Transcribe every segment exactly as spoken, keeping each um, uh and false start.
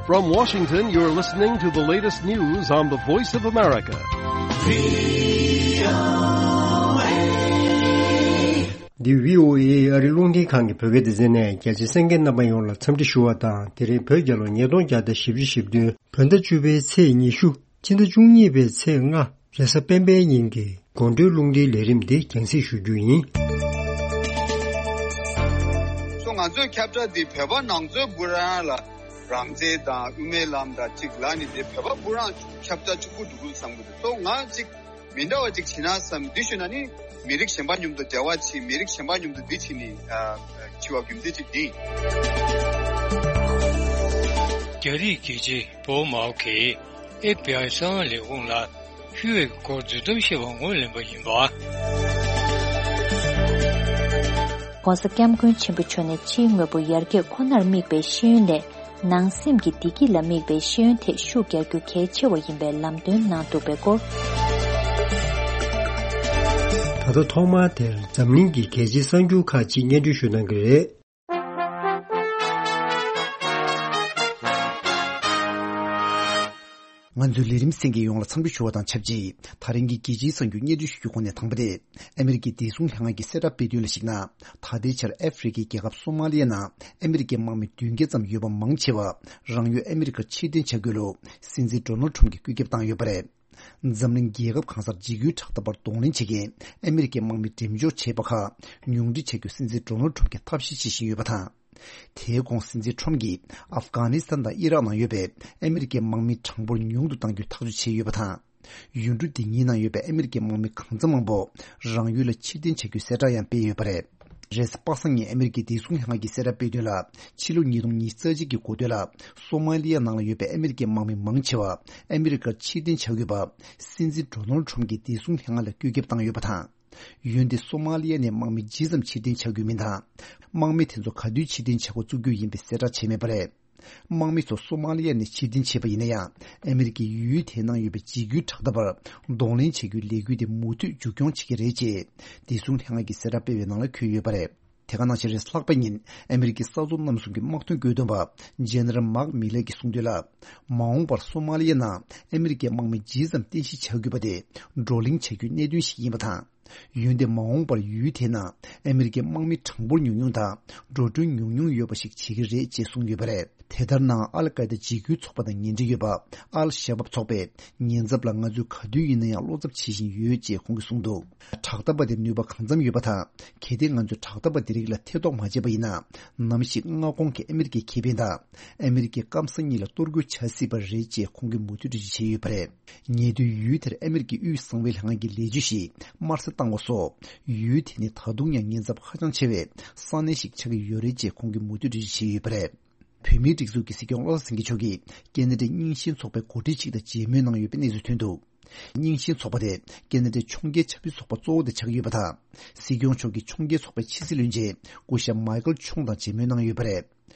From Washington, you're listening to the latest news on the Voice of America. འདི་བྷི་ཨོ་ཨེ་ཨ་རི་རླུང་འཕྲིན་ཁང་གི་བོད་སྐད་སྡེ་ཚན་ནས། རྒྱ་ཆེ་གསན་མཁན་རྣམ་པ་ཡོངས་ལ་འཚམས་འདྲི་ཞུ་བ་དང་། དེ་རིང་བོད་རྒྱལ་ལོ་ཉིས་སྟོང་བརྒྱ་དང་བཞི་བཅུ་ཞེ་བདུན། བོད་ཟླ་བཅུ་པའི་ཚེས་ཉི་ཤུ། ཕྱི་ཟླ་བཅུ་གཉིས་པའི་ཚེས་ལྔ། རེས་གཟའ་སྤེན་པའི་ཉིན་གྱི་དགོང་དྲོའི་རླུང་འཕྲིན་ལས་རིམ་འདི་རྒྱང་སྲིང་ཞུ་རྒྱུ་ཡིན། སོ་ང་ཚོའི་ཁྱབ་བསྒྲགས་འདི་བོད་པ་ནང་ཚོའི་བུ་རང་ལ་རང་བཙན་དང་དབུ་མའི་ལམ་དང་གཅིག་ལ་ནི་དེ་བོད་པ་བུ་རང་ཁྱབ་བསྒྲགས་ཕྱུག་པོ་འགྲོ་གི་བསམ་གི་འདུག་སོ་ང་གཅིག་མི་འདྲ་བ་ཅིག་བྱེད་ན་བསམ། འདི་ཞུས་ན་ནི་མི་རིགས་གཞན་པ་མཉམ་དུ་འབྲེལ་བ་བྱེད། མི་རིགས་གཞན་པ་མཉམ་དུ་འདི་བྱེད་ནི་ཨ་བྱེད་པ་རྒྱུ་མཚན་ཅིག་འདི། རྒྱ་རིགས་རྒྱལ་སྤྱི་པོ་མའོ་གིས་ཨེཕ་བི་ཨའི་གསང་བ་ལས་ཁུངས་ལ་ཕུལ་བའི་སྐོར་རྫུན་གཏམ་བཤད་པ་ངོས་ལེན་པ་ཡིན་པ། ༸གོང་ས་༸སྐྱབས་མགོན་ཆེན་པོ་མཆོག་ནས་ཕྱིའི་དངོས་པོ་ཡར་རྒྱས་ཁོ་ནར་དམིགས་པའི་ཤེས་ཡོན་ལས། ནང་སེམས་ཀྱི་བདེ་སྐྱིད་ལ་དམིགས་པའི་ཤེས་ཡོན་ཐད་ཤུགས་རྒྱག་རྒྱུ་གལ་ཆེ་བ་ཡིན་པའི་ལམ་སྟོན་གནང་འདུག་པའི་སྐོར། ད་ལྟ་ཐོག་མར་དེར་འཛམ་གླིང་གི་གལ་ཆེའི་གསར་འགྱུར་ཁག་ཅིག་སྙན་སྒྲོན་ཞུ་གནང་གི་རེད། ང་ཚོའི་ལས་རིམ་གསན་མཁན་ཡོངས་ལ་འཚམས་འདྲི་ཞུ་བ་དང་ཆབས་ཅིག་ད་རིང་གི་རྒྱལ་སྤྱིའི་གསར་འགྱུར་སྙན་སྒྲོན་ཞུ་རྒྱུ་ཁོངས་ནས་དང་པོ་དེ། ཨ་མི་རི་ཀའི་བདེ་སྲུང་ལྷན་ཁང་གིས་གསལ་བསྒྲགས་སྤེལ་དོན་ལ་གཞིགས་ན། ད་ལྟའི་ཆར་ཨ་ཧྥེ་རི་ཁའི་རྒྱལ་ཁབ་སོ་མ་ལི་ཡ་ནང་ཨ་མི་རི་ཀའི་དམག་མི་བདུན་བརྒྱ་ཙམ་ཡོད་པ་མང་ཆེ་བ་རང་ཡུལ་ཨ་མི་རི་ཀར་ཕྱིར་འཐེན་བྱ་དགོས་ལུགས་སྲིད་འཛིན་ཌོ་ནལ་ཁྲོམ་གྱིས་བཀོད་ཁྱབ་བཏང་ཡོད་པ་རེད། འཛམ་གླིང་རྒྱལ་ཁབ་གང་སར་འཇིགས་སྐུལ་དྲག་འཐབ་པར་གདོང་ལེན་བྱེད་མཁན་ཨ་མི་རི་ཀའི་དམག་མི་འགྲེམས་འཇོག་བྱས་པ་ཁག་ཉུང་འཕྲི་བྱ་རྒྱུ་སྲིད་འཛིན་ཌོ་ནལ་ཁྲོམ་གྱིས་ཐབས་ཤེས་བྱེད་བཞིན་ཡོད་པ་དང་། དེའི་གོང་སྲིད་འཛིན་ཁྲོམ་གྱིས་ཨབ་གྷ་ནི་སི་ཐན་དང་ཨི་རག་ནང་ཡོད་པའི་ཨ་མི་རི་ཀའི་དམག་མིའི་གྲངས་འབོར་ཉུང་དུ་གཏང་རྒྱུའི་ཐག་གཅོད་བྱས་ཡོད་པ་དང་། ཡུལ་གྲུ་འདི་གཉིས་ནང་ཡོད་པའི་ཨ་མི་རི་ཀའི་དམག་མི་གང་ཚང་མང་པོ་རང་ཡུལ་ལ་ཕྱིར་འཐེན་བྱ་རྒྱུའི་གསལ་བསྒྲགས་ཡང་སྤེལ་ཡོད་པ་རེད། རེས་གཟའ་པ་སངས་ཉིན་ཨ་མི་རི་ཀའི་བདེ་སྲུང་ལྷན་ཁང་གིས་གསལ་བསྒྲགས་སྤེལ་དོན་ལ། ཕྱི་ལོ་ཉིས་སྟོང་ཉི་ཤུ་རྩ་གཅིག་གི་འགོ་སྟོད་ལ་སོ་མ་ལི་ཡ་ནང་ལ་ཡོད་པའི་ཨ་མི་རི་ཀའི་དམག་མི་མང་ཆེ་བ་ཨ་མི་རི་ཀར་ཕྱིར་འཐེན་བྱ་དགོས་པ་སྲིད་འཛིན་ཌོ་ནལ་ཁྲོམ་གྱིས་བདེ་སྲུང་ལྷན་ཁང་ལ་བཀོད་ཁྱབ་བཏང་ཡོད་པ་དང་། འོན་ཏེ་སོ་མ་ལི་ཡ་ནས་དམག་མི་ཇི་ཙམ་ཕྱིར་འཐེན་བྱ་དགོས་མིན་དང་། དམག་མི་དེ་ཚོ་ག་དུས་ཕྱིར་འཐེན་བྱ་འགོ་བཙུགས་རྒྱུ་ཡིན་པའི་གསལ་བསྒྲགས་བྱས་མེད་པ་རེད། དམག་མི་ཚོ་སོ་མ་ལི་ཡ་ནས་ཕྱིར་འཐེན་བྱས་པ་ཡིན་ན་ཡང་། ཨ་མི་རི་ཀས་ཡུལ་དེའི་ནང་ཡོད་པའི་འཇིགས་སྐུལ་དྲག་འཐབ་པར་གདོང་ལེན་བྱེད་རྒྱུའི་ལས་འགུལ་དེ་མུ་མཐུད་མཇུག་སྐྱོང་བྱེད་ཀྱི་རེད་ཅེས། བདེ་སྲུང་ལྷན་ཁང་གིས་གསལ་བསྒྲགས་སྤེལ་བའི་ནང་ལ་འཁོད་ཡོད་པ་རེད། དེ་ག་ནང་བཞིན་རེས་ལྷག་པའི་ཉིན་ཨ་མི་རི་ཀའི་ས་མཚམས་རྣམ་གསུམ་གྱི་དམག་དོན་བཀོད་འདོམས་པ་ཇེ་ནེ་རལ་མཱག་མི་ལེ་གིས་གསུངས་དོན་ལ། མ་འོངས་པར་སོ་མ་ལི་ཡ་ནང་ཨ་མི་རི་ཀའི་དམག་མི་ཇི་ཙམ་རྟེན་གཞི་བྱ་དགོས་པ་དེ་བགྲོ་གླེང་བྱ་རྒྱུའི་གནད་དོན་ཞིག་ཡིན་པ་དང་། འོན་ཏེ་མ་འོངས་པར་ཡུལ་དེའི་ནང་ཨ་མི་རི་ཀའི་དམག་མི་གྲངས་འབོར་ཉུང་ཉུང་དང་འགྲོ་གྲོན་ཉུང་ཉུང་ཡོད་པ་ཞིག་བྱེད་ཀྱི་རེད་ཅེས་གསུངས་ཡོད་པ་རེད། དེ་ལྟར་ན་ཨལ་ཀའི་ད་འཇིགས་སྐུལ་ཚོགས་པ་དང་ངན་འབྲེལ་ཡོད་པ་ཨལ་ཤ་བབ་ཚོགས་པས་ཉེན་ཚབས་ལ་ང་ཚོས་ག་དུས་ཡིན་ན་ཡང་བློ་འཚབ་བྱེད་བཞིན་ཡོད་ཅེས་ཁོང་གིས་གསུངས་འདུག་དྲག་འཐབ་པ་དེར་ནུས་པ་གང་འཚམ་ཡོད་པ་དང་། གལ་ཏེ་ང་ཚོས་དྲག་འཐབ་པ་དེ་རིགས་ལ་ཐེ་གཏོགས་མ་བྱས་པ་ཡིན་ན། ནམ་ཞིག་མངའ་ཁོངས་ཀྱི་ཨ་མི་རི་ཀའི་ཁེ་ཕན་དང་། ཨ་མི་རི་ཀའི་སྐམ་ས་གཉིས་ལ་གཏོར་རྒོལ་བྱ་སྲིད་པ་རེད་ཅེས་ཁོང་གིས་མུ་མཐུད་འགྲེལ་བརྗོད་བྱས་ཡོད་པ་རེད། ཉེ་དུས་ཡུལ་དེར་ཨ་མི་རི་ཀའི་དབུས་གསང་བའི་ལྷན་ཁང་གི་ལས་བྱེད་ཞིག་དམར་གསོད་བཏང་བ་སོགས། ཡུལ་དེ་ནི་ད་དུང་ཡང་ཉེན་ཚབས་ཧ་ཅང་ཆེ་བའི་ས་གནས་ཤིག་ཆགས་ཀྱི་ཡོད་རེད་ཅེས་ཁོང་གིས་མུ་མཐུད་འགྲེལ་བརྗོད་བྱས་ཡོད་པ་རེད། བོད་མིའི་སྒྲིག་འཛུགས་ཀྱི་སྲིད་སྐྱོང་བློ་བཟང་སེང་གེ་མཆོག་གིས་ཀེ་ན་ཌའི་རྙིང་ཞེན་ཚོགས་པའི་འགོ་ཁྲིད་ཅིག་དང་མཇལ་མོལ་གནང་ཡོད་པའི་གནས་ཚུལ་ཐོན་འདུག་རྙིང་ཞེན་ཚོགས་པ་དེ་ཀེ་ན་ཌའི་ཕྱོགས་འགལ་ཆབ་སྲིད་ཚོགས་པ་གཙོ་བོ་དེ་ཆགས་ཀྱི་ཡོད་པ་དང་། སྲིད་སྐྱོང་མཆོག་གིས་ཕྱོགས་འགལ་ཚོགས་པའི་ཕྱི་སྲིད་བློན་ཆེན་སྐུ་ཞབས་མཱི་ཀལ་ཁྱུང་དང་མཇལ་མོལ་གནང་ཡོད་པ་རེད།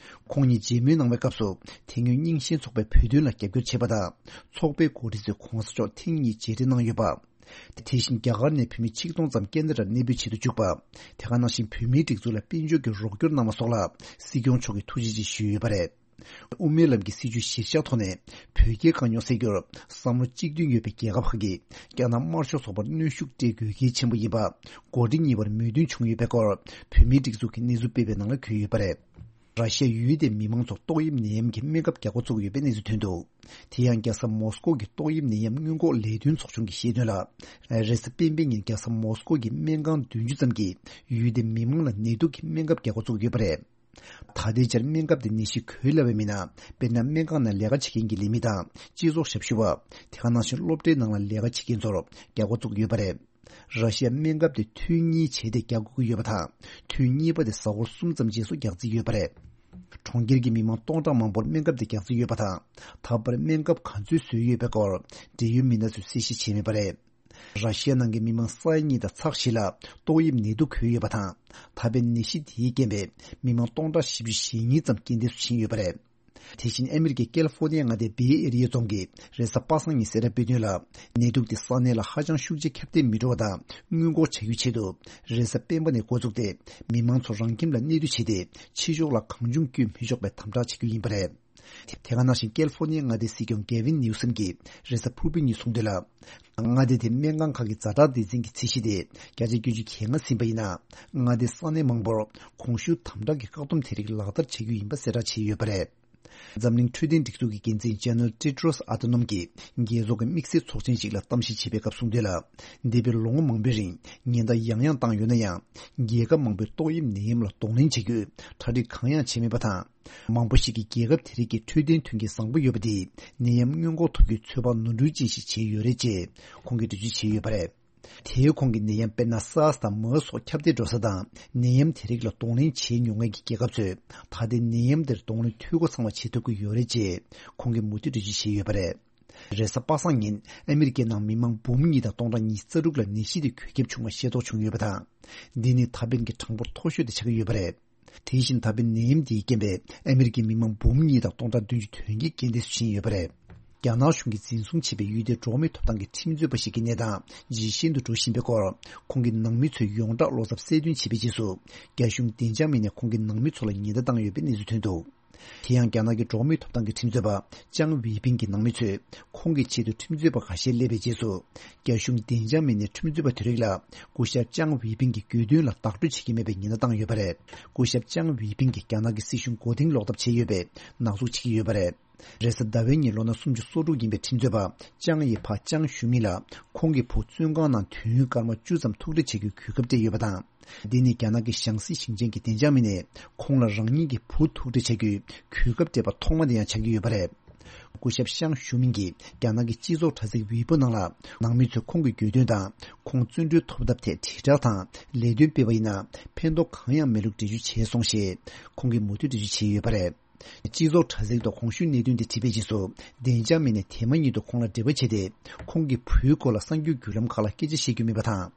ཁོང་གཉིས་མཇལ་མོལ་གནང་བའི་སྐབས་སུ། དེ་སྔོན་རྙིང་ཞེན་ཚོགས་པས་བོད་དོན་ལ་རྒྱབ་སྐྱོར་བྱས་པ་དང་། ཚོགས་པའི་འགོ་ཁྲིད་ཚོས་༸གོང་ས་མཆོག་ཐེངས་གཉིས་མཇལ་འཕྲད་གནང་ཡོད་པ། དེ་བཞིན་རྒྱ་གར་ནས་བོད་མི་ཆིག་སྟོང་ཙམ་ཀན་ཌ་རར་གནས་སྤོས་བྱེད་དུ་བཅུག་པ། དེ་ག་ནང་བཞིན་བོད་མིའི་སྒྲིག་འཛུགས་ལ་དཔལ་འབྱོར་གྱི་རོགས་སྐྱོར་གནང་བ་སོགས་ལ་སྲིད་སྐྱོང་མཆོག་གིས་ཐུགས་རྗེ་ཆེ་ཞུས་ཡོད་པ་རེད། དབུ་མའི་ལམ་གྱི་སྲིད་བྱུས་གཞིར་བཞག་ཐོག་ནས་བོད་རྒྱའི་དཀའ་རྙོག་སེལ་རྒྱུར་བསམ་བློ་གཅིག་མཐུན་ཡོད་པའི་རྒྱལ་ཁབ་ཁག་གིས་རྒྱ་ནག་དམར་ཤོག་ཚོགས་པར་གནོན་ཤུགས་སྤྲད་དགོས་གལ་ཆེན་པོ་ཡིན་པ། འགོ་ཁྲིད་གཉིས་བར་མོས་མཐུན་བྱུང་ཡོད་པའི་སྐོར་བོད་མིའི་སྒྲིག་འཛུགས་ཀྱིས་གནས་ཚུལ་སྤེལ་བའི་ནང་ལ་འཁོད་ཡོད་པ་རེད། ར་ཤི་ཡ་ཡུལ་དེའི་མི་མང་ཚོར་ཏོག་དབྱིབས་ནད་ཡམས་ཀྱི་སྨན་ཁབ་རྒྱག་འགོ་བཙུགས་ཡོད་པའི་གནས་ཚུལ་ཐོན་འདུག་དེ་ཡང་རྒྱལ་ས་མོ་སི་ཀོ་གི་ཏོག་དབྱིབས་ནད་ཡམས་སྔོན་འགོག་ལས་དོན་ཚོགས་ཆུང་གིས་བཤད་དོན་ལ། རེས་གཟའ་སྤེན་པའི་ཉིན་རྒྱལ་ས་མོ་སི་ཀོ་གི་སྨན་ཁང་བདུན་ཅུ་ཙམ་གྱིས་ཡུལ་དེའི་མི་མང་ལ་ནད་དུག་གི་སྨན་ཁབ་རྒྱག་འགོ་བཙུགས་ཡོད་པ་རེད། ད་ལྟའི་ཆར་སྨན་ཁབ་དེ་ནད་གཞི་འགོས་སླ་བའི་མི་སྣ། དཔེར་ན་སྨན་ཁང་ནང་ལས་ཀ་བྱེད་མཁན་གྱི་ལས་མི་དང་སྤྱི་ཚོགས་ཞབས་ཞུ་བ། དེ་ག་ནང་བཞིན་སློབ་གྲྭའི་ནང་ལ་ལས་ཀ་བྱེད་མཁན་ཚོར་རྒྱག་འགོ་བཙུགས་ཡོད་པ་རེད། ར་ཤི་ཡ་སྨན་ཁབ་དེ་ཐུན་གཉིས་བྱས་ཏེ་རྒྱག་དགོས་ཀྱི་ཡོད་པ་དང་། ཐུན་གཉིས་པ་དེ་གཟའ་འཁོར་གསུམ་ཙམ་རྗེས་སུ་རྒྱག་རྩིས་ཡོད་པ་རེད། གྲོང་ཁྱེར་གྱི་མི་མང་སྟོང་ཕྲག་མང་པོར་སྨན་ཁབ་དེ་རྒྱག་རྩིས་ཡོད་པ་དང་། ད་བར་སྨན་ཁབ་ག་ཚོད་བཟོས་ཡོད་པའི་སྐོར་འབྲེལ་ཡོད་མི་སྣ་ཚོས་གསལ་བཤད་བྱས་མེད་པ་རེད། ར་ཤི་ཡ་ནང་གི་མི་མང་ས་ཡ་གཉིས་དང་ཚེག་བཞི་ལ་ཏོག་དབྱིབས་ནད་དུག་འགོས་ཡོད་པ་དང་། ད་ཕན་ནད་གཞི་དེའི་རྐྱེན་པས་མི་མང་སྟོང་ཕྲག་བཞི་བཅུ་ཞེ་གཉིས་ཙམ་རྐྱེན་འདས་སུ་ཕྱིན་ཡོད་པ་རེད། དེ་བཞིན་ཨ་མི་རི་ཀའི་ཀེ་ལི་ཧྥོ་ནི་ཡ་མངའ་སྡེའི་བེ་ཨེ་རི་ཡའི་རྫོང་གིས་རེས་གཟའ་པ་སངས་ཉིན་གསལ་བསྒྲགས་སྤེལ་དོན་ལ། ནད་དུག་དེ་ས་གནས་ལ་ཧ་ཅང་ཤུགས་ཆེ་ཁྱབ་གདལ་མི་འགྲོ་བ་དང་སྔོན་འགོག་བྱ་རྒྱུའི་ཆེད་དུ། རེས་གཟའ་སྤེན་པ་ནས་འགོ་བཙུགས་ཏེ། མི་མང་ཚོ་རང་ཁྱིམ་ལ་གནས་སྡོད་བྱས་ཏེ། ཕྱི་ཕྱོགས་ལ་གང་བྱུང་བསྐྱོད་མི་ཆོག་པའི་དམ་དྲག་བྱེད་རྒྱུ་ཡིན་པ་རེད། དེ་དེ་ག་ནང་བཞིན་ཀེ་ལི་ཧྥོར་ནི་ཡའི་མངའ་སྡེའི་སྲིད་སྐྱོང་གེ་ཝིན་ནིའུ་སམ་གྱིས་རེས་གཟའ་ཕུར་བུ་ཉིན་གསུངས་དོན་ལ། མངའ་སྡེ་དེའི་སྨན་ཁང་ཁག་གི་ཛ་དྲག་སྡེ་ཚན་གྱི་ཚད་གཞི་དེ་བརྒྱ་ཆ་བརྒྱད་ཅུ་གྱ་ལྔ་ཟིན་པ་ཡིན་ན། མངའ་སྡེའི་ས་གནས་མང་པོར་གོང་ཞུས་དམ་དྲག་གི་བཀག་སྡོམ་དེ་རིགས་ལག་བསྟར་བྱ་རྒྱུ་ཡིན་པ་གསལ་བསྒྲགས་བྱས་ཡོད་པ་རེད། འཛམ་གླིང་འཕྲོད་བསྟེན་སྒྲིག་འཛུགས་ཀྱི་འགན་འཛིན་ཇེ་ནེ་རལ་ཏེ་ཏྲོས་ཨ་ཐ་ནོམ་གྱིས་རྒྱལ་ཚོགས་ཀྱི་དམིགས་བསལ་ཚོགས་ཆེན་ཞིག་ལ་གཏམ་བཤད་བྱེད་པའི་སྐབས་གསུངས་དོན་ལ། འདས་པའི་ལོ་ངོ་མང་པོའི་རིང་ཉེན་བརྡ་ཡང་ཡང་བཏང་ཡོད་ན་ཡང་། རྒྱལ་ཁབ་མང་པོས་ཏོག་དབྱིབས་ནད་ཡམས་ལ་གདོང་ལེན་བྱེད་རྒྱུའི་གྲ་སྒྲིག་གང་ཡང་བྱས་མེད་པ་དང་། མང་པོ་ཞིག་གིས་རྒྱལ་ཁབ་དེ་རིགས་ཀྱི་འཕྲོད་བསྟེན་མཐུན་རྐྱེན་བཟང་པོ་ཡོད་པ་དེས་ནད་ཡམས་སྔོན་འགོག་ཐུབ་རྒྱུའི་ཚོད་དཔག་ནོར་འཁྲུལ་ཅན་ཞིག་བྱས་ཡོད་རེད་ཅེས་ཁོང་གིས་འགྲེལ་བརྗོད་བྱས་ཡོད་པ་རེད། དེའི་གོང་གི་ནད་ཡམས་དཔེར་ན་སཱར་སི་དང་མར་སི་སོགས་ཁྱབ་གདལ་འགྲོ་ས་དང་ནད་ཡམས་དེ་རིགས་ལ་གདོང་ལེན་བྱས་མྱོང་མཁན་གྱི་རྒྱལ་ཁབ་ཚོས་ད་ལྟའི་ནད་ཡམས་དེར་གདོང་ལེན་འཐུས་སྒོ་ཚང་བ་བྱེད་ཐུབ་ཀྱི་ཡོད་རེད་ཅེས་ཁོང་གིས་མུ་མཐུད་འགྲེལ་བརྗོད་བྱས་ཡོད་པ་རེད། རེས་གཟའ་པ་སངས་ཉིན་ཨ་མི་རི་ཀའི་ནང་མི་མང་འབུམ་གཉིས་དང་སྟོང་ཕྲག་ཉི་ཤུ་རྩ་དྲུག་ལ་ནད་གཞི་དེ་འགོས་ཁྱབ་བྱུང་བ་ཤེས་རྟོགས་བྱུང་ཡོད་པ་དང་། འདི་ནི་ད་ཕན་གྱི་གྲངས་འབོར་མཐོ་ཤོས་དེ་ཆགས་ཀྱི་ཡོད་པ་རེད། དེ་བཞིན་ད་ཕན་ནད་ཡམས་འདིའི་རྐྱེན་པས་ཨ་མི་རི་ཀའི་མི་མང་འབུམ་གཉིས་དང་སྟོང་ཕྲག་བདུན་ཅུ་དོན་བརྒྱད་རྐྱེན་འདས་སུ་ཕྱིན་ཡོད་པ་རེད། རྒྱ་ནག་གཞུང་གིས་འཛིན་བཟུང་བྱས་པའི་ཡུལ་དེའི་འགྲོ་བ་མིའི་ཐོབ་ཐང་གི་ཁྲིམས་རྩོད་པ་ཞིག་གི་གནས་སྟངས་ཇེ་ཞན་དུ་འགྲོ་བཞིན་པའི་སྐོར། ཁོང་གིས་ནང་མི་ཚོའི་ཡོངས་གྲགས་བློ་འཚབ་གསལ་སྟོན་བྱས་པའི་རྗེས་སུ། རྒྱ་གཞུང་བདེ་འཇགས་མི་སྣས་ཁོང་གི་ནང་མི་ཚོ་ལ་ཉེན་བརྡ་བཏང་ཡོད་པའི་གནས་ཚུལ་ཐོན་འདུག་དེ་ཡང་རྒྱ་ནག་གི་འགྲོ་བ་མིའི་ཐོབ་ཐང་གི་ཁྲིམས་རྩོད་པ་ཅང་ཝེ་ཕིང་གི་ནང་མི་ཚོས་ཁོང་གི་ཆེད་དུ་ཁྲིམས་རྩོད་པ་ཁ་ཤས་སླེབས་པའི་རྗེས་སུ། རྒྱ་གཞུང་བདེ་འཇགས་མི་སྣས་ཁྲིམས་རྩོད་པ་དེ་རིགས་ལ་སྐུ་ཞབས་ཅང་ཝེ་ཕིང་གི་གྱོད་དོན་ལ་བདག་སྤྲོད་བྱེད་ཀྱི་མེད་པའི་ཉེན་བརྡ་བཏང་ཡོད་པ་རེད། སྐུ་ཞབས་ཅང་ཝེ་ཕིང་གིས་རྒྱ་ནག་གི་སྲིད་གཞུང་མགོ་རྟིང་སློག་ཐབས་བྱས་ཡོད་པའི་ནག་འཛུགས་བྱེད་ཀྱི་ཡོད་པ་རེད། རེས་གཟའ་ཟླ་བའི་ཉིན་ལོ་ན་སུམ་ཅུ་སོ་དྲུག་ཡིན་པའི་ཁྲིམས་རྩོད་པ་ཅང་ཡི་ཕ་ཅང་ཞུ་མི་ལ་ཁོང་གི་བུ་བཙོན་ཁང་ནང་དུས་ཡུན་སྐར་མ་བཅུ་ཙམ་ཐུག་འཕྲད་བྱེད་རྒྱུའི་གོ་སྐབས་སྤྲད་ཡོད་པ་དང་། འདི་ནི་རྒྱ་ནག་གི་ཞང་སྲིད་ཞིང་ཆེན་གྱི་བདེ་འཇགས་མི་སྣས་ཁོང་ལ་རང་ཉིད་ཀྱི་བུ་ཐུག་འཕྲད་བྱ་རྒྱུའི་གོ་སྐབས་སྤྲད་པ་ཐོག་མ་དེ་ཡང་ཆགས་ཀྱི་ཡོད་པ་རེད། སྐུ་ཞབས་ཤང་ཞུ་མིན་གྱིས་རྒྱ་ནག་གི་སྤྱི་ཚོགས་དྲ་ཚིགས་ཝེ་པོ་ནང་ལ་ནང་མི་ཚོས་ཁོང་གི་གྱོད་དོན་དང་ཁོང་བཙོན་གྲོལ་ཐོབ་ཐབས་ཐད་དྲིལ་བསྒྲགས་དང་ལས་དོན་སྤེལ་བ་ཡིན་ན་ཕན་ཐོགས་གང་ཡང་མེད་ལུགས་འགྲེལ་བརྗོད་བྱས་སོང་ཞེས་ཁོང་གིས་མུ་མཐུད་འགྲེལ་བརྗོད་བྱས་ཡོད་པ་རེད། སྤྱི་ཚོགས་དྲ་ཚིགས་ཐོག་གོང་ཞུས་གནད་དོན་དེ་བྲིས་པའི་རྗེས་སུ་བདེ་འཇགས་མི་སྣས་དེ་མ་ཉིད་དུ་ཁོང་ལ་འབྲེལ་བ་བྱས་ཏེ་ཁོང་གི་བུའི་སྐོར་ལ་གསར་འགྱུར་བརྒྱུད་ལམ་ཁག་ལ་སྐད་ཆ་བཤད་རྒྱུ་མེད་པ་དང་།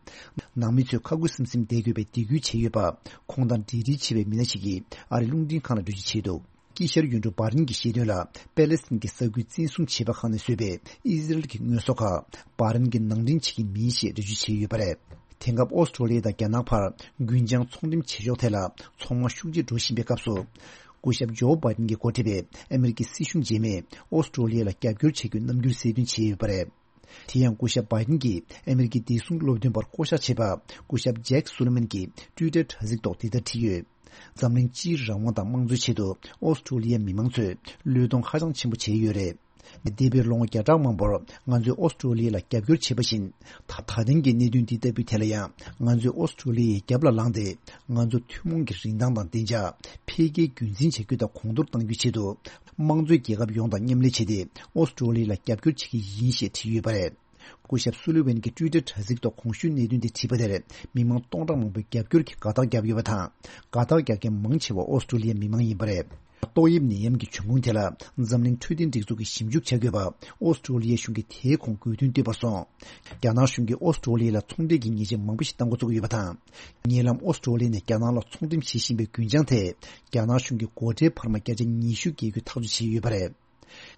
ནང་མི་ཚོས་ཁ་ཁུ་སིམ་སིམ་བསྡད་དགོས་པའི་སྡིགས་སྐུལ་བྱས་ཡོད་པ། ཁོང་དང་འབྲེལ་འདྲིས་བྱས་པའི་མི་སྣ་ཞིག་གིས་ཨ་རིའི་རླུང་འཕྲིན་ཁང་ལ་འགྲེལ་བརྗོད་བྱས་འདུག་དཀྱིལ་ཤར་ཡུལ་གྲུ་བྷ་རིན་གྱིས་བཤད་དོན་ལ་པེ་ལེ་སི་ཐན་གྱི་ས་ཁུལ་བཙན་བཟུང་བྱས་པ་ཁག་ནས་བཟོས་པའི་ཨི་ཟི་རལ་གྱི་དངོས་ཟོག་ཁག་བྷ་རིན་གྱིས་ནང་འདྲེན་བྱེད་ཀྱི་མིན་ཞེས་འགྲེལ་བརྗོད་བྱས་ཡོད་པ་རེད། དེང་སྐབས་ཨོ་སི་ཀྲོ་ལི་ཡ་དང་རྒྱ་ནག་བར་རྒུན་ཆང་ཚོང་འགྲེམས་བྱེད་ཕྱོགས་ཐད་ལ་ཚོང་དམག་ཤུགས་ཆེ་འགྲོ་བཞིན་པའི་སྐབས་སུ། སྐུ་ཞབས་ཇོ་བྷ་ཏིན་གྱིས་འགོ་ཁྲིད་པའི་ཨ་མི་རི་ཀའི་སྲིད་གཞུང་རྗེས་མས་ཨོ་སི་ཀྲོ་ལི་ཡ་ལ་རྒྱབ་སྐྱོར་བྱེད་རྒྱུའི་རྣམ་འགྱུར་གསལ་སྟོན་བྱས་ཡོད་པ་རེད། དེ་ཡང་སྐུ་ཞབས་བྷ་ཏིན་གྱིས་ཨ་མི་རི་ཀའི་བདེ་སྲུང་སློབ་སྟོན་པར་བསྐོ་གཞག་བྱས་པ་སྐུ་ཞབས་ཇེག་སུ་ལི་མན་གྱིས་ཊུའི་ཊར་དྲ་ཚིགས་ཐོག་འདི་ལྟར་བྲིས་ཡོད། འཛམ་གླིང་སྤྱིའི་རང་དབང་དང་དམངས་གཙོའི་ཆེད་དུ་ཨོ་སི་ཀྲོ་ལི་ཡའི་མི་མང་ཚོས་བློས་གཏོང་ཧ་ཅང་ཆེན་པོ་བྱས་ཡོད་རེད། འདས་པའི་ལོ་ངོ་བརྒྱ་ཕྲག་མང་པོར་ང་ཚོས་ཨོ་སི་ཀྲོ་ལི་ཡ་ལ་རྒྱབ་སྐྱོར་བྱས་པ་བཞིན། ད་ད་ཐེངས་ཀྱི་གནད་དོན་འདི་ལྟ་བུའི་ཐད་ལ་ཡང་ང་ཚོས་ཨོ་སི་ཀྲོ་ལི་ཡའི་རྒྱབ་ལ་ལངས་ཏེ། ང་ཚོ་ཐུན་མོང་གི་རིན་ཐང་དང་བདེ་འཇགས་འཕེལ་རྒྱས་རྒྱུན་འཛིན་བྱ་རྒྱུ་དང་གོང་མཐོར་གཏང་རྒྱུའི་ཆེད་དུ། དམངས་གཙོའི་རྒྱལ་ཁབ་ཡོངས་དང་མཉམ་ལས་བྱས་ཏེ། ཨོ་སི་ཀྲོ་ལི་ཡ་ལ་རྒྱབ་སྐྱོར་བྱེད་ཀྱི་ཡིན་ཞེས་བྲིས་ཡོད་པ་རེད། སྐུ་ཞབས་སུ་ལི་ཝན་གྱིས་ཊུའི་ཊར་དྲ་ཚིགས་ཐོག་གོང་ཞུས་གནད་དོན་དེ་བྲིས་པ་དེར་མི་མང་སྟོང་ཕྲག་མང་པོས་རྒྱབ་སྐྱོར་གྱི་དགའ་རྟགས་བརྒྱབ་ཡོད་པ་དང་། དགའ་རྟགས་རྒྱག་མཁན་མང་ཆེ་བ་ཨོ་སི་ཀྲོ་ལི་ཡའི་མི་མང་ཡིན་པ་རེད། ཏོག་དབྱིབས་ནད་ཡམས་ཀྱི་འབྱུང་ཁུངས་དེ་ལ་འཛམ་གླིང་འཕྲོད་བསྟེན་སྒྲིག་འཛུགས་ཀྱིས་ཞིབ་འཇུག་བྱ་དགོས་པ་ཨོ་སི་ཀྲོ་ལི་ཡའི་གཞུང་གིས་དེའི་གོང་དགོས་འདུན་བཏོན་པར་སོང་། རྒྱ་ནག་གཞུང་གིས་ཨོ་སི་ཀྲོ་ལི་ཡ་ལ་ཚོང་འབྲེལ་གྱི་ཉེས་ཆད་མང་པོ་ཞིག་གཏང་འགོ་བཙུགས་ཡོད་པ་དང་། ཉེ་ལམ་ཨོ་སི་ཀྲོ་ལི་ཡ་ནས་རྒྱ་ནག་ལ་ཚོང་འགྲེམས་བྱེད་བཞིན་པའི་རྒུན་ཆང་དེ་རྒྱ་ནག་གཞུང་གིས་སྒོ་ཁྲལ་འཕར་མ་བརྒྱ་ཆ་ཉི་ཤུ་འགེལ་རྒྱུ་ཐག་གཅོད་བྱས་ཡོད་པ་རེད།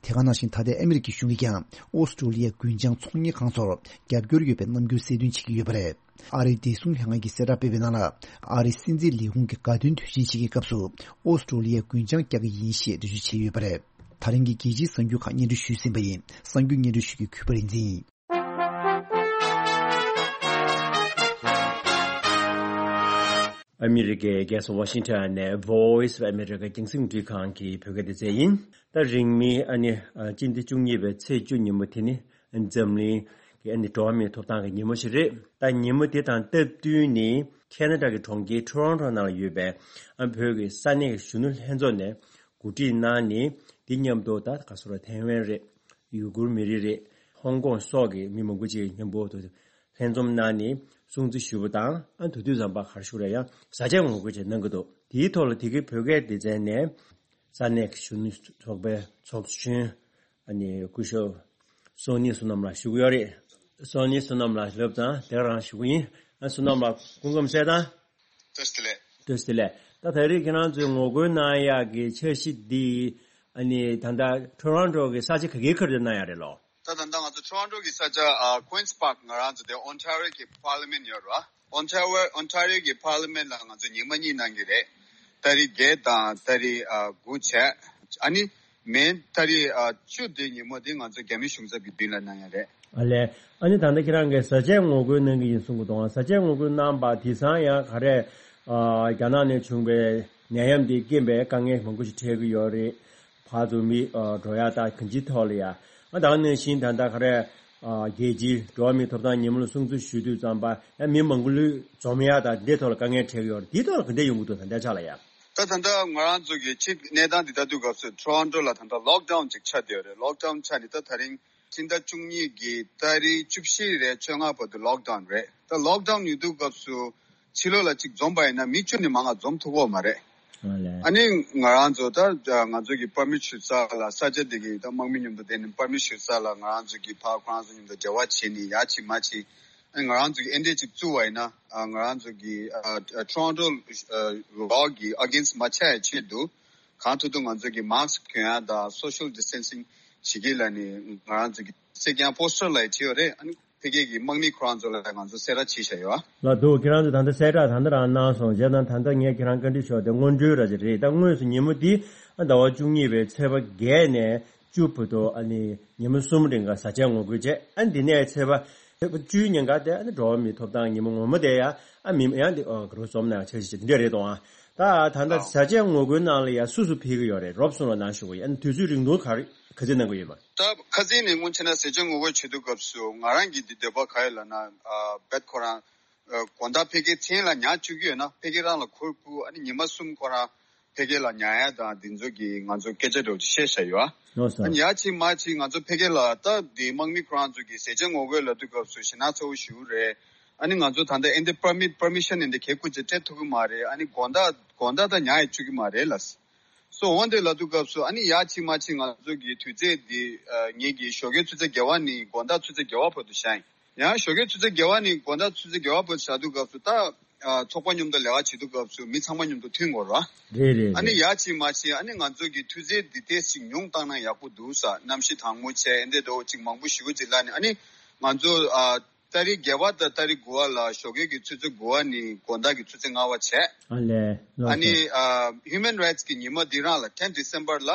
དེ་ག་ནང་བཞིན་ད་ལྟའི་ཨ་མི་རི་ཀའི་གཞུང་གིས་ཀྱང་ཨོ་སི་ཀྲོ་ལི་ཡའི་རྒུན་ཆང་ཚོང་གཉེར་ཁང་ཚོར་རྒྱབ་སྐྱོར་ཡོད་པའི་རྣམ་འགྱུར་གསལ་སྟོན་བྱེད་ཀྱི་ཡོད་པ་རེད། ཨ་རིའི་བདེ་སྲུང་ལྷན་ཁང་གིས་གསལ་བསྒྲགས་སྤེལ་བའི་ནང་ལ། ཨ་རིའི་སྲིད་འཛིན་ལས་ཁུངས་ཀྱི་དགའ་སྟོན་དུས་ཆེན་ཞིག་གི་སྐབས་སུ་ཨོ་སི་ཀྲོ་ལི་ཡའི་རྒུན་ཆང་བཀྱག་གི་ཡིན་ཞེས་འགྲེལ་བརྗོད་བྱས་ཡོད་པ་རེད། ད་རིང་གི་རྒྱལ་སྤྱིའི་གསར་འགྱུར་ཁག་སྙན་སྒྲོན་ཞུས་ཟིན་པ་ཡིན། གསར་འགྱུར་སྙན་སྒྲོན་ཞུ་རྒྱུའི་གུས་པ་རིག་འཛིན་ཡིན། ཨ་མི་རི་ཀའི་རྒྱལ་ས་ཝ་ཤིང་ཊོན་ནས་Voice of America་རྒྱང་སྲིང་རླུང་འཕྲིན་ཁང་གི་བོད་སྐད་སྡེ་ཚན་ཡིན། ད་རིང་མིན་ཨ་ནི་ཨ་སྤྱི་ཟླ་བཅུ་གཉིས་པའི་ཚེས་བཅུ་ཉིན་མོ་དེ་ནི་འཛམ་གླིང་གི་ཨ་ནི་འགྲོ་བ་མིའི་ཐོབ་ཐང་གི་ཉིན་མོ་ཞིག་རེད། ད་ཉིན་མོ་དེ་དང་སྟབས་བསྟུན་ནི་ཁེ་ན་ཌ་གི་གྲོང་ཁྱེར་ཊོ་རོན་ཊོ་ནང་ལ་ཡོད་པའི་ཨ་བོད་ཀྱི་ས་གནས་ཀྱི་གཞོན་ནུ་ལྷན་ཚོགས་ནས་གོ་སྒྲིག་གནང་ནི་དེ་མཉམ་དུ་ད་ག་སོ་ར་ཐའེ་ཝན་རེད། ཡུ་གུར་མི་རིགས་རེད། ཧོང་ཀོང་སོགས་ཀྱི་མི་མང་པོ་ཅིག་མཉམ་པོ་དུ་ལྷན་འཛོམས་གནང་ནས་སྲུང་བརྩི་ཞུས་པ་དང་། ཨ་དུས་དུས་ཙམ་པ་ག་རེ་ཞུ་རེད། ཡང་བཟའ་བཅའ་ངོ་རྒོལ་ཅིག་གནང་གི་འདུག་དེའི་ཐོག་ལ་དེ་གའི་བོད་སྐད་སྡེ་ཚན་ནས་ས་གནས་ཀྱི་གཞོན་ནུ་ཚོགས་པའི་ཚོགས་གཞོན་ཨ་ནི་སྐུ་ཞབས་སོ་ནི་བསོད་ནམས་ལགས་ཞུ་གི་ཡོད་རེད། སོ་ནི་བསོད་ནམས་ལགས་ལབ་དང་དེ་རང་ཞུ་གི་ཡིན། ཨ་བསོད་ནམས་ལགས་སྐུ་ཁམས་བཟང་དང་། བཀྲ་ཤིས་བདེ་ལེགས། བཀྲ་ཤིས་བདེ་ལེགས། ད་ད་རེས་ཁྱེད་རང་ཚོའི་ངོ་རྒོལ་གནང་ཡག་གི་འཆར་གཞི་འདི་ཨ་ནི་ད་ལྟ་ཊོ་རོན་ཊོ་གི་ས་ཆ་ག་གའི་ཁར་དུ་གནང་ཡག་རེད་ལོ། ད་ད་ལྟ་ང་ཚོ་ཊོ་རོན་ཊོ་གི་ས་ཆ་ཨ་Queen's Park་ང་རང་ཚོ་དེ་ཨོན་ཊ་རི་ཡོ་གི་པར་ལི་མེན་ཡོད་རེད་བ། ཨོན་ཊ་རི་ཡོ་ཨོན་ཊ་རི་ཡོ་གི་པར་ལི་མེན་ལ་ང་ཚོ་ཉི་མ་གཉིས་གནང་གི་རེད། ཏ་རིག་བརྒྱད་དང་ཏ་རིག་ཨ་དགུ་བྱས། ཨ་ནི་ མེ་ཏ་རིག་ཨ་བཅུ་དེ་ཉིན་མོ་དེ་ང་ཚོ་རྒྱ་མི་གཞུང་ཚབ་ཀྱི་མདུན་ལ་གནང་ཡ་རེད། ཨ་ལས། ཨ་ནི་ད་ལྟ་ཁྱེད་རང་གིས་བཟའ་བཅའ་ངོ་རྒོལ་གནང་གི་ཡིན་གསུང་གི་འདུག་ཨ། བཟའ་བཅའ་ངོ་རྒོལ་གནང་པ་དེང་སང་ཡང་ག་རེ། ཨ། རྒྱ་ནག་ནས་བྱུང་བའི་ནད་ཡམས་འདིའི་རྐྱེན་པས་དཀའ་ངལ་མང་པོ་ཞིག་འཕྲད་ཀྱི་ཡོད་རེད། ཕར་ཚུར་མི་ཨ་འགྲོ་ཡ་དང་གང་ཅིའི་ཐོག་ལ་ཡ། ཨ། ད་ག་ནང་བཞིན་ད་ལྟ་ག་རེ། ཨ། རྒྱལ་སྤྱིའི་འགྲོ་བ་མིའི་ཐོབ་ཐང་ཉིན་མོ་ལ་སྲུང་བརྩི་ཞུ་དུས་ཙམ་པ་ཡང་མི་མང་པོ་ལུས་འཛོམས་ཡ་དང་འདིའི་ཐོག་ལ་དཀའ་ངལ་འཕྲད་ཀྱི་ཡོད་རེད། འདིའི་ཐོག་ལ་ག་འདྲ་ཡོང་གི་འདུག་ད་ལྟའི་ཆ་ལ་ཡ། ད་ད་ལྟ་ང་རང་ཚོ་གི་ཕྱི་གནས་སྟངས་འདི་ལྟ་དུས་སྐབས་སུ་Toronto་ལ་ད་ལྟ་lockdown་ཅིག་ཆགས་བསྡད་ཡོད་རེད། Lockdown་ཆགས་ནས་ད་དེ་རིང་ཕྱི་ཟླ་བཅུ་གཉིས་ཀྱི་ཏ་རིག་བཅུ་བཞི་རེད། བཅོ་ལྔ་བར་དུ་lockdown་རེད། ད་lockdown་ཡོད་དུས་སྐབས་སུ་ཕྱི་ལོགས་ལ་ཅིག་འཛོམས་པ་ཡིན་ན་མི་བཅུ་ནས་མང་བ་འཛོམས་ཐུབ་ཀྱི་ཡོད་མ་རེད། ཨ་ལས། ཨ་ནི་ང་རང་ཚོ་ད་ང་ཚོ་གི་permit་ཞུ་ས་ལ་ས་ཆ་དེ་གི་ད་དམག་མི་མཉམ་དུ་བསྡད་ནས་permit་ཞུ་ས་ལ་ང་རང་ཚོ་གི་ཕར་ཁོ་རང་ཚོ་མཉམ་དུ་འབྲེལ་བ་བྱས་ནས་ཡ་ཅིག་མ་ཅིག་ཨ་ནི་ང་རང་ཚོ་གི་ཨེ་འདྲས་ཅིག་བཙུགས་པ་ཡིན་ན། ཨ། ང་རང་ཚོ་གི་ཨ་ཨ་Toronto་law་གི་against་མ་ཆགས་ཡ་ཆེད་དུ་གང་ཐུབ་ཐུབ་ང་ཚོ་གི་mask་གྱོན་ཡ་དང་social distancing་བྱེད་ཀྱི་ལ་ནི་ང་རང་ཚོ་གི་གསེར་རྐྱང་པོ་སི་ཊར་ལ་བྲིས་ཡོད་རེད། ཨ་ནི་ཕ་གི་གི་དམག་མི་ཁོ་རང་ཚོ་ལ་ང་ཚོ་གསལ་བསྒྲགས་བྱས་བཞག་ཡོད། ལགས་འདུག་ཁྱེད་རང་ཚོ་ད་ལྟ་གསལ་བསྒྲགས་ད་ལྟ་རང་གནང་སོང་། བྱས་ཙང་ད་ལྟ་ངས་ཁྱེད་རང་བཀའ་འདྲི་ཞུ་བ་དེ་སྔོན་འགྲོའི་ར་ཅིག་རེད། ད་དངོས་སུ་ཉིན་མོ་འདི་ཟླ་བ་བཅུ་གཉིས་པའི་ཚེས་པ་བརྒྱད་ནས་བཅུ་བར་དུ་ཨ་ནི་ཉིན་མོ་གསུམ་རིང་ག་བཟའ་བཅའ་ངོ་རྒོལ་བྱས། ཨ་ནི་འདི་ནས་ཚེས་པ་ཚེས་པ་བཅུའི་ཉིན་ག་དེ་ཨ་ནི་འགྲོ་བ་མིའི་ཐོབ་ཐང་ཉིན་མོ་ངོ་མ་དེ་ཡ་ཨ་མི་ཡང་འདི་ཨོ་ག་རུ་འཛོམས་ན་འཆར་གཞི་འདི་འདྲ་རེད་དོ། ཨ། ད་ད་ལྟ་བཟའ་བཅའ་ངོ་རྒོལ་ནང་ལ་ཡ་སུ་སུ་ཕེབས་ཀྱི་ཡོད་རེད། རོབ་གསུངས་རོགས་གནང་ཞུ་གི་ཡིན། ཨ་ནི་དུས་ཚོད་རིང་ཐུང་ག་རེ་ག་ཚོད་གནང་གི་ཡོད་པ། ད་ཁ་སང་ནས་སྔོན་ཆད་ན་བཟའ་བཅའ་ངོ་རྒོལ་བྱེད་དུས་སྐབས་སུ་ང་རང་གི་འདི་འདོད་པ་ག་ཡོད་ལབ་ན། ཨ། བེད་ཁོ་རང་ཨ་དགོང་དག་ཕ་གིའི་མཚན་ལ་ཉལ་བཅུག་གི་ཡོད་ན་ཕ་གི་རང་ལ་ཁུར་ཁུར། ཨ་ནི་ཉི་མ་གསུམ་ཁོ་རང་ཕ་གི་ལ་ཉལ་ཡ་དང་འདི་ཚོ་གི་ང་ཚོ་སྐད་ཆ་འདྲ་བོ་ཅིག་བཤད་བཞག་ཡོད། ཨ་ནི་ཡ་ཅིག་མ་ཅིག་ང་ཚོ་ཕ་གི་ལ་ད་འདི་དམག་མི་ཁོ་རང་ཚོ་གི་བཟའ་བཅའ་ངོ་རྒོལ་ལབ་དུས་སྐབས་སུ་ཞེད་སྣང་ཚ་བོ་ཞེ་པོ་རེད། ཨ་ནི་ང་ཚོ་ད་ལྟ་ཨེ་འདི་permit permission་ཨེ་འདི་ག་ཁུར་ཅིག་སྤྲད་ཐུབ་ཀྱི་མ་རེད། ཨ་ནི་དགོང་དག་དགོང་དག་ད་ཉལ་ཡ་བཅུག་གི་མ་རེད་ལབ། སོ་འོན་ཏེ་ལབ་དུས་སྐབས་སུ་ཨ་ནི་ཡ་ཅིག་མ་ཅིག་ང་ཚོ་གི་དུས་ཚོད་འདི་ཨ་ངེད་ཀྱི་ཞོགས་ཀའི་ཆུ་ཚོད་བརྒྱད་པ་ནས་དགོང་དག་ཆུ་ཚོད་བརྒྱད་པ་བར་དུ་བཞག་ཡིན། ཡང་ཞོགས་ཀའི་ཆུ་ཚོད་བརྒྱད་པ་ནས་དགོང་དག་ཆུ་ཚོད་བརྒྱད་པ་བར་དུ་བཞག་དུས་སྐབས་སུ་ད་ཨ་ཚོགས་པ་མཉམ་དུ་ལས་ཀ་བྱེད་དུས་སྐབས་སུ་མི་ཚང་མ་མཉམ་དུ་མཐུན་དགོས་ར། རེད་རེད་ཨ་ནི་རེད། ཡ་ཅིག་མ་ཅིག་ཨ་ནི་ང་ཚོ་གི་དུས་ཚོད་འདི་ཏོག་ཙམ་ཉུང་བཏང་ན་ཡག་པོ་འདུག་ས། གནམ་གཤིས་གྲང་མོ་བྱས་ཨེ་འདི་འདྲ་བོ་ཅིག་མང་པོ་ཞེ་པོ་ཅིག་ལབ་ནས། ཨ་ནི་ང་ཚོ་ཨ་ཏ་རིག་བརྒྱད་པ་དང་ཏ་རིག་དགུ་པ་ལ་ཞོགས་ཀའི་གི་ཆུ་ཚོད་དགུ་པ་ནས་དགོང་དག་གི་ཆུ་ཚོད་ལྔ་པ་བྱས། ཨ་ལས། ལགས་སོ། ཨ་ནི་ཨ་Human Rights་གི་ཉི་མ་འདི་རང་ལ་ten December་ལ་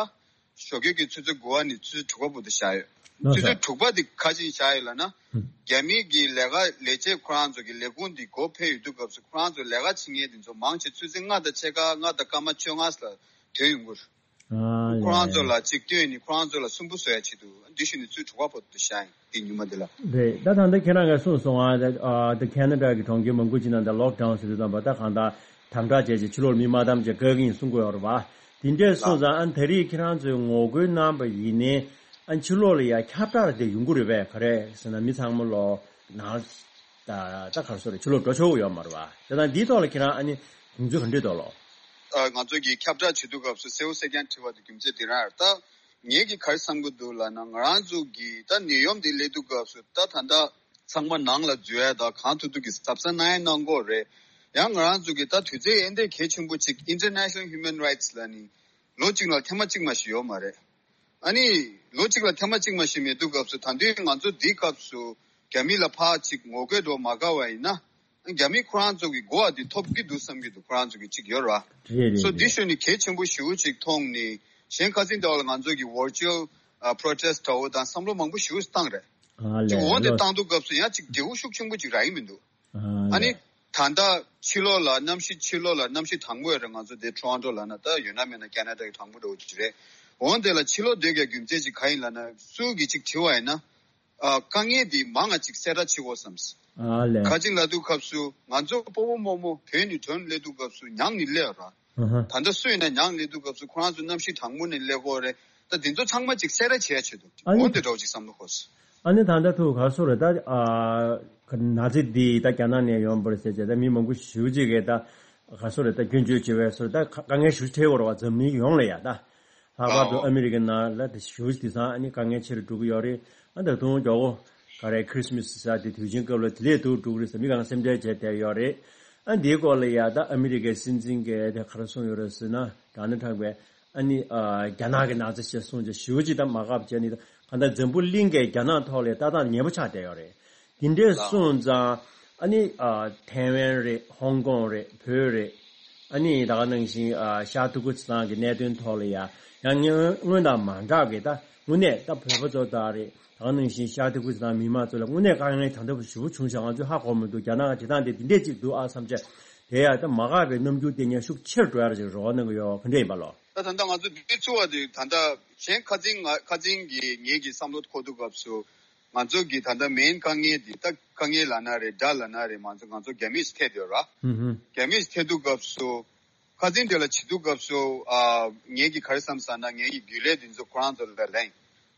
ཞོགས་ཀའི་གི་ཆུ་ཚོད་དགུ་པ་ནས་ཆུ་ཚོད་དྲུག་པ་བར་དུ་བཞག་ཡོད། ལགས་ཆུ་སོ། ཚོད་དྲུག་པ་འདི་ག་ཅིག་བཞག་ཡོད་ལབ་ན། ཧུམ། རྒྱ་མི་གི་ལས་ཀ་ལས་བྱེད་ཁོ་རང་ཚོ་གི་ལས་ཁུངས་འདི་སྒོ་ཕྱེ་ཡོད་དུས་སྐབས་སུ་ཁོ་རང་ཚོ་ལས་ཀ་བྱེད་མཁན་འདི་ཚོ་མང་ཆེ་ཆུ་ཚོད་ལྔ་དང་ཕྱེད་ཀ་ལྔ་དང་སྐར་མ་བཅོ་ལྔ་ལ་ཐོན་ཡོང་གི་རེད། ཨ་ཁོ་རང་ཚོ་ལ་ལས། ཅིག་སྟོན་ནས་ཁོ་རང་ཚོ་ལ་སུན་པོ་བཟོ་ཡ་ཆེད་དུ་འདི་ཞུ་ནས་ཚུར་གྲོགས་པ་བོ་དུ་བཞག་ཡིན་འདི་ཉི་མ་འདི་ལ། རེད། ད་ད་ལྟ་ཁྱེད་རང་གིས་གསུངས་སོང་ཨ། ད་ཨ་ད་ཁེ་ན་ཌ་གི་གྲོང་ཁྱེར་མང་པོ་ཅིག་ནང་ད་ལོག་ཌའུན་ཟེར་དུས་ཙམ་པ་ད་གང་ལྟར་དམ་དྲག་བྱས་རྗེས་ཕྱི་ལོགས་མི་མ་བདམས་བྱས་བཀག་གི་ཡིན་གསུང་དགོས་ཡོད་རེད་བ། དེ་འདྲས་སོང་ཙང་ཨ་ད་རེས་ཁྱེད་རང་ཚོས་ངོ་རྒོལ་གནང་པ་ཡིན་ནའི་ཨ་ཕྱི་ལོགས་ལ་ཡ་ཁྱབ་བསྒྲགས་དེ་ཡོང་གི་རེད་པས། ག་རེ་ཟེར་ན་མི་ཚང་མ་ལོ་ནང་ད་ད་ག་རེ་ཟེར་རེད་ཕྱི་ལོགས་འགྲོ་ཆོག་གི་ཡོད་མ་རེད་བ། དེ་དང་འདིའི་ཐོག་ལ་ཁྱེད་རང་ཨ་ནི་དགོངས་ཚུལ་ག་འདྲས་འདུག་ལོ། ཨ་ང་ཚོ་གིས་ཁྱབ་བསྒྲགས་བྱེད་དུས་སྐབས་སུ་གསལ་བོ་གསལ་རྐྱང་བྲིས་པ་དེ་རྒྱུ་མཚན་དེ་རང་ཡོད་ད། ངེད་ཀྱིས་ག་རེ་བསམ་གྱི་འདུག་ལབ་ན་ང་རང་ཚོ་གིས་ད་ནད་ཡམས་འདི་སླེབས་དུས་སྐབས་སུ་ད་ད་ལྟ་ཚང་མ་ནང་ལ་འཛུལ་ཡ་ད་གང་ཐུབ་ཐུབ་ཀྱིས་གཟབ་གཟབ་གནང་ཡ་གནང་དགོས་རེད། ཡང་ང་རང་ཚོ་གིས་ད་དུས་ཚོད་ཨེ་འདྲས་གལ་ཆེན་པོ་ཅིག་International Human Rights་ལབ་ནི་ལོ་གཅིག་ལ་ཐེངས་མ་གཅིག་མ་ཞིག་ཡོད་མ་རེད། ཨ་ནི་ལོ་གཅིག་ལ་ཐེངས་མ་གཅིག་མ་ཞིག་མེད་དུས་སྐབས་སུ་ད་དུང་ང་ཚོ་འདིའི་སྐབས་སུ་རྒྱ་མི་ལ་ཕར་ཅིག་ངོ་རྒོལ་འདྲ་མ་དགའ་བ་ཡིན་ན། རྒྱ་མི་ཁོ་རང་ཚོ་གི་གོ་བ་འདི་ཐོབ་ཀྱི་འདུག་བསམ་གྱི་འདུག་ཁོ་རང་ཚོ་གི་གཅིག་ཡོད་ར། རེད་རེད་སོ་འདི་རེད། ཞུ་ནི་གལ་ཆེན་པོ་ཞེ་པོ་ཅིག་མཐོང་ནི། གཞན་ཁ་སང་ཟླ་བ་ལ་ང་ཚོ་གི་virtual ཨ་protest་འདྲ་བོ་དང་བསམ་བློ་མང་པོ་ཞེ་པོ་བཏང་རེད། ཨ་ཅིག་ལས་འོ་འདི་ལོ། བཏང་དུས་སྐབས་སུ་ཡང་ཅིག་འབྲས་བུ་ཤུགས་ཆེན་པོ་ཅིག་རག་གི་མི་འདུག་ཨ་ཨ་ནི་ལས། ད་ལྟ་ཕྱི་ལོགས་ལ་གནམ་གཤིས་ཕྱི་ལོགས་ལ་གནམ་གཤིས་གྲང་མོ་ཡོད་རེད། ང་ཚོ་འདི་Toronto་ལ་ན་ད་ཡོད་ན་མེད་ན་Canada་གི་གྲང་མོ་འདྲ་བོ་ཅིག་རེད། འོ་འདི་ལ་ཕྱི་ལོགས་སྡོད་དགོས་རྒྱུ་མཚན་ཅིག་ག་ཡིན་ལབ་ན་སུ་གིས་ཅིག་དྲི་བ་ཡིན་ན། ཨ་དཀའ་ངལ་འདི་མང་ང་ཅིག་གསལ་བསྒྲགས་བྱེད་དགོས་བསམ། ཨ་ལས། ག་ཅིག་ལབ་དུས་སྐབས་སུ་ང་ཚོ་སྤོ་བོ་རྨོ་མོ་བོད་ནས་ཐོན་སླེབས་དུས་སྐབས་སུ་ཉང་ནས་སླེབས་ར། ཨ་ཧ། ད་ལྟ་སུ་ཡིན་ན་ཉང་སླེབས་དུས་སྐབས་སུ་ཁོ་རང་ཚོ་གནམ་གཤིས་གྲང་མོ་ནས་སླེབས་དགོས་རེད། ད་འདི་ཚོ་ཚང་མ་ཅིག་གསལ་བསྒྲགས་བྱེད་ཡ་ཆེད་དུ་ཨ་ནི་འོ་འདི་འདྲ་བོ་ཅིག་བསམ་བློ་འཁོར། ཨ་ནི་ད་ལྟ་ཐུག་ག་སོ་རེད་ད་ཨ་ན་ཚ་འདི་ད་རྒྱ་ནག་ནས་ཡོང་བ་རེད་ཟེར་བྱས་ད་མི་མང་པོ་ཞེ་པོ་ཅིག་གིས་ད་ག་སོ་རེད་ད་སྐྱོན་བརྗོད་བྱེད་པའི་སོ་རེད་ད་དཀའ་ངལ་ཞེ་པོ་འཕྲད་དགོས་རེད་བ་འཛམ་གླིང་ཡོངས་ལ་ཡ་ད། ལྷག་པར་དུ་ཨ་མི་རི་ཀའི་ནང་ལ་དེ་ཞུ་དེང་སང་ཨ་ནི་དཀའ་ངལ་ཆེ་རུ་འགྲོ་གི་ཡོད་རེད། ཨ་ད་དུང་མགྱོགས་པོ་ག་རེ་Christmas་ཟེར་དེ་དུས་ཆེན་སྐབས་ལ་དེ་ལས་སྡུག་འགྲོ་གི་རེད་ཟེར་མི་གང་སེམས་ཁྲལ་བྱས་བསྡད་ཡོད་རེད། ཨ་འདིའི་སྐོར་ལ་ཡ་ད་ཨ་མི་རི་ཀའི་སྲིད་འཛིན་གྱིས་དེ་ག་རེ་གསུངས་ཡོད་རེད་ཟེར་ན་Donald Trump་གིས་ཨ་ནི་ཨ་རྒྱ་ནག་གི་ནང་ཚ་ཞེས་གསུངས་བྱས་ཞུ་ཅིག་ད་མ་དགའ་བྱས་ནི་གང་ལྟར་འཛམ་བུ་གླིང་གི་རྒྱ་ནག་ཐོག་ལ་ལྟ་སྟངས་ངན་པོ་ཆགས་བསྡད་ཡོད་རེད། དེ་འདྲས་སོང་ཙང་ཨ་ནི་ཨ་ཐའེ་ཝན་རེད་ཧོང་ཀོང་རེད་བོད་རེད། ཨ་ནི་ད་ག་ནང་བཞིན་ཨ་ཤར་ཏུར་ཀི་སི་སྟན་གྱི་གནད་དོན་ཐོག་ལ་ཡ་ཡང་སྔོན་སྔོན་དང་མ་འདྲ་གི་ད་དངོས་གནས་ད་བོད་པ་ཚོ་ད་རེད། ད་ག་ནང་བཞིན་ཤར་ཏུར་ཀི་སི་སྟན་མི་མང་ཚོ་ལ་དངོས་གནས་དཀའ་ངལ་ད་ལྟ་ཞེ་པོ་བྱུང་ཤག་ང་ཚོས་ཧ་གོ་མི་འདུག་རྒྱ་ནག་གི་བྱེད་སྟངས་དེ་འདི་འདྲས་ཅིག་འདུག་ཨ་བསམ་བྱས། དེ་ཡ་ད་མ་དགའ་བའི་རྣམ་འགྱུར་དེ་ངས་ཤུགས་ཆེར་འགྲོ་ཡ་ཅིག་རེ་བ་གནང་གི་ཡོད། ག་འདྲས་ཡིན་པ་ལོ། ད་ད་ལྟ་ང་ཚོ་འདི་ཚོ་བ་དེ་ད་ལྟ་གཞན་ཁ་སང་ང་ཁ་སང་གི་ངེད་ཀྱི་བསམ་བློ་འཁོར་དུས་སྐབས་སུ། ང་ཚོ་གི་ད་ལྟ་མེན་དཀའ་ངལ་འདི་ད་དཀའ་ངལ་ལབ་ན་རེད། དགྲ་ལབ་ན་རེད། ང་ཚོ་ང་ཚོ་རྒྱ་མིས་ཐེབས་ཡོད་ར། ཧུམ་ཧུམ། རྒྱ་མིས་ཐེབས་དུས་སྐབས་སུ། ཁ་སང་དེ་ལ་བྱེད་དུས་སྐབས་སུ་ཨ་ངེད་ཀྱི་ག་རེ་བསམ་ཟེར་ན་ངེད་ཀྱི་རྒྱུན་ལས་འདི་ཚོ་ཁོ་རང་ཚོ་ལ་ལན།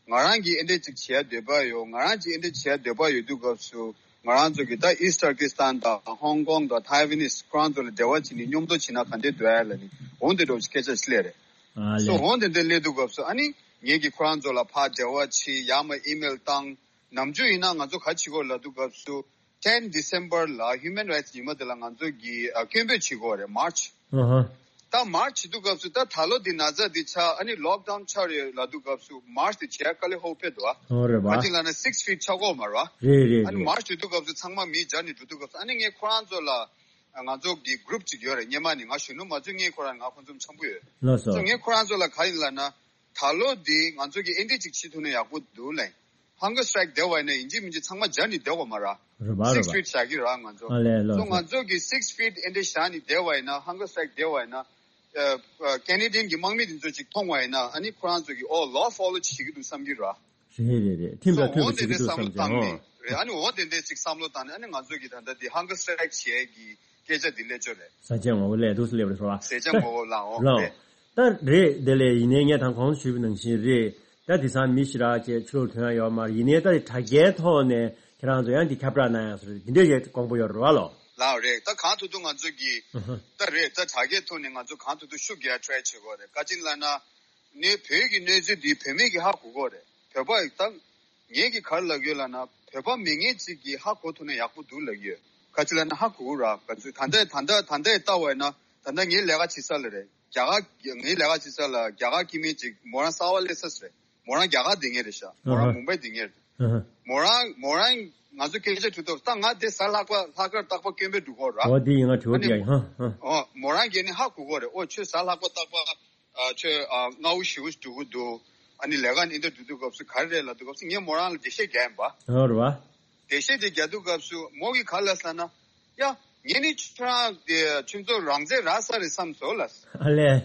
ང་རང་གིས་ཨེ་འདྲས་ཅིག་བྱེད་ཡ་འདོད་པ་ཡོད། ང་རང་གིས་ཨེ་འདྲས་བྱེད་ཡ་འདོད་པ་ཡོད་དུས་སྐབས་སུ་ང་རང་ཚོ་གི་ད་ཨིསྟ་ཏར་ཀི་སི་ཐན་དང་ཧོང་ཀོང་དང་ཐའེ་ཝན་ནིས་ཁོ་རང་ཚོ་ལ་འབྲེལ་བ་བྱེད་ནས་མཉམ་དུ་བྱེད་ན་ག་འདྲས་འདུག་ཨ་ལབ་ནས་འོ་འདི་འདྲ་བོ་ཞིག་སྐད་ཆ་ཞིག་སླེབས་རེད། ཨ་ལས། སོ་འོ་དེ་འདྲ་སླེབས་དུས་སྐབས་སུ་ཨ་ནི་ངེད་ཀྱིས་ཁོ་རང་ཚོ་ལ་ཕར་འབྲེལ་བ་བྱེད། ཡང་མ་ཨི་མེལ་བཏང་། ནམ་རྒྱུན་ཡིན་ན་ང་ཚོ་ག་བྱེད་དགོས་ལབ་དུས་སྐབས་སུ་ཊེན་ཌི་སེམ་བར་ལ་ཧིའུ་མན་རའེ་ཊི་ཉི་མ་དེ་ལ་ང་ཚོ་གིས་ཨ་སྐད་འབོད་བྱེད་དགོས་རེད། མཱར་ཆི། ཨ་ཧ། ད་མཱར་ཆི་བྱེད་དུས་སྐབས་སུ་ད་ད་ལོ་འདི་ན་ཚ་འདི་ཆགས་ཨ་ནི་ལོག་ཌའུན་ཆགས་རེད་ལབ་དུས་སྐབས་སུ་མཱར་ཆི་དེ་བྱེད་ཡ་དཀའ་ལས་ཁག་པོ་འཕྲད་འདུག་ཨ། ཨོ་རེད་བ། ག་ཅི་ལབ་ན་སིགས་ཕིཊ་ཆགས་ཀྱི་ཡོད་མ་རེད་བ། རེད་རེད་ཨ་ནི་རེད། མཱར་ཆི་བྱེད་དུས་སྐབས་སུ་ཚང་མ་མི་སྦྱར་ནས་འགྲོ་དུས་སྐབས་སུ་ཨ་ནི་ངས་ཁོ་རང་ཚོ་ལ། ང་ཚོ་གི་གུ་རུབ་ཅིག་ཡོད་རེད། སྔོན་མ་ནས་ང་གཞོན་ནུ་མ་ཚོད་ངས་ཁོ་རང་ང་ཁོང་ཚོ་འཆམ་པོ་ཡོད། ལགས་སོ། སོ་ངས་ཁོ་རང་ཚོ་ལ་ག་ཡིན་ལབ་ན། ད་ལོ་འདི་ང་ཚོ་གི་ཨེ་འདྲས་ཅིག་བྱེད་ཐུབ་ན་ཡག་པོ་འདུག་ལབ། ཧང་གར་སི་ཊ་རའིཀ་བསྡད་པ་ཡིན་ན་ཡིན་གཅིག་མིན་གཅིག་ཚང་མ་སྦྱར་ནས་བསྡད་དགོས་མ་རེད། རེད་པ་རེད་པ། སིགས་ཕིཊ་བཞག་གི་རེད་ང་ཚོ། ཨ་ལས་ལགས་སོ། སོ་ང་ཚོ་གི་སིགས་ཕིཊ་ཨེ་འདྲས་བཞག་ནས་བསྡད་པ་ཡིན་ན་ཧང་གར་སི་ཊ་རའིཀ་བསྡད་པ་ཡིན་ན། ཨ་ཨ་ཀེ་ནེ་ཌི་ཡན་གྱི་དམག་མི་དེ་ཚོ་ཅིག་མཐོང་བ་ཡིན་ན་ཨ་ནི་ཁོ་རང་ཚོ་གི་ཨོ་ལོ་ཕོ་ལོ་བྱེད་ཀྱི་འདུག་བསམ་གྱི་རེད། རེད་རེད་རེད། ཐིམ་ལ་སོ་ཐོན་འོ་པ་དེ་ཞིག་འདྲས་གི་འདུག་བསམ་བློ་བསམ་བྱས་བཏང་ནས། ཨོ། རེད་ཨ་ནི་འོ་དེ་འདྲས་ཅིག་བསམ་བློ་བཏང་ནས་ཨ་ནི་ང་ཚོ་གི་ད་ལྟ་འདི་ཧང་གར་སི་ཊ་རའིཀ་བྱེད་ཀྱི་སྐད་ཆ་འདི་སླེབས་ཆོག་རེད། ཟ་ཆས་ངོ་བོ་ལས་འདུག་སེ་སླེབས་རེད་སོ། ཟས་ཆས་ངོ་བོ་ལའོ་ལའོ། རེད། ད་རེད་དེ་ལས་ཡིན་ནའི་ངས་ད་གོང་དུ་ཞུས་པ་ནང་བཞིན་རེད། ད་དེང་སང་མི་ཞིག་རག་བྱས་ཕྱི་ལོགས་ཐོན་ཡ་ཡོད་མ་རེད། ཡིན་ནའི་ད་དྲ་རྒྱའི་ཐོག་ནས་ཁྱེད་རང་ཚོ་ཡང་འདི་ཁྱབ་བསྒྲགས་གནང་ཡ་སོ་རེད། འདི་འདྲས་ཞིག་དགོངས་པ་ཡོད་རེད་བ་ལོ། ལའོ་རེད། ད་གང་ཐུབ་ཐུབ་ང་ཚོ་གི། ཨ་ཧ། ད་རེད། ད་དྲ་རྒྱའི་ཐོག་ནས་ང་ཚོ་གང་ཐུབ་ཐུབ་ཤུགས་རྒྱག་ཡ་ཊ་རའི་བྱེད་དགོས་རེད། ག་ཅི་ལབ་ན། ནས་བོད་ཀྱི་གནས་ཚུལ་འདི་བོད་མི་གིས་ཧ་གོ་གི་རེད། བོད་པ་ད། ངེད་ཀྱིས་ག་རེ་ལབ་ཀྱི་ཡོད་ལབ་ན་བོད་པ་མེད་མཁན་ཅིག་གིས་ཧ་གོ་ཐུབ་ན་ཡག་པོ་འདུག་ལབ་ཀྱི་ཡོད། ག་ཅི་ལབ་ན་ཧ་གོ་གི་རེད། ག་ཚོད་ད་ལྟ་ད་ལྟ་ད་ལྟ་ལྟ་བ་ཡིན་ན་ད་ལྟ་ངའི་ལས་ཀ་བྱེད་ས་ལ་རེད། རྒྱ་གར་ངའི་ལས་ཀ་བྱེད་ས་ལ་རྒྱ་གར་སྐྱེ་དམན་ཅིག་མོ་རང་གསར་པ་སླེབས་ས་རེད། མོ་རང་རྒྱ་གར་སྡོད་མཁན་རེད་ཤག་མོ་རང་ཨ་ཧ། མུམ་བྷའི་སྡོད་མཁན་རེད། ཨ་ཧ། མོ་རང་མོ་རང་ང་ཚོ་སྐད་ཆ་དྲིས་ཐོག་ད་ང་དེ་གཟའ་ལྷག་པ་ལྷག་དཀར་རྟག་པར་སྐད་འབོད་འགྲོ་གི་རེད། འོ་དེ་ཡིན་ང་དྲི་བ་ཨ་ནི་དེ་ཡ་ཡིན་ཧ་ཧ། ཨོ་མོ་རང་གིས་ནི་ཧ་གོ་གི་རེད། ཨོ་ཁྱོད་གཟའ་ལྷག་པ་རྟག་པར། ཨ་ཁྱོད་ཨ་སྔ་པོ་ཞེ་པོ་འགྲོ་གི་འདུག་ཨ་ནི་ལས་ཀ་ནི་འདི་འགྲོ་དུས་སྐབས་སུ་ག་རེ་རེད་ལབ་དུས་སྐབས་སུ་ངས་མོ་རང་ལ་འགྲེལ་བཤད་རྒྱག་ཡིན་པ། ཨོ་རེད་བ། འགྲེལ་བཤད་དེ་རྒྱག་དུས་སྐབས་སུ་མོ་གིས་ག་རེ་ལབ་ཟེར་ན། ཡ། ངས་ནི་ཁྱོད་རང་དེ་ཁྱོད་ཚོ་རང་བཙན་རག་ས་རེད་བསམ་སོང་ལབ། ཨ་ལས།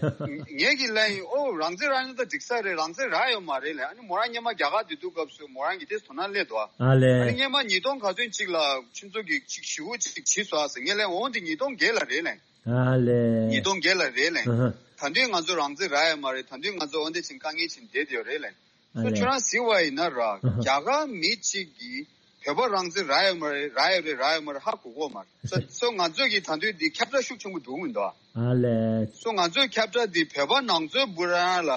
ངས་ཀྱིས་ལབ་ཡིན། ཨོ་རང་བཙན་རག་ཡོང་ད་འགྲིག་ས་རེད། རང་བཙན་རག་ཡོད་མ་རེད་ལབ། ཨ་ནི་མོ་རང་སྔོན་མ་རྒྱ་གར་སྡོད་དུས་སྐབས་སུ་མོ་རང་གིས་དེ་དོ་སྣང་སླེབས་འདུག་ཨ་ལས། ཨ་ནི་སྔོན་མ་ཉིས་སྟོང་ག་ཚོད་ཅིག་ལ་ཁྱོད་ཚོ་གིས་ཅིག་ཞེ་པོ་ཅིག་བྱས་སོང་ཨ་ཟེར། ངས་ལབ་ཡིན། ཨོ་འདི་ཉིས་སྟོང་བརྒྱད་ལ་རེད་ལབ་ཡིན། ཨ་ལས། ཉིས་སྟོང་བརྒྱད་ལ་རེད་ལབ་ཡིན། ཨ་ཧ། ད་དུང་ང་ཚོ་རང་བཙན་རག་ཡོད་མ་རེད། ད་དུང་ང་ཚོ་འོ་འདི་བྱས་དཀའ་ངལ་ཅིག་བསྡད་ཡོད་རེད་ལབ་ཡིན། ཨ་སོ་ལས། ཁྱོད་རང་གཟིགས་པ་ཡིན་ན་ར། ཨ་ཧ། རྒྱ་གར་མི་གཅིག་གིས་བོད་པ་རང་བཙན་རག་ཡོད་མ་རེད། རག་ཡོད་རེད་རག་ཡོད་མ་རེད་ཧ་གོ་གི་ཡོད་མ་རེད། སོ་སོ་ང་ཚོ་གིས་ད་དུང་འདི་ཁྱབ་བསྒྲགས་ཤུགས་ཆེན་པོ་འགྲོ་གི་མི་འདུག་ཨ་ལས། སོ་ང་ཚོའི་ཁྱབ་བསྒྲགས་འདི་བོད་པ་ནང་ཚོའི་བུ་རང་ལ་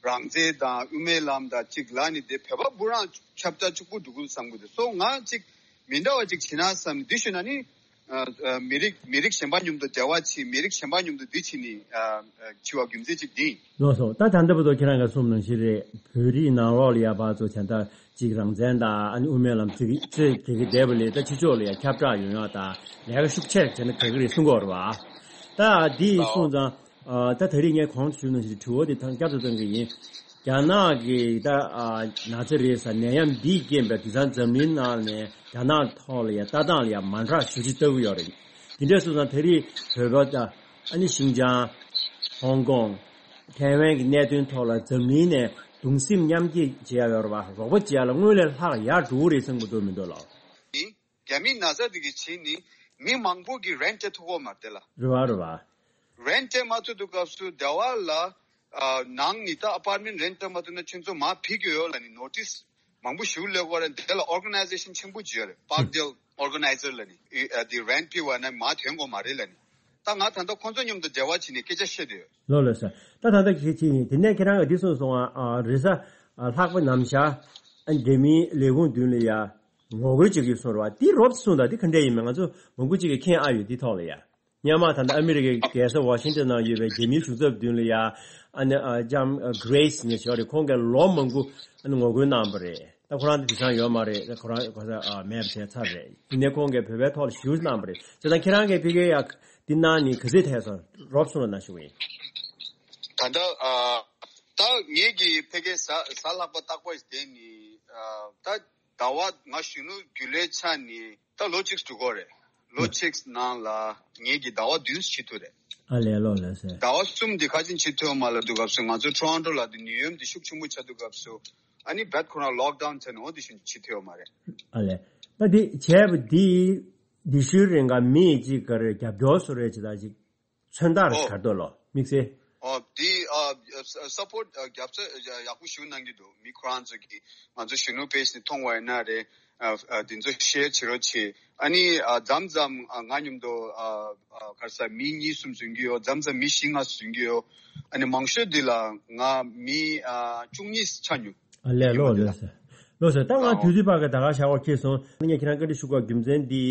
རང་བཙན་དང་དབུ་མའི་ལམ་དང་གཅིག་ལབ་ནས་དེ་བོད་པ་བུ་རང་ཁྱབ་བསྒྲགས་གཅིག་པུ་འགྲོ་གི་འདུག་བསམ་གི་འདུག་སོ་ང་གཅིག་མི་འདྲ་བ་ཅིག་བྱེད་ན་བསམ་འདི་ཞུས་ན་ནི། ཨ་ཨ་མི་རིགས་མི་རིགས་གཞན་པ་མཉམ་དུ་འབྲེལ་བ་བྱེད། མི་རིགས་གཞན་པ་མཉམ་དུ་འདི་བྱེད་ནི་ཨ་ཨ་བྱེད་པ་རྒྱུ་མཚན་གཅིག་འདི་ཡིན། ལགས་སོ། ད་ད་ལྟ་བར་དུ་ཁྱེད་རང་གིས་གསུངས་ནང་བཞིན་རེད། བོད་རིགས་ནང་ལོགས་ལ་ཡ་ཕར་ཚུར་ད་ལྟ་གཅིག་རང་བཙན་དང་ཨ་ནི་དབུ་མའི་ལམ་ཅིག་ཅིག་དེ་གི་བསྡད་པ་ལས་ད་ཕྱི་ཕྱོགས་ལ་ཡ་ཁྱབ་བསྒྲགས་ཡོང་ཡ་དང་ལས་ཀ་ཤུགས་ཆེར་བྱས་ན་དགའ་གི་རེད་གསུང་གི་ཡོད་རེད་བ། ད་འདི་གསུངས་ཙང་། ཨ་ད་ད་རེས་ངས་གོང་དུ་ཞུས་ནང་བཞིན་དྲི་བ་དེ་ཐང་བསྐྱར་དུ་བཏང་གི་ཡིན། རྒྱ་ནག་གི་ད་ཨ་ན་ཚ་རེད་ཟེར་ནད་ཡམས་འདིས་རྐྱེན་པས་དེང་སང་འཛམ་གླིང་ནང་ནས་རྒྱ་ནག་ཐོག་ལ་ཡ་ལྟ་སྟངས་ལ་ཡ་མ་འདྲ་ཞེ་པོ་ཅིག་ལྟ་གི་ཡོད་རེད། དེ་འདྲ་སོང་ཙང་ད་རེས་བོད་པ་དང་ཨ་ནི་ཤིན་ཅང་། ཧོང་ཀོང་། ཐའེ་ཝན་གྱི་གནད་དོན་ཐོག་ལ་འཛམ་གླིང་ནས་གདུང་སེམས་མཉམ་སྐྱེད་བྱེད་ཡ་ཡོད་རེད་བ། རོགས་པ་བྱེད་ཡ་ལ་སྔོན་ལས་ལྷག་ཡར་འགྲོ་གི་རེད་བསམ་གྱི་འདུག་མི་འདུག་ལགས། རྒྱ་མིའི་ན་ཚ་དེ་གི་བྱས་ནི་མི་མང་པོ་གིས་རེན་ཊི་སྤྲད་ཐུབ་ཀྱི་ཡོད་མ་རེད་དེ་ལ། རེད་བ་རེད་བ། རེན་ཊི་སྤྲད་མ་ཐུབ་དུས་སྐབས་སུ་སྡེ་བ་ལ་ཨ་ནང་ནས་ད་ཨ་པར་མེན་ཊི་རེན་ཊི་སྤྲད་མ་ཐུབ་ན་ཁྱོད་ཚོ་མར་ཕུད་ཀྱི་ཡོད་ལབ་ནས་ནོ་ཊིས་མང་པོ་ཞིག་སླེབས་ཀྱི་ཡོད་རེད། དེ་ལ་ཨོར་ག་ནའི་ཛེ་ཤན་ཆེན་པོ་ཅིག་ཡོད་རེད། པཱརཀ་ཌེལ་ཨོར་ག་ནའི་ཛར་ལབ་ནས། ཨ་དེ་རེན་ཊི་ཕུད་པ་ན་མར་ཐོན་དགོས་མ་རེད་ལབ་ནས། ད་ང་ད་ལྟ་ཁོང་ཚོ་མཉམ་དུ་འབྲེལ་བ་བྱས་ནས་སྐད་ཆ་བཤད་བསྡད་ཡོད། ལགས་ལགས་སོ། ད་ད་ལྟ་གལ་ཆེ་ཡིན། དེ་ནས་ཁྱེད་རང་གིས་འདི་གསུངས་སོང་ང་། ཨ་རེས་གཟའ་ལྷག་པ་ནམ་ཞག་ཨ་འབྲེལ་མིའི་ལས་ཁུངས་མདུན་ལ་ཡ་ངོ་རྒོལ་བྱེད་ཀྱི་ཡོད་གསུངས་རེད་བ། འདི་རོབ་གསུངས་དང་འདི་ག་འདྲས་ཡིན་མིན་ང་ཚོ་མང་པོ་ཅིག་གིས་མཁྱེན་ཨ་ཡོད། འདི་ཐོག་ལ་ཡ་སྔོན་མ་ད་ལྟ་ཨ་མི་རི་ཀའི་རྒྱལ་ས་ཝ་ཤིང་ཊོན་ནང་ཡོད་པའི་རྒྱ་མིའི་གཞུང་ཚབ་མདུན་ལ་ཡ་ཨ་ནི་ཨ་ལྕམ་གྷི་རེ་སི་ནས་ཞུ་བ་རེད། ཁོང་གིས་ལོ་མང་པོ་ཨ་ནི་ངོ་རྒོལ་གནང་བ་རེད། ད་ཁོ་རང་དེ་དེང་སང་ཡོད་མ་རེད། ད་ཁོ་རང་ཁོ་ཚ་ཨ་མེད་པ་བྱས་ཚར་རེད། ཡིན་ནའི་ཁོང་གིས་བོད་པའི་ཐོག་ལ་ཞུ་གནང་བ་རེད། བྱས་ཙང་ཁྱེད་རང་གིས་ཕ་གིར་ཡ་འདི་གནང་ནས་ག་ཚོད་ཐལ་སོང་རོབ་གསུངས་རོགས་གནང་ཞུ་གི་ཡིན། ད་ལྟ་ཨ་ད་ངེད་ཀྱི་ཕ་གིའི་གཟའ་གཟའ་ལྷག་པ་རྟག་པར་བསྡད་ནས་ཨ་ད་ཟླ་བ་ང་གཞོན་ནུ་རྒྱུན་ལས་ཆགས་ནས་ད་ལོ་གཅིག་འགྲོ་གི་རེད། ལོ་གཅིག་ནང་ལ་ངེད་ཀྱི་ཟླ་བ་བདུན་ཕྱིན་ཐུབ་རེད། ཨ་ལས་ལོ་ལས་ཟེར། ཟླ་བ་གསུམ་འདི་ཁ་ཅིག་ཕྱིན་ཐུབ་མ་ལབ་དུས་སྐབས་སུ་ང་ཚོ་ཊོ་རོན་ཊོ་ལ་དེ་ནད་ཡམས་དེ་ཤུགས་ཆེན་པོ་ཆགས་དུས་སྐབས་སུ་ཨ་ནི་རྦད་ཁོ་རང་ལོག་ཌའོན་བྱས་ནས་འོ་དེ་བཞིན་ཕྱིན་ཐུབ་མ་རེད། ཨ་ལས། ད་འདི་བྱས་པ་འདི་འདི་ཤུལ་རིང་ག་མི་ཅིག་ག་རེ་རྒྱབ་སྐྱོར་སུ་རེད་ཅི་ད་ཅིག་མཚོན་རྟགས་ཨོ། གར་དོ་ལོ་དམིགས་བསལ། ཨོ་འདི་ཨ་ས་པོར་ཊི་རྒྱབ་རྩ་ཡག་པོ་ཞུ་གནང་གི་འདུག་མི་ཁོ་རང་ཚོ་གིས་ང་ཚོ་གཞོན་ནུ་པེ་ཇི་ནས་མཐོང་བ་ཡིན་ན་རེད། ཨ་ཨ་འདི་ཚོ་ཤེར་བྱེད་རོགས་བྱེད། ཨ་ནི་ཨ་མཚམས་མཚམས་ཨ་ང་མཉམ་དུ་ཨ་ཨ་ག་རེ་ཟ་མི་གཉིས་གསུམ་འཛུལ་གྱི་ཡོད། མཚམས་མཚམས་མི་བཞི་ལྔ་འཛུལ་གྱི་ཡོད། ཨ་ནི་མང་ཤོས་འདི་ལ་ང་མི་ཨ་བཅུ་གཉིས་ཆགས་མྱོང་། ཨ་ལས་ལོ་ལོ་ཟེར། ལོ་ཟེར། ད་ང་ཨོ་དུས་ཚོད་བར་ག་ད་ག་ཞག་འོག་ཁེལ་སོང་། ངས་ཁྱེད་རང་བཀའ་འདྲི་ཞུ་དགོས་རྒྱུ་མཚན་འདི་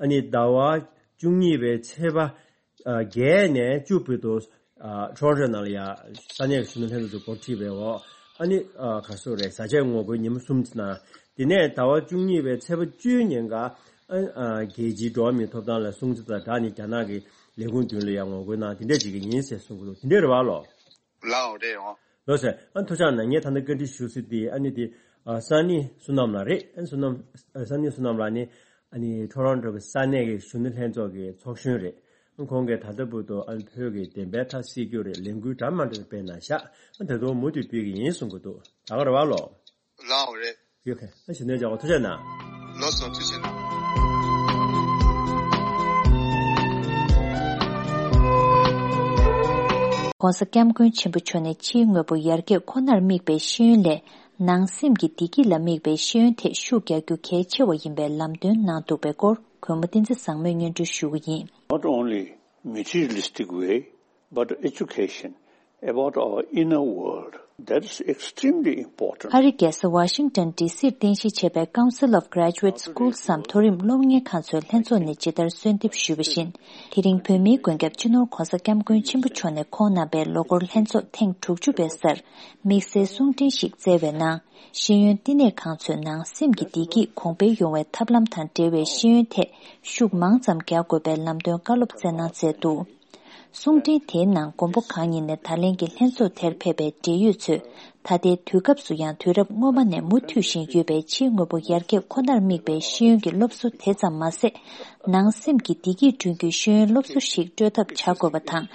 ཨ་ནི་ཟླ་བ་བཅུ་གཉིས་པའི་ཚེས་པ། བརྒྱད་ནས་བཅུ་བར་དུ་ཊོ་རོན་ཊོ་ནང་ལ་ཡ་ས་གནས་ཀྱི་གཞོན་ནུ་ལྷན་ཚོགས་ཚོ་འགོ་ཁྲིད་པའི་འོག་ཨ་ནི་ག་སོ་རེད། བཟའ་ཆས་ངོ་རྒོལ་ཉིན་མོ་གསུམ་ཙམ་གནང་། དེ་ནས་ཟླ་བ་བཅུ་གཉིས་པའི་ཚེས་པ་བཅུའི་ཉིན་ཀ་ཨ་རྒྱལ་སྤྱིའི་འགྲོ་བ་མིའི་ཐོབ་ཐང་ལ་སྲུང་བརྩི་དང་སྦྲགས་ནས་རྒྱ་ནག་གི་ལས་ཁུངས་མདུན་ལ་ཡ་ངོ་རྒོལ་གནང་དེ་འདྲས་བྱེད་ཀྱི་ཡིན་ཟེར་གསུང་གི་འདུག་དེ་འདྲས་རེད་བ་ལོ། ལའོ་རེད་འོ། ལོ་ཟེར། ཨ་ཐུགས་ཆགས་ན་ངས་ད་ནི་བཀའ་འདྲི་ཞུ་སྲིད་དེ་ཨ་ནི་དེ་ཨ་སན་ནི་བསོད་ནམས་ལགས་རེད། ཨ་བསོད་ནམས་ཨ་སན་ནི་བསོད་ནམས་ལགས་ནི་ཨ་ནི་ཊོ་རོན་ཊོ་གི་ས་གནས་ཀྱི་གཞོན་ནུ་ལྷན་ཚོགས་ཀྱི་ཚོགས་གཞོན་རེད། ཨ་ཁོང་གིས་ད་ལྟ་བར་དུ་ཨ་ནི་བོད་ཀྱི་བདེན་པའི་མཐའ་གསལ་རྒྱུ་རེད། ལས་འགུལ་འདྲ་མ་འདྲ་སྤེལ་གནང་ཤག་ཨ་ད་དུང་མུ་མཐུད་སྤེལ་གྱི་ཡིན་གསུང་གི་འདུག་ད་ག་རེད་བ་ལོ། ལའོ་རེད། ཡོད་མཁན་ཨ་ཞུ་ནས་བྱ་བ་ཐུགས་རྗེ་གནང་། ལགས་སོ་ཐུགས་རྗེ་གནང་། ྋགོང་ས་ྋསྐྱབས་མགོན་ཆེན་པོ་མཆོག་ནས་ཕྱིའི་དངོས་པོ་ཡར་རྒྱས་ཁོ་ནར་དམིགས་པའི་ཤེས་ཡོན་ལས། ནང་སེམས་ཀྱི་བདེ་སྐྱིད་ལ་དམིགས་པའི་ཤེས་ཡོན་ཐད་ཤུགས་རྒྱག་རྒྱུ་གལ་ཆེ་བ་ཡིན་པའི་ལམ་སྟོན་གནང་འདུག་པའི་སྐོར་གུས་མོ་བསྟན་འཛིན་བཟང་མོས་སྙན་སྒྲོན་ཞུ་གི་ཡིན། Not only materialistic way, but education about our inner world. That is extremely important. ཨ་རིའི་རྒྱལ་ས་ཝ་ཤིང་ཏོན་ཌི་སིར་རྟེན་གཞི་བྱས་པའི་Council of Graduate Schools སམ་མཐོ་རིམ་སློབ་གཉེར་ཁང་ཚོའི་ལྷན་ཚོགས་ནས་ཇི་ལྟར་གསོལ་འདེབས་ཞུས་པ་བཞིན། དེ་རིང་བོད་མིའི་མགོན་སྐྱབས་སྤྱི་ནོར་ྋགོང་ས་ྋསྐྱབས་མགོན་ཆེན་པོ་མཆོག་ནས་ཁོང་གནང་པའི་ལོ་འཁོར་ལྷན་ཚོགས་ཐེངས་དྲུག་ཅུ་པའི་སར་དམིགས་བསལ་གསུང་འཕྲིན་ཞིག་བསྩལ་བའི་ནང་། ཤེས་ཡོན་བསྟི་གནས་ཁང་ཚོས་ནང་སེམས་ཀྱི་བདེ་སྐྱིད་གོང་འཕེལ་ཡོང་བའི་ཐབས་ལམ་དང་འབྲེལ་བའི་ཤེས་ཡོན་ཐད་ཤུགས་མང་ཙམ་རྒྱག་དགོས་པའི་ལམ་སྟོན་བཀའ་སློབ་སྩལ་གནང་མཛད་འདུག་གསུང་འཕྲིན་དེའི་ནང་མགོན་པོ་གང་ཉིད་ནས་ད་ལན་གྱི་ལྷན་ཚོགས་དེར་ཕེབས་པའི་འབྲེལ་ཡོད་ཚོས་ད་ལྟའི་དུས་སྐབས་སུ་ཡང་དུས་རབས་སྔོན་མ་ནས་མུ་མཐུད་བཞིན་ཡོད་པའི་ཕྱིའི་དངོས་པོ་ཡར་རྒྱས་ཁོ་ནར་དམིགས་པའི་ཤེས་ཡོན་གྱི་སློབ་གསོ་དེ་ཙམ་མ་ཟད། ནང་སེམས་ཀྱི་བདེ་སྐྱིད་བསྐྲུན་རྒྱུའི་ཤེས་ཡོན་སློབ་གསོ་ཞིག་སྤྲོད་ཐབས་བྱ་དགོས་པ་དང་།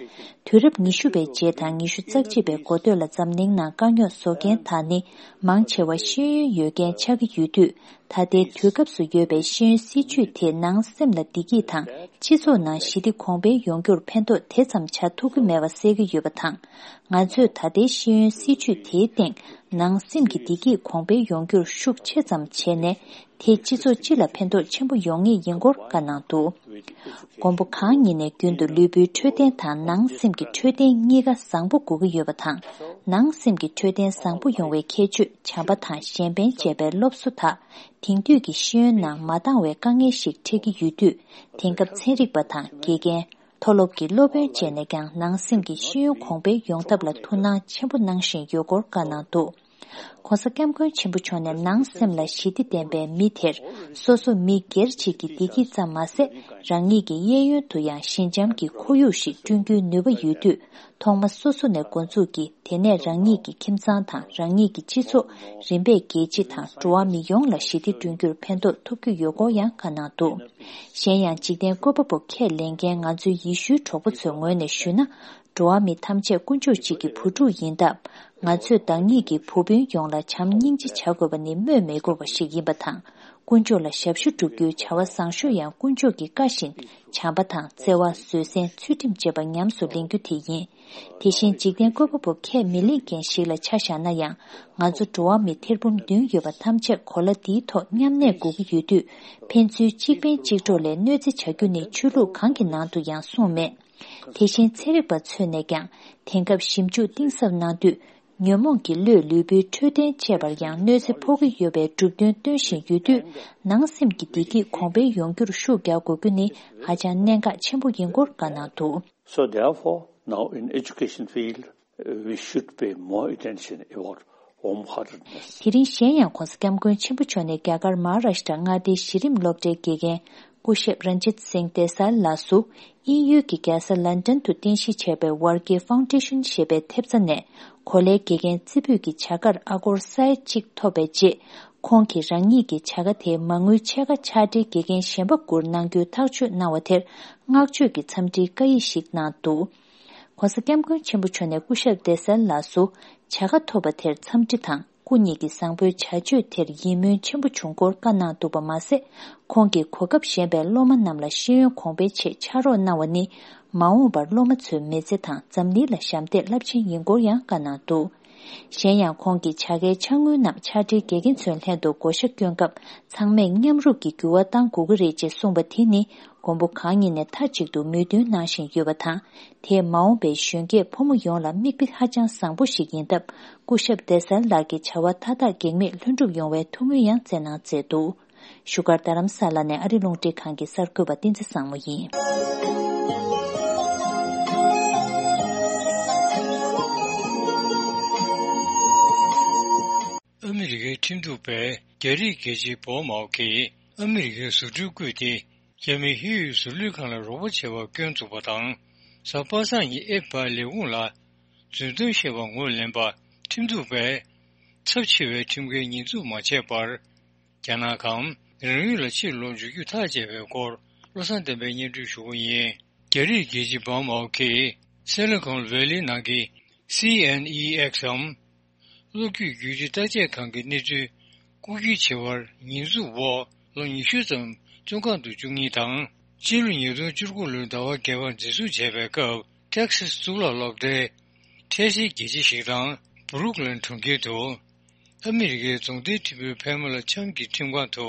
དུས་རབས་ཉི་ཤུ་པའི་རྗེས་དང་ཉི་ཤུ་རྩ་གཅིག་པའི་འགོ་སྟོད་ལ་འཛམ་གླིང་ནང་དཀའ་རྙོག་བཟོ་མཁན་དག་ནི་མང་ཆེ་བ་ཤེས་ཡོན་ཡོད་མཁན་ཆགས་ཀྱི་ཡོད་དུས། ད་ལྟའི་དུས་སྐབས་སུ་ཡོད་པའི་ཤེས་ཡོན་སྲིད་བྱུས་དེ་ནང་སེམས་ལ་བདེ་སྐྱིད་དང་སྤྱི་ཚོགས་ནང་ཞི་བདེ་གོང་འཕེལ་ཡོང་རྒྱུར་ཕན་ཐོགས་དེ་ཙམ་བྱ་ཐུབ་ཀྱི་མེད་པ་གསལ་གྱི་ཡོད་པ་དང་། ང་ཚོས་ད་ལྟའི་ཤེས་ཡོན་སྲིད་བྱུས་དེའི་སྟེང་ནང་སེམས་ཀྱི་བདེ་སྐྱིད་གོང་འཕེལ་ཡོང་རྒྱུར་ཤུགས་ཆེ་ཙམ་བྱས་ནས། དེས་སྤྱི་ཚོགས་སྤྱི་ལ་ཕན་ཐོགས་ཆེན་པོ་ཡོང་ངེས་ཡིན་སྐོར་བཀའ་གནང་འདུག་མགོན་པོ་གང་ཉིད་ནས་རྒྱུན་དུ་ལུས་པོའི་འཕྲོད་བསྟེན་དང་ནང་སེམས་ཀྱི་འཕྲོད་བསྟེན་གཉིས་ཀ་བཟང་པོ་དགོས་ཀྱི་ཡོད་པ་དང་། ནང་སེམས་ཀྱི་འཕྲོད་བསྟེན་བཟང་པོ་ཡོང་བའི་ཁྱད་ཆོས་བྱམས་པ་དང་གཞན་ཕན་བཅས་པའི་སློབ་གསོ་དག་དེང་དུས་ཀྱི་ཤེས་ཡོན་ནང་མ་འདང་བའི་དཀའ་ངལ་ཞིག་འཕྲད་ཀྱི་ཡོད་དུས། དེང་སྐབས་ཚན་རིག་པ་དང་དགེ་རྒན། མཐོ་སློབ་ཀྱི་སློབ་དཔོན་བཅས་ནས་ཀྱང་ནང་སེམས་ཀྱི་ཤེས་ཡོན་གོང་འཕེལ་ཡོང་ཐབས་ལ་ཐུགས་སྣང་ཆེན་པོ་གནང་བཞིན་ཡོད་སྐོར་བཀའ་གནང་འདུག ྋགོང་ས་ྋསྐྱབས་མགོན་ཆེན་པོ་མཆོག་ནས་ནང་སེམས་ལ་ཞི་བདེ་ལྡན་པའི་མི་དེར་སོ་སོ་མི་སྒེར་གཅིག་གི་བདེ་སྐྱིད་ཙམ་མ་ཟད། རང་ཉིད་ཀྱི་གཡས་གཡོན་དུ་ཡང་ཞི་འཇམ་གྱི་ཁོར་ཡུག་ཞིག་བསྐྲུན་རྒྱུའི་ནུས་པ་ཡོད་དུས། ཐོག་མ་སོ་སོ་ནས་འགོ་འཛུགས་ཀྱིས་དེ་ནས་རང་ཉིད་ཀྱི་ཁྱིམ་ཚང་དང་རང་ཉིད་ཀྱི་སྤྱི་ཚོགས་རིམ་པས་རྒྱལ་སྤྱི་དང་འགྲོ་བ་མི་ཡོངས་ལ་ཞི་བདེ་བསྐྲུན་རྒྱུར་ཕན་ཐོགས་ཐུབ་རྒྱུ་ཡོད་སྐོར་ཡང་བཀའ་གནང་འདུག་གཞན་ཡང་འཇིག་རྟེན་བཀོད་པ་པོ་ཁས་ལེན་མཁན་ང་ཚོའི་ཡེ་ཤུའི་གྲོགས་པོ་ཚོའི་ངོས་ནས་ཞུས་ན། འགྲོ་བ་མི་ཐམས་ཅད་དཀོན་མཆོག་གཅིག་གི་བུ་ཕྲུག་ཡིན་སྟབས། ང་ཚོས་བདག་ཉིད་ཀྱི་བུ་སྤུན་ཡོངས་ལ་བྱམས་སྙིང་རྗེ་བྱ་དགོས་པ་ནི་སྨོས་མི་དགོས་པ་ཞིག་ཡིན་པ་དང་། དཀོན་མཆོག་ལ་ཞབས་ཞུ་སྒྲུབ་རྒྱུའི་བྱ་བ་བཟང་ཤོས་ཡང་དཀོན་མཆོག་གི་བཀའ་བཞིན་བྱམས་པ་དང་བརྩེ་བ། བཟོད་བསྲན། ཚུལ་ཁྲིམས་བཅས་པ་ཉམས་སུ་ལེན་རྒྱུ་དེ་ཡིན། དེ་བཞིན་འཇིག་རྟེན་བཀོད་པ་པོ་ཁས་མི་ལེན་མཁན་ཞིག་ལ་ཆ་བཞག་ན་ཡང་། ང་ཚོ་འགྲོ་བ་མི་ཐེར་འབུམ་བདུན་ཡོད་པ་ཐམས་ཅད་གོ་ལ་འདིའི་ཐོག་མཉམ་གནས་དགོས་ཀྱི་ཡོད་དུས། ཕན་ཚུན་གཅིག་ཕན་གཅིག་གྲོགས་ལས་གནོད་འཚེ་བྱ་རྒྱུ་ནི་ཆོས་ལུགས་གང་གི་ནང་དུ་ཡང་གསུངས་མེད། དེ་བཞིན་ཚན་རིག་པ་ཚོས་ནས་ཀྱང་དེང་སྐབས་ཞིབ་འཇུག་གཏིང་ཟབ་གནང་དུས། ཉོན་མོངས་ཀྱི་བློས་ལུས་པོའི་འཕྲོད་བསྟེན་བཅས་པར་ཡང་གནོད་འཚེ་ཕོག་གི་ཡོད་པའི་གྲུབ་དོན་སྟོན་བཞིན་ཡོད་དུས། ནང་སེམས་ཀྱི་བདེ་སྐྱིད་གོང་འཕེལ་ཡོང་རྒྱུར་ཤུགས་རྒྱག་དགོས་རྒྱུ་ནི་ཧ་ཅང་གནད་འགག་ཆེན་པོ་ཡིན་སྐོར་བཀའ་གནང་འདུག So therefore, now in education field, we should pay more attention about warm heartedness. དེ་རིང་གཞན་ཡང་༧གོང་ས་༧སྐྱབས་མགོན་ཆེན་པོ་མཆོག་ནས་རྒྱ་གར་མ་ཧཱ་རཱཤ་ཊ་མངའ་སྡེའི་གཞི་རིམ་སློབ་གྲྭའི་དགེ་རྒན་སྐུ་ཞབས་རན་ཇིད་སིང་ཏེ་སལ་ལགས་སུ། དབྱིན་ཡུལ་གྱི་རྒྱལ་ས་ལན་ཌན་དུ་རྟེན་གཞི་བྱས་པའི་ཝར་ཀི་ཕའུན་ཌེ་ཤན་ཞེས་པའི་ཐེབས་རྩ་ནས་གོ་ལའི་དགེ་རྒན་རྩེ་ཕུད་ཀྱི་བྱ་དགར་ཨ་སྒོར་ས་ཡ་གཅིག་ཐོབ་པའི་རྗེས། ཁོང་གིས་རང་ཉིད་ཀྱི་བྱ་དགའ་དེའི་མ་དངུལ་ཕྱེད་ཀ་ཕྱག་སྦྲེལ་དགེ་རྒན་གཞན་པ་དགུར་གནང་རྒྱུའི་ཐག་གཅོད་གནང་བ་དེར་བསྔགས་བརྗོད་ཀྱི་འཚམས་འདྲིའི་བཀའ་ཡིག་ཞིག་གནང་འདུག ྋགོང་ས་ྋསྐྱབས་མགོན་ཆེན་པོ་མཆོག་ནས་སྐུ་ཞབས་ཏེ་སལ་ལགས་སུ་བྱ་དགའ་ཐོབ་པ་དེར་འཚམས་འདྲི་དང་སྐུ་ཉིད་ཀྱི་བཟང་པོའི་བྱ་སྤྱོད་དེར་ཡིད་སྨོན་ཆེན་པོ་བྱུང་སྐོར་བཀའ་གནང་འདུག་པ་མ་ཟད། ཁོང་གིས་གོ་སྐབས་གཞན་པའི་སློབ་མ་རྣམས་ལ་ཤེས་ཡོན་གོང་འཕེལ་ཆེད་ཕྱག་རོགས་གནང་བ་ནི་མ་འོངས་པར་སློབ་མ་ཚོའི་མི་ཚེ་དང་འཛམ་གླིང་ལ་ཞབས་འདེགས་རླབས་ཆེན་ཡིན་སྐོར་ཡང་བཀའ་གནང་འདུག་གཞན་ཡང་ཁོང་གིས་བྱ་དགའི་ཕྱག་དངུལ་རྣམས་ཕྱག་སྦྲེལ་དགེ་རྒན་ཚོའི་ལྷན་དུ་བགོ་བཤའ་བསྐྱོན་སྐབས་ཚང་མས་མཉམ་རུབ་ཀྱིས་འགྱུར་བ་གཏང་དགོས་ཀྱི་རེད་ཅེས་གསུངས་པ་དེ་ནི་མགོན་པོ་གང་ཉིད་ནས་མཐའ་གཅིག་ཏུ་མོས་མཐུན་གནང་བཞིན་ཡོད་པ་དང་། དེས་མ་འོངས་པའི་གཞོན་སྐྱེས་ཕོ་མོ་ཡོངས་ལ་མིག་དཔེ་ཧ་ཅང་བཟང་པོ་ཞིག་ཡིན་སྟབས། སྐུ་ཞབས་ཏེ་སལ་ལགས་ཀྱི་བྱ་བ་མཐའ་དག་གེགས་མེད་ལྷུན་གྲུབ་ཡོང་བའི་ཐུགས་སྨོན་ཡང་སྩལ་གནང་མཛད་འདུག་བཞུགས་སྒར་རྡ་རམ་ས་ལ་ནས་ཨ་རི་རླུང་འཕྲིན་ཁང་གི་གསར་འགོད་པ་བསྟན་འཛིན་བཟང་མོ་ཡིན། ཨ་མི་རི་ཀའི་ཁྲིམས་གཏུག་པས་རྒྱ་རིགས་རྒྱལ་གཅེས་པོ་མའོ་གིས་ཨ་མི་རི་ཀའི་བཟོ་སྐྲུན་བརྐུས་ཏེ་རྒྱ་མིའི་ཧི་ཡོད་བཟོ་ལས་ཁང་ལ་རོགས་པ་བྱས་པར་སྐྱོན་བཙུགས་པ་དང་། གཟའ་པ་སངས་ཉིན་ཨེབ་ཕའི་ལས་ཁུངས་ལ་རྫུན་གཏམ་བཤད་པར་ངོས་ལེན་པར་ཁྲིམས་གཏུག་པས་ཚབས་ཆེ་བའི་ཁྲིམས་འགལ་ཉེས་འཛུགས་མ་བྱས་པར། རྒྱ་ནག་གམ་རང་ཡུལ་ལ་ཕྱིར་ལོག་འཇུག་རྒྱུ་ཐག་བཅད་པའི་སྐོར་བློ་བཟང་བསྟན་པས་སྙན་སྒྲོན་ཞུ་གི་ཡིན། རྒྱ་རིགས་རྒྱལ་གཅེས་པོ་མའོ་གིས་སི་ལི་ཀོན་ཝེ་ལི་ནང་གི་སི་ཨེན་ཨི་ཨེག་སམ། གློག་བརྒྱུད་བརྒྱུད་འབྲེལ་བརྟག་དཔྱད་ཁང་གི་གནས་ཚུལ་རྐུ་འཁྱེར་བྱས་པར་ཉེས་འཛུགས་འོག་ལོ་ཉི་ཤུ་ཙམ་བཙོན་ཁང་དུ་བཅུག་མཁན་དང་། སྤྱི་ལོ་ཉིས་སྟོང་བཅུ་དགུ་ལོའི་ཟླ་བ་བརྒྱད་པར་འཛིན་བཟུང་བྱས་པའི་སྐབས་ཏེག་སཱས་གཙུག་ལག་སློབ་གྲྭའི་འཕྲལ་སེལ་དགེ་ཆེ་ཞིག་དང་བུ་རུག་ལན་གྲོང་ཁྱེར་དུ་ཨ་མི་རི་ཀའི་རྫོང་སྡེའི་ཁྲིམས་དཔོན་ཕལ་མོ་ལ་ཆམ་གྱི་ཁྲིམས་ཁང་དུ་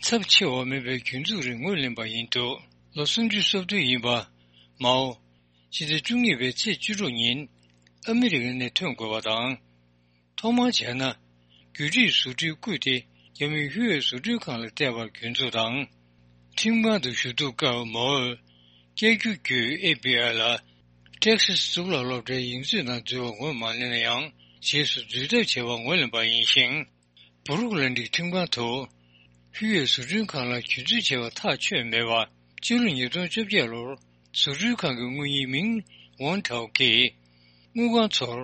ཚབས་ཆེ་བ་མིན་པའི་གྱོད་འཛུགས་རིགས་ངོས་ལེན་པ་ཡིན་འདུག་ལོ་སུམ་ཅུ་སོ་བདུན་ཡིན་པ་མའོ། ཕྱི་ཟླ་བཅུ་གཉིས་པའི་ཚེས་བཅུ་དྲུག་ཉིན་ཨ་མི་རི་ཀ་ནས་ཐོན་དགོས་པ་དང་། ཐོག་མར་བྱས་ན། རྒྱུ་རིགས་བཟོ་སྐྲུན་བརྐུས་ཏེ་རྒྱ་མིའི་ཧུའེ་བཟོ་སྐྲུན་ཁང་ལ་སྤྲད་པར་གྱོད་འཛུགས་དང་། ཁྲིམས་ཁང་དུ་ཞུ་གཏུག་སྐབས་མའོས་བསྐྱར་བསྒྱུར་བརྒྱུད་ཨེཕ་བི་ཨའི་ལ་ཏེག་སཱས་གཙུག་ལག་སློབ་གྲྭའི་ཡིག་མཛོད་ནང་འཛུལ་བར་ངོས་མ་ལེན་ན་ཡང་རྗེས་སུ་འཛུལ་ཐབས་བྱས་པ་ངོས་ལེན་པ་ཡིན་ཞིང་། བུ་རུག་ལན་གྱི་ཁྲིམས་ཁང་དུ་ཧུའེ་བཟོ་སྐྲུན་ཁང་ལ་གྱོད་འཛུགས་བྱས་པ་ཐག་ཆོད་མེད་པ། སྤྱི་ལོ་ཉིས་སྟོང་བཅོ་བརྒྱད་ལོར་བཟོ་སྐྲུན་ཁང་གི་དངུལ་གཉེར་མིང་ཝོན་ཁྲའོ་གིས་དངུལ་ཁང་ཚོར་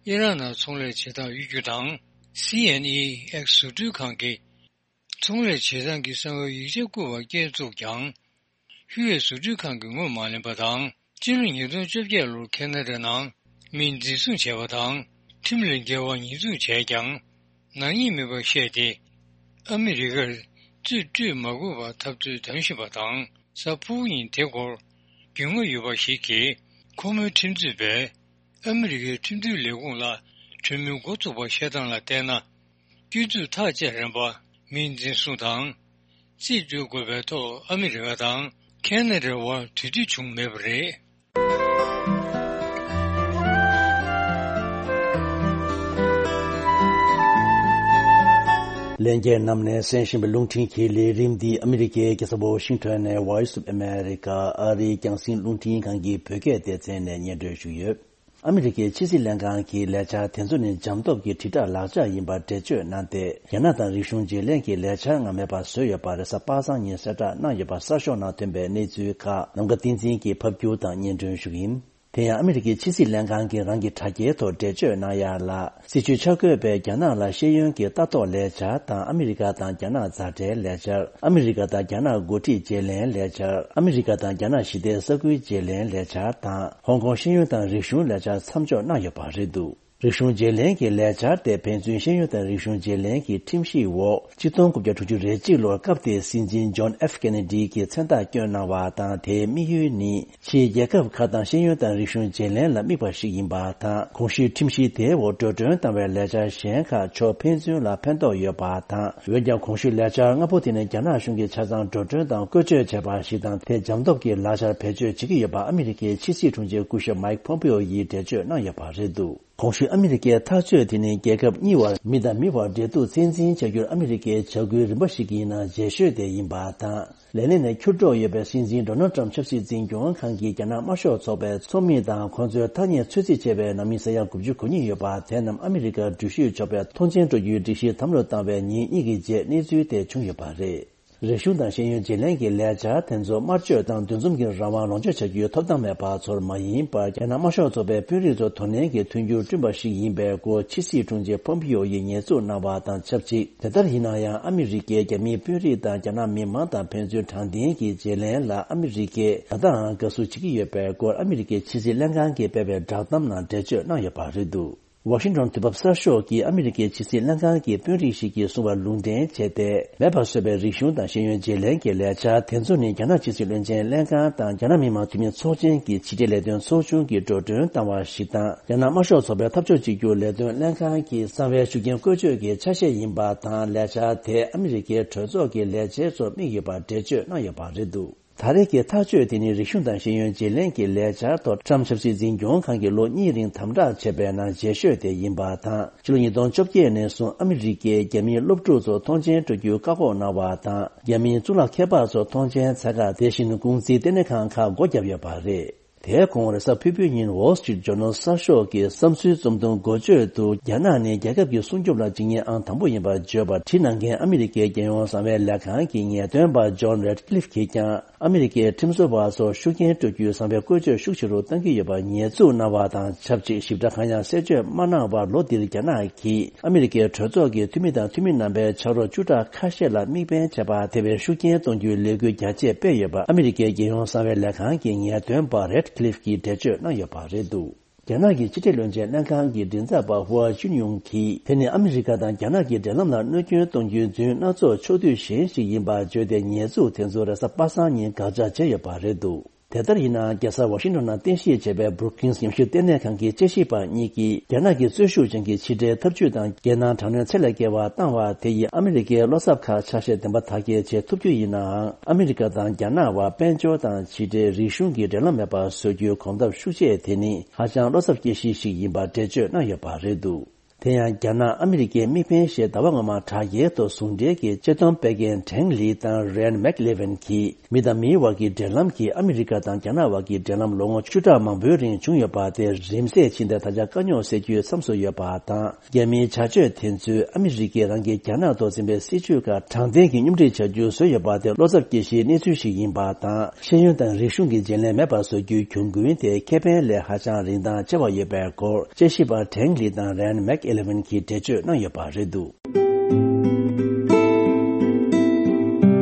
ཨི་རན་ནང་ཚོང་ལས་བྱེད་སྟངས་གཡོ་སྒྱུ་དང་། སི་ཨེན་ཨི་ཨེག་བཟོ་སྐྲུན་ཁང་གི་ཚོང་ལས་བྱེད་སྟངས་ཀྱི་གསང་བའི་ཡིག་ཆ་བསྐུར་བར་བསྐྱལ་བཙུགས་ཀྱང་། ཧུའེ་བཟོ་སྐྲུན་ཁང་གིས་ངོས་མ་ལེན་པ་དང་། སྤྱི་ལོ་ཉིས་སྟོང་བཅོ་བརྒྱད་ལོར་ཁེ་ན་ཌ་ནང་མི་འཛིན་བཟུང་བྱས་པ་དང་། ཁྲིམས་ལས་འགལ་བ་ཉེས་འཛུགས་བྱས་ཀྱང་། ནག་ཉེས་མིན་པར་བཤད་དེ། ཨ་མི་རི་ཀར་རྩིས་སྤྲོད་མ་དགོས་པར་འཐབ་རྩོད་དམ་བཞིན་པ་དང་། གཟའ་ཕུར་བུ་ཉིན་དེ་སྐོར་རྒྱུས་མངའ་ཡོད་པ་ཞིག་གིས་ཁོ་མོའི་ཁྲིམས་རྩོད་པས་ཨ་མི་རི་ཀའི་ཁྲིམས་མཐུན་ལས་ཁུངས་ལ་གྲོས་མོལ་འགོ་བཙུགས་པར་བཤད་སྟངས་ལ་བལྟས་ན། སྐྱོན་འཛུགས་ཐག་བཅད་རན་པ། མི་འཛིན་བཟུང་དང་། རྩིས་སྤྲོད་དགོས་པའི་ཐོག་ཨ་མི་རི་ཀ་དང་ཁེ་ན་ཌའི་དབར་དུས་མཐུད་བྱུང་མེད་པ་རེད། ལྷན་རྒྱས་རྣམས་ནས་གསན་བཞིན་པའི་རླུང་འཕྲིན་གྱི་ལས་རིམ་འདི་ཨ་མི་རི་ཀའི་རྒྱལ་ས་ཝོ་ཤིང་ཊོན་ནས་Voice of America ཨ་རིའི་རྒྱང་སྲིང་རླུང་འཕྲིན་ཁང་གི་བོད་སྐད་སྡེ་ཚན་ནས་སྙན་སྒྲོན་ཞུས་ཡོད། ཨ་མི་རི་ཀའི་ཕྱི་སྲིད་ལྷན་ཁང་གི་ལས་འཆར་དེ་ཚོ་ནི་འཇམ་སྟོབས་ཀྱི་དྲིལ་བསྒྲགས་ལག་ཆ་ཡིན་པར་འགྲེལ་བརྗོད་གནང་སྟེ། རྒྱ་ནག་དང་རིག་གཞུང་བརྗེ་ལེན་གྱི་ལས་འཆར་སྔ་མའི་བར་བཟོས་ཡོད་པ་རེད། གཟའ་པ་སངས་ཉིན་གསལ་བསྒྲགས་གནང་ཡོད་པ་གསར་ཤོག་ནང་ཐོན་པའི་གནས་ཚུལ་ཁག་ནམ་མཁའ་བསྟན་འཛིན་གྱིས་ཕབ་སྒྱུར་དང་སྙན་སྒྲོན་ཞུ་གི་ཡིན། དེ་ཡང་ཨ་མི་རི་ཀའི་ཕྱི་སྲིད་ལྷན་ཁང་གིས་རང་གི་དྲ་རྒྱའི་ཐོག་འགྲེལ་བརྗོད་གནང་ཡག་ལ། སྲིད་བྱུས་འཆར་འགོད་པས་རྒྱ་ནག་ལ་ཤེས་ཡོན་གྱི་ལྟ་རྟོག་ལས་འཆར་དང་། ཨ་མི་རི་ཀ་དང་རྒྱ་ནག་མཛའ་འབྲེལ་ལས་འཆར། ཨ་མི་རི་ཀ་དང་རྒྱ་ནག་འགོ་ཁྲིད་བརྗེ་ལེན་ལས་འཆར། ཨ་མི་རི་ཀ་དང་རྒྱ་ནག་ཞི་བདེའི་ས་ཁུལ་བརྗེ་ལེན་ལས་འཆར་དང་། ཧོང་ཀོང་ཤེས་ཡོན་དང་རིག་གཞུང་ལས་འཆར་མཚམས་འཇོག་གནང་ཡོད་པ་རེད་འདུག་རིག་གཞུང་བརྗེ་ལེན་གྱི་ལས་འཆར་དེ་ཕན་ཚུན་ཤེས་ཡོན་དང་རིག་གཞུང་བརྗེ་ལེན་གྱི་ཁྲིམས་གཞིའི་འོག་ཆིག་སྟོང་དགུ་བརྒྱ་དྲུག་ཅུ་རེ་གཅིག་ལོར་སྐབས་དེའི་སྲིད་འཛིན་ཇོན་ཨེཕ་ཀེ་ནེ་ཌི་གིས་མཚན་རྟགས་བསྐྱོན་གནང་བ་དང་། དེའི་དམིགས་ཡུལ་ནི། ཕྱིའི་རྒྱལ་ཁབ་ཁག་དང་ཤེས་ཡོན་དང་རིག་གཞུང་བརྗེ་ལེན་ལ་དམིགས་པ་ཞིག་ཡིན་པ་དང་། གོང་ཞུས་ཁྲིམས་གཞི་དེའི་འོག་འགྲོ་གྲོན་བཏང་བའི་ལས་འཆར་གཞན་ཁག་ཕྱོགས་ཕན་ཚུན་ལ་ཕན་ཐོགས་ཡོད་པ་དང་། འོན་ཀྱང་གོང་ཞུས་ལས་འཆར་ལྔ་པོ་དེ་ནི་རྒྱ་ནག་གཞུང་གིས་ཆ་ཚང་འགྲོ་གྲོན་དང་བཀོལ་སྤྱོད་བྱས་པ་ཞིག་དང་། དེ་འཇམ་སྟོབས་ཀྱི་ལག་ཆར་བེད་སྤྱོད་བྱེད་ཀྱི་ཡོད་པ་ཨ་མི་རི་ཀའི་ཕྱི་སྲིད་དྲུང་ཆེ་སྐུ་ཞབས་མཱིག་ཕོམ་པེའོ་ཡིས་འགྲེལ་བརྗོད་གནང་ཡོད་པ་རེད་འདུག་གོང་ཞུས་ཨ་མི་རི་ཀའི་ཐག་གཅོད་དེ་ནི་རྒྱལ་ཁབ་གཉིས་བར་མི་དང་མི་བར་འབྲེལ་གཏུག་ཚད་འཛིན་བྱ་རྒྱུར་ཨ་མི་རི་ཀའི་བྱ་འགུལ་རིམ་པ་ཞིག་ཡིན་ན་རྗེས་ཤོས་དེ་ཡིན་པ་དང་། ལས་གནས་ནས་ཁྱུར་སྒྲོག་ཡོད་པའི་སྲིད་འཛིན་ཌོ་ནལ་ཊམ་ཆབ་སྲིད་འཛིན་སྐྱོང་ཁང་གིས་རྒྱ་ནག་དམར་ཤོག་ཚོགས་པའི་ཚོགས་མི་དང་ཁོང་ཚོའི་ཐ་སྙད་ཚོད་རྩིས་བྱས་པའི་ནང་མི་ས་ཡ་དགུ་བཅུ་གོ་གཉིས་ཡོད་པ་དེ་རྣམས་ཨ་མི་རི་ཀར་འགྲུལ་བཞུད་ཆོག་པའི་ཐོངས་མཆན་སྤྲོད་རྒྱུའི་སྒྲིག་གཞི་དམ་ལུ་བཏང་བའི་ཉིན་གཉིས་ཀྱི་རྗེས་གནས་ཚུལ་དེ་བྱུང་ཡོད་པ་རེད། རིག་གཞུང་དང་ཤེས་ཡོན་བརྗེ་ལེན་གྱི་ལས་འཆར་དེ་ཚོ་དམར་གཅོད་དང་འདུ་འཛོམས་ཀྱི་རང་དབང་ལོངས་སྤྱོད་བྱ་རྒྱུའི་ཐོབ་ཐང་མེད་པ་ཚོར་མ་ཡིན་པར། རྒྱ་ནག་དམར་ཤོག་ཚོགས་པའི་དཔོན་རིགས་ཚོ་དོ་ནན་གྱི་མཐུན་འགྱུར་བསྐྲུན་པ་ཞིག་ཡིན་པའི་སྐོར་ཕྱི་སྲིད་དྲུང་ཆེ་ཕོམ་པིའོ་ཡིས་ཉེས་འཛུགས་གནང་བ་དང་ཆབས་ཅིག་དེ་ལྟར་ཡིན་ན་ཡང་ཨ་མི་རི་ཀས་རྒྱ་མིའི་དཔོན་རིགས་དང་རྒྱ་ནག་མི་མང་དང་ཕན་ཚུན་དྲང་བདེན་གྱི་བརྗེ་ལེན་ལ་ཨ་མི་རི་ཀས་ད་ལྟའང་དགའ་བསུ་བྱེད་ཀྱི་ཡོད་པའི་སྐོར་ཨ་མི་རི་ཀའི་ཕྱི་སྲིད་ལྷན་ཁང་གིས་སྤེལ་བའི་བསྒྲགས་གཏམ་ནང་འགྲེལ་བརྗོད་གནང་ཡོད་པ་རེད་འདུག་ཝ་ཤིང་ཊོན་དུས་བབ་གསར་ཤོག་གིས་ཨ་མི་རི་ཀའི་ཕྱི་སྲིད་ལྷན་ཁང་གི་དཔོན་རིགས་ཤིག་གིས་གསུངས་པར་ལུང་འདྲེན་བྱས་ཏེ། མེད་པར་བཟོས་པའི་རིག་གཞུང་དང་ཤེས་ཡོན་བརྗེ་ལེན་གྱི་ལས་འཆར་དེ་ཚོ་ནི་རྒྱ་ནག་ཕྱི་སྲིད་བློན་ཆེན་ལྷན་ཁང་དང་རྒྱ་ནག་མི་དམངས་འཐུས་མི་ཚོགས་ཆེན་གྱི་ཕྱི་འབྲེལ་ལས་དོན་ཚོགས་ཆུང་གིས་འགྲོ་གྲོན་བཏང་བ་ཞིག་དང་། རྒྱ་ནག་དམར་ཤོག་ཚོགས་པའི་འཐབ་ཕྱོགས་གཅིག་གྱུར་ལས་དོན་ལྷན་ཁང་གི་གསང་བའི་ཤུགས་རྐྱེན་བཀོལ་སྤྱོད་ཀྱི་ཆ་ཤས་ཡིན་པ་དང་། ལས་འཆར་དེ་ཨ་མི་རི་ཀའི་གྲོས་ཚོགས་ཀྱི་ལས་བྱེད་ཚོར་དམིགས་ཡོད་པར་འགྲེལ་བརྗོད་གནང་ཡོད་པ་རེད་འདུག་ད་རེས་ཀྱི་ཐག་གཅོད་དེ་ནི་རིག་གཞུང་དང་ཤེས་ཡོན་བརྗེ་ལེན་གྱི་ལས་འཆར་ཐོག་ཊམ་ཆབ་སྲིད་འཛིན་སྐྱོང་ཁང་གིས་ལོ་གཉིས་རིང་དམ་དྲག་བྱས་པའི་ནང་རྗེས་ཤོས་དེ་ཡིན་པ་དང་། ཕྱི་ལོ་ཉིས་སྟོང་བཅོ་བརྒྱད་ནས་བཟུང་ཨ་མི་རི་ཀས་རྒྱ་མིའི་སློབ་ཕྲུག་ཚོ་ཐོངས་མཆན་སྤྲོད་རྒྱུའི་བཀག་འགོག་གནང་བ་དང་། རྒྱ་མིའི་གཙུག་ལག་མཁས་པ་ཚོ་ཐོངས་མཆན་འཚོལ་ག་དེ་བཞིན་ཀུང་ཟིའི་ལྟེ་གནས་ཁང་ཁག་སྒོ་བརྒྱབ་ཡོད་པ་རེད། དེའི་གོང་རེས་གཟའ་ཕུར་བུའི་ཉིན་Wall Street Journal་གསར་ཤོག་གིས་བསམ་ཚུལ་རྩོམ་ཐུང་འགོ་བརྗོད་དུ། རྒྱ་ནག་ནི་རྒྱལ་ཁབ་ཀྱི་སྲུང་སྐྱོབ་ལ་འཇིགས་ཉེན་ཨང་དང་པོ་ཡིན་པར་བརྗོད་པ་བྲིས་གནང་མཁན་ཨ་མི་རི་ཀའི་རྒྱལ་ཡོངས་གསང་བའི་ལས་ཁང་གི་ངེས་སྟོན་པ་John Ratcliffe་གིས་ཀྱང་། ཨ་མི་རི་ཀའི་ཁྲིམས་བཟོ་བ་ཚོར་ཤུགས་རྐྱེན་སྤྲོད་རྒྱུའི་གསང་བའི་བཀོལ་སྤྱོད་ཤུགས་ཆེ་རུ་གཏང་གི་ཡོད་པར་ཉེས་འཛུགས་གནང་བ་དང་ཆབས་ཅིག་ཞིབ་ཕྲ་གང་ཡང་གསལ་བརྗོད་མ་གནང་བར། ལོ་འདིར་རྒྱ་ནག་གིས་ཨ་མི་རི་ཀའི་གྲོས་ཚོགས་ཀྱི་འཐུས་མི་དང་འཐུས་མི་རྣམ་པའི་ཕྱག་རོགས་བཅུ་ཕྲག་ཁ་ཤས་ལ་དམིགས་འབེན་བྱས་པ་དེ་བས་ཤུགས་རྐྱེན་གཏོང་རྒྱུའི་ལས་འགུལ་རྒྱ་ཆེ་སྤེལ་ཡོད་པ་ཨ་མི་རི་ཀའི་རྒྱལ་ཡོངས་གསང་བའི་ལས་ཁང་གི་ངེས་སྟོན་པ་Ratcliffe་གིས་འགྲེལ་བརྗོད་གནང་ཡོད་པ་རེད་འདུག་རྒྱ་ནག་གི་ཕྱི་འབྲེལ་བློན་ཆེན་ལྷན་ཁང་གི་མགྲིན་ཚབ་པ་ཧུའ་ཅུན་ཡུང་གིས། དེ་ནི་ཨ་མི་རི་ཀ་དང་རྒྱ་ནག་གི་འབྲེལ་ལམ་ལ་གནོད་སྐྱོན་གཏོང་རྒྱུའི་རྫུན་སྣ་ཚོགས་ཕྱོགས་བསྡུས་གཞན་ཞིག་ཡིན་པར་བརྗོད་དེ། ཉེས་འཛུགས་དེ་ཚོ་རེས་གཟའ་པ་སངས་ཉིན་དགག་བྱ་བྱས་ཡོད་པ་རེད་འདུག་དེ་ལྟར་ཡིན་ནའང་། རྒྱལ་ས་ཝ་ཤིང་ཊོན་ནང་རྟེན་གཞི་བྱས་པའི་Brookings་ཉམས་ཞིབ་ལྟེ་གནས་ཁང་གི་དཔྱད་ཞིབ་པ་གཉིས་ཀྱིས། རྒྱ་ནག་གི་རྩོལ་ཤུགས་ཅན་གྱི་ཕྱི་འབྲེལ་འཐབ་ཇུས་དང་། རྒྱལ་ནང་དྲག་གནོན་ཚད་ལས་བརྒལ་བ་བཏང་བ་དེ་ཡིས་ཨ་མི་རི་ཀའི་བློ་འཚབ་ཁག་ཆ་ཤས་བདེན་པ་དག་སྐྱེལ་བྱེད་ཐུབ་རྒྱུ་ཡིན་ནའང་། ཨ་མི་རི་ཀ་དང་རྒྱ་ནག་བར་དཔལ་འབྱོར་དང་ཕྱི་འབྲེལ། རིག་གཞུང་གི་འབྲེལ་ལམ་མེད་པར་བཟོ་རྒྱུའི་གོམ་སྟབས་ཤུགས་ཆེ་དེ་ནི་ཧ་ཅང་བློ་འཚབ་སྐྱེ་གཞི་ཞིག་ཡིན་པར་འགྲེལ་བརྗོད་གནང་ཡོད་པ་རེད་འདུག་དེ་ཡང་། རྒྱ་ནག་ཨ་མི་རི་ཀའི་དམིགས་འབེན་ཞེས་ཟླ་བ་སྔོན་མ་དྲ་རྒྱའི་ཐོག་ཟུང་འབྲེལ་གྱི་ཆེད་སྡོམ་སྤེལ་མཁན་ཀྲེང་ལི་དང་རན་མེག་ལེ་ཝིན་གྱིས། མི་དང་མིའི་བར་གྱི་འབྲེལ་ལམ་གྱིས་ཨ་མི་རི་ཀ་དང་རྒྱ་ནག་བར་གྱི་འབྲེལ་ལམ་ལོ་ངོ་བཅུ་ཕྲག་མང་པོའི་རིང་བྱུང་ཡོད་པ་དེ་རིམ་ཟད་ཕྱིན་ཏེ། ད་ཆ་དཀའ་རྙོག་སེལ་རྒྱུའི་མཚམས་སུ་ཡོད་པ་དང་། རྒྱ་མིའི་བྱ་སྤྱོད་དེ་ཚོས་ཨ་མི་རི་ཀས་རང་གིས་རྒྱ་ནག་ཐོག་འཛིན་པའི་སྲིད་བྱུས་ཁག་དྲང་བདེན་གྱིས་སྙོམ་སྒྲིག་བྱ་རྒྱུ་བཟོས་ཡོད་པ་དེ་བློ་འཚབ་སྐྱེ་གཞིའི་གནས་ཚུལ་ཞིག་ཡིན་པ་དང་། ཤེས་ཡོན་དང་རིག་གཞུང་གི་བརྗེ་ལེན་མེད་པར་བཟོ་རྒྱུའི་གྱོང་གུན་དེ་ཁེ་ཕན་ལས་ཧ་ཅང་རིན་ཐང་ཆེ་བ་ཡོད་པའི་སྐོར་དཔྱད་ཞིབ་པ་ཀྲེང་ལི་དང་རན་མེག་ཨེ་ལེ་ཝིན་གྱིས་འགྲེལ་བརྗོད་གནང་ཡོད་པ་རེད་འདུག་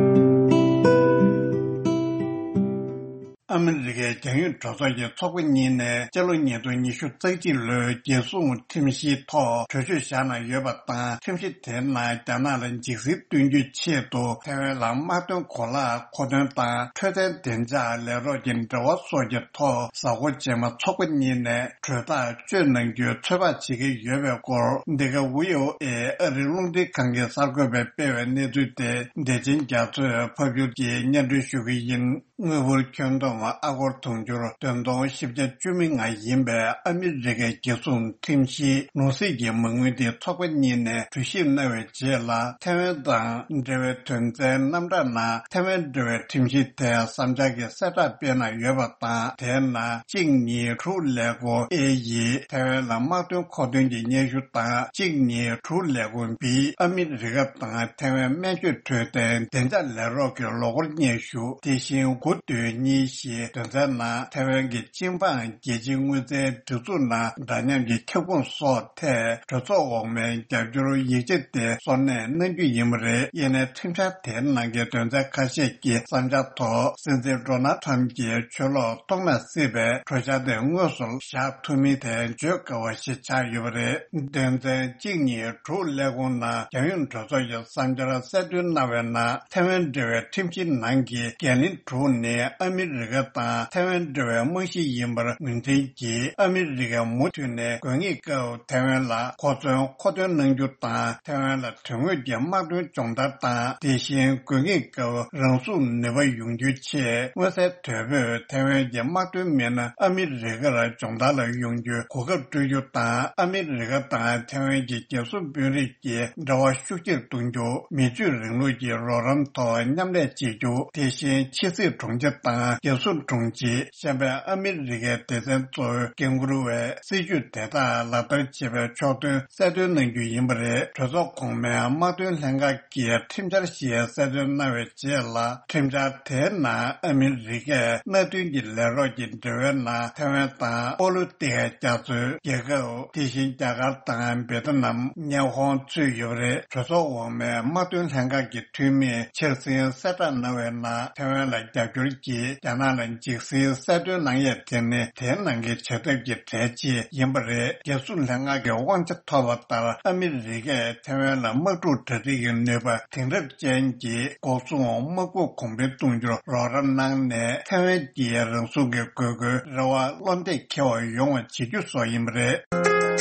ཨ་མི་རི་ཀའི་རྒྱང་ཡོད་གྲོས་ཚོགས་ཀྱི་ཚོགས་པ་གཉིས་ནས་སྤྱི་ལོ་ཉིས་སྟོང་ཉི་ཤུ་རྩ་གཅིག་ལོའི་རྒྱལ་སྲུང་ཁྲིམས་གཞིའི་ཐོག་གྲོས་ཆོད་བཞག་གནང་ཡོད་པ་དང་། ཁྲིམས་གཞི་དེའི་ནང་རྒྱ་ནག་ལ་འཇིགས་སྲིད་སྟོན་རྒྱུའི་ཆེད་དུ་ཐའེ་ཝན་ལ་དམག་དོན་གོ་ལག་མཁོ་འདོན་དང་། འཕྲོད་བསྟེན་བདེ་འཇགས་ལས་རོགས་ཀྱི་འབྲེལ་བ་སོགས་ཀྱི་ཐོག་གཟའ་འཁོར་རྗེས་མ་ཚོགས་པ་གཉིས་ནས་གྲོས་ཐག་གཅོད་གནང་རྒྱུའི་ཚོད་དཔག་བྱེད་ཀྱི་ཡོད་པའི་སྐོར། འདི་ག་ཝི་ཨོ་ཨེ་ཨ་རིའི་རླུང་འཕྲིན་ཁང་གི་གསར་འགོད་པས་སྤེལ་བའི་གནས་ཚུལ་དེ་བདེ་ཆེན་རྒྱ་མཚོས་ཕབ་སྒྱུར་གྱིས་སྙན་སྒྲོན་ཞུ་གི་ཡིན། དངུལ་ཕོར་ཁྱོན་བསྡོམས་ཨ་སྒོར་དུང་ཕྱུར་བདུན་སྟོང་བཞི་བརྒྱ་བཅུ་མེད་ལྔ་ཡིན་པའི་ཨ་མི་རི་ཀའི་རྒྱལ་སྲུང་ཁྲིམས་གཞིའི་ནོར་སྲིད་ཀྱི་མ་དངུལ་དེ་ཚོགས་པ་གཉིས་ནས་གྲོས་ཞིབ་གནང་བའི་རྗེས་ལ། ཐའེ་ཝན་དང་འབྲེལ་བའི་དོན་ཚན་རྣམ་གྲངས་ནང་། ཐའེ་ཝན་འབྲེལ་བའི་ཁྲིམས་གཞི་དེ་བསམ་འཆར་གྱི་གསལ་བསྒྲགས་སྤེལ་གནང་ཡོད་པ་དང་། དེའི་ནང་གཅིག་གཉིས་དྲུག་ཀླད་ཀོར་ཨེ་ཡིས་ཐའེ་ཝན་ལ་དམག་དོན་མཁོ་འདོན་གྱི་སྙན་ཞུ་དང་། གཅིག་གཉིས་དྲུག་ཀླད་ཀོར་བིས་ཨ་མི་རི་ཀ་དང་ཐའེ་ཝན་སྨན་བཅོས་འཕྲོད་བསྟེན་བདེ་འཇགས་ལས་རོགས་ཀྱི་ལོ་འཁོར་སྙན་ཞུ། དེ་བཞིན་དགུ་བདུན་གཉིས་ཞེས་དོན་ཚན་ནང་ཐའེ་ཝན་གྱི་སྤྱི་འབངས་རྒྱལ་སྤྱིའི་དངུལ་རྩའི་སྒྲིག་འཛུགས་ནང་འདྲ་མཉམ་གྱི་ཁྱབ་ཁོངས་སོགས་ཐད་གྲོས་ཚོགས་འོག་མའི་རྒྱབ་སྐྱོར་ཡིག་ཆ་དེ་གསོལ་སྣེ་གནང་རྒྱུ་ཡིན་པ་རེད། ཡིན་ནའི་ཁྲིམས་འཆར་དེའི་ནང་གི་དོན་ཚན་ཁ་ཤས་ཀྱི་བསམ་འཆར་ཐོག་སྲིད་འཛིན་ཌོ་ནལ་ཁྲམ་གྱིས་ཆོས་ལུགས་ཐོག་མ་སྲིད་པའི་གྲོས་འཆར་དེ་དངོས་སུ་བཞག་ཐུབ་མིན་དེ་བརྗོད་དཀའ་བ་ཞིག་ཆགས་ཡོད་པ་རེད། དོན་ཚན་གཅིག་གཉིས་དྲུག་ཀླད་ཀོར་ནང་རྒྱལ་ཡོངས་གྲོས་ཚོགས་ཀྱི་བསམ་འཆར་གསལ་སྟོན་གནང་བའི་ནང་། ཐའེ་ཝན་འབྲེལ་བའི་ཁྲིམས་གཞིའི་ནང་གི་འགན་ལེན་དྲུག་ ནི་ཨ་མི་རི་ཀ་དང་ཐའེ་ཝན་འབྲེལ་བའི་རྨང་གཞི་ཡིན་པར་ངོས་འཛིན་གྱིས། ཨ་མི་རི་ཀས་མུ་མཐུད་ནས་དགོས་ངེས་སྐབས་ཐའེ་ཝན་ལ་གོ་མཚོན་མཁོ་འདོན་གནང་རྒྱུ་དང་། ཐའེ་ཝན་ལ་དོན་དངོས་ཀྱི་དམག་དོན་སྦྱོང་བརྡར་དང་། དེ་བཞིན་དགོས་ངེས་སྐབས་རང་སྲུང་ནུས་པ་ཡོང་རྒྱུའི་ཆེད། མངོན་གསལ་དོད་པོས་ཐའེ་ཝན་གྱི་དམག་དོན་མི་སྣ་ཨ་མི་རི་ཀར་སྦྱོང་བརྡར་ལ་ཡོང་རྒྱུའི་གོ་སྐབས་སྤྲོད་རྒྱུ་དང་། ཨ་མི་རི་ཀ་དང་ཐའེ་ཝན་གྱི་རྒྱལ་སྲུང་དཔོན་རིགས་ཀྱི་འབྲེལ་བ་ཤུགས་ཆེར་གཏོང་རྒྱུ། མི་ཆོས་རིང་ལུགས་ཀྱི་རོགས་རམ་ཐོག་མཉམ་ལས་བྱེད་རྒྱུ། དེ་བཞིན་ཕྱི་སྲིད་དྲུང་ཆེ་དང་རྒྱལ་སྲུང་དྲུང་ཆེ། གཞན་པའི་ཨ་མི་རི་ཀའི་སྡེ་ཚན་གཙོ་བོའི་འགན་འཁུར་བས་སྲིད་ཇུས་དེ་དག་ལག་བསྟར་བྱེད་པའི་ཕྱོགས་སྟོན་གསལ་སྟོན་གནང་རྒྱུ་ཡིན་པ་རེད། གྲོས་ཚོགས་གོང་མའི་དམག་དོན་ལྷན་ཁང་གིས་ཁྲིམས་འཆར་ཞིག་གསལ་སྟོན་གནང་བའི་རྗེས་ལ། ཁྲིམས་འཆར་དེའི་ནང་ཨ་མི་རི་ཀས་མནའ་མཐུན་གྱི་ལས་རོགས་ཀྱི་འབྲེལ་བའི་ནང་ཐའེ་ཝན་དང་པོ་ལུ་ཏི་ཧའི་རྒྱ་མཚོའི་རྒྱལ་ཁབ། དེ་བཞིན་རྒྱ་གར་དང་བེ་ཏི་ནམ། ཉི་ཧོང་ཚུད་ཡོད་པ་རེད། གྲོས་ཚོགས་འོག་མའི་དམག་དོན་ལྷན་ཁང་གི་འཐུས་མིས་འཆར་ཟིན་གསལ་བསྒྲགས་གནང་བའི་ནང་ཐའེ་ཝན་ལ་རྒྱབ་སྐྱོར་གྱིས་རྒྱ་ནག་ལ་འཇིགས་ཟིན་གསལ་སྟོན་གནང་ཡས་དེ་ནི་དེའི་ནང་གི་བྱ་ཐབས་ཀྱི་གྲས་གཅིག་ཡིན་པ་རེད། རྒྱལ་སྲུང་ལྷན་ཁང་གི་དབང་ཆ་ཐོབ་པ་ལྟར་ཨ་མི་རི་ཀས་ཐའེ་ཝན་ལ་དམག་འཁྲུག་གྲ་སྒྲིག་གི་ནུས་པ་དེང་རབས་ཅན་གྱི་འགོག་སྲུང་དམག་དཔུང་གོང་འཕེལ་གཏོང་རྒྱུར་རོགས་རམ་གནང་ནས། ཐའེ་ཝན་གྱི་རང་སྲུང་གི་དགོས་མཁོའི་རེ་བ་བློ་གཏད་འཁེལ་བ་ཡོང་བ་བྱེད་རྒྱུ་སོགས་ཡིན་པ་རེད།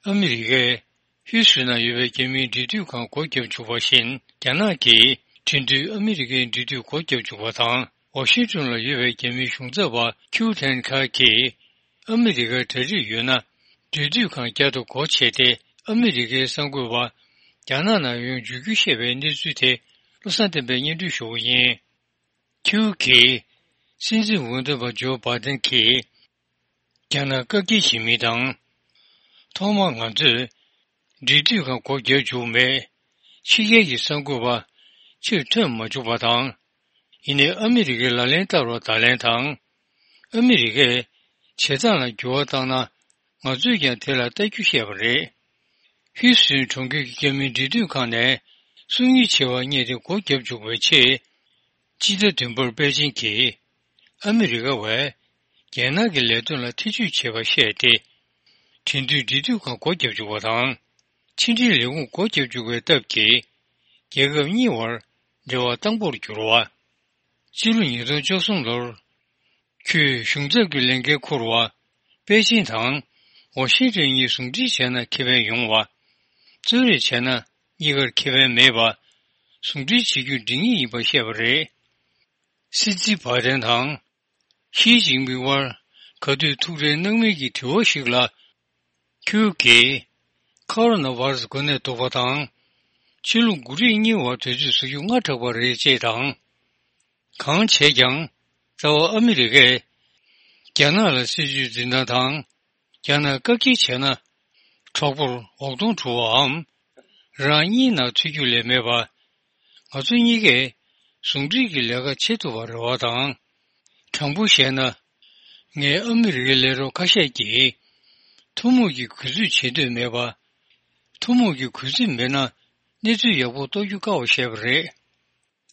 ཨ་མི་རི་ཀས་ཧུའུ་སུན་ན་ཡོད་པའི་རྒྱ་མིའི་འབྲེལ་མཐུད་ཁང་སྒོ་བརྒྱབ་བཅུག་པ་བཞིན། རྒྱ་ནག་གིས་ཁྲིན་ཏུའུ་ཨ་མི་རི་ཀའི་འབྲེལ་མཐུད་སྒོ་བརྒྱབ་བཅུག་པ་དང་། ཝ་ཤིང་ཏོན་ལ་ཡོད་པའི་རྒྱ་མིའི་གཞུང་ཚབ་པ་ཁིའུ་ཐན་ཁ་གིས། ཨ་མི་རི་ཀར་གྲ་སྒྲིག་ཡོད་ན། འབྲེལ་མཐུད་ཁང་བསྐྱར་དུ་སྒོ་ཕྱེ་སྟེ། ཨ་མི་རི་ཀའི་གསར་འགོད་པ་རྒྱ་ནག་ནང་ཡོང་འཇུག་རྒྱུ་བཤད་པའི་གནས་ཚུལ་དེ་བློ་བཟང་བསྟན་པས་སྙན་སྒྲོན་ཞུ་བ་ཡིན། ཁིའུ་གིས་སྲིད་འཛིན་འོས་ཐོན་པ་ཇོ་བྷ་དན་གྱིས་རྒྱ་ནག་བཀག་སྐྱིལ་བྱེད་མིན་དང་། ཐོག་མར་ང་ཚོས་འབྲེལ་མཐུད་ཁང་སྒོ་བརྒྱབ་བཅུག་མེད། ཕྱི་རྒྱལ་གྱི་གསར་འགོད་པ་ཕྱིར་ཐོན་མ་བཅུག་པ་དང་། ཡིན་ནའི་ཨ་མི་རི་ཀའི་ལག་ལེན་བསྟར་བར་བརྡ་ལན་དང་། ཨ་མི་རི་ཀས་བྱེད་སྟངས་ལ་འགྱུར་བ་བཏང་ན། ང་ཚོས་ཀྱང་དེ་ལ་ལྟ་རྒྱུ་བཤད་པ་རེད། ཧུའུ་སུན་གྲོང་ཁྱེར་གྱི་རྒྱ་མིའི་འབྲེལ་མཐུད་ཁང་ནས་སྲུང་ཡིག་ཆེ་བ་རྙེད་དེ་སྒོ་བརྒྱབ་བཅུག་པའི་ཆེད། སྤྱི་ཟླ་བདུན་པར་པེ་ཅིང་གིས་ཨ་མི་རི་ཀ་བས་རྒྱལ་ནང་གི་ལས་དོན་ལ་ཐེ་བྱུས་བྱས་པ་བཤད་དེ། ཁྲིན་ཏུའུ་འབྲེལ་མཐུད་ཁང་སྒོ་བརྒྱབ་བཅུག་པ་དང་། ཕྱི་འབྲེལ་ལས་ཁུངས་སྒོ་བརྒྱབ་བཅུག་པའི་སྟབས་ཀྱིས། རྒྱལ་ཁབ་གཉིས་བར་འབྲེལ་བ་དྭངས་པོར་གྱུར་བ། ཕྱི་ལོ་ཉིས་སྟོང་བཅུ་གསུམ་ལོར། ཁོས་གཞུང་ཚབ་ཀྱི་ལས་འགན་འཁུར་བ། པེ་ཅིང་དང་ཝ་ཤིང་ཏོན་གཉིས་ཟུང་འབྲེལ་བྱས་ན་ཁེ་ཕན་ཡོང་བ། གཙོས་རེས་བྱས་ན་གཉིས་ཀར་ཁེ་ཕན་མེད་པ། ཟུང་འབྲེལ་བྱེད་རྒྱུ་འགྲིག་ངེས་ཡིན་པ་བཤད་པ་རེད། སྲིད་འཛིན་བྷ་དན་དང་། ཞི་ཅིན་ཕིང་དབར་ག་དུས་ཐུག་འཕྲད་གནང་མིན་གྱི་དྲི་བ་ཞིག་ལ། ཁོས་ཀྱིས། ཁོ་རོ་ན་བྷ་ར་སི་འགོས་ནད་ཐུག་པ་དང་། ཕྱི་ལོ་དགུ་རིག་གཉིས་བར་དུས་ཚོད་བཟོ་རྒྱུ་སྔ་དྲགས་པ་རེད་ཅེས་དང་། གང་བྱས་ཀྱང་། རྩ་བ་ཨ་མི་རི་ཀས། རྒྱ་ནག་ལ་སྲིད་ཇུས་འཛིན་སྟངས་དང་། རྒྱ་ནག་བཀག་སྐྱིལ་བྱས་ན། གྲོགས་པོར་འོག་གདོང་འཁྲུ་བའམ། རང་གཉིས་ནང་ཚུད་རྒྱུ་ལས་མེད་པ། ང་ཚོ་གཉིས་ཀས་ཟུང་འབྲེལ་གྱི་ལས་ཀ་བྱེད་ཐུབ་པར་རེ་བ་དང་། དྲང་པོ་བཤད་ན། ངས་ཨ་མི་རི་ཀའི་ལས་རོགས་ཁ་ཤས་ཀྱིས་ཐུན་མོང་གི་གུས་བརྩི་བྱེད་འདོད་མེད་པ། ཐུན་མོང་གི་གུས་བརྩི་མེད་ན་གནས་ཚུལ་ཡག་པོ་རྟོགས་རྒྱུ་དཀའ་བ་བཤད་པ་རེད།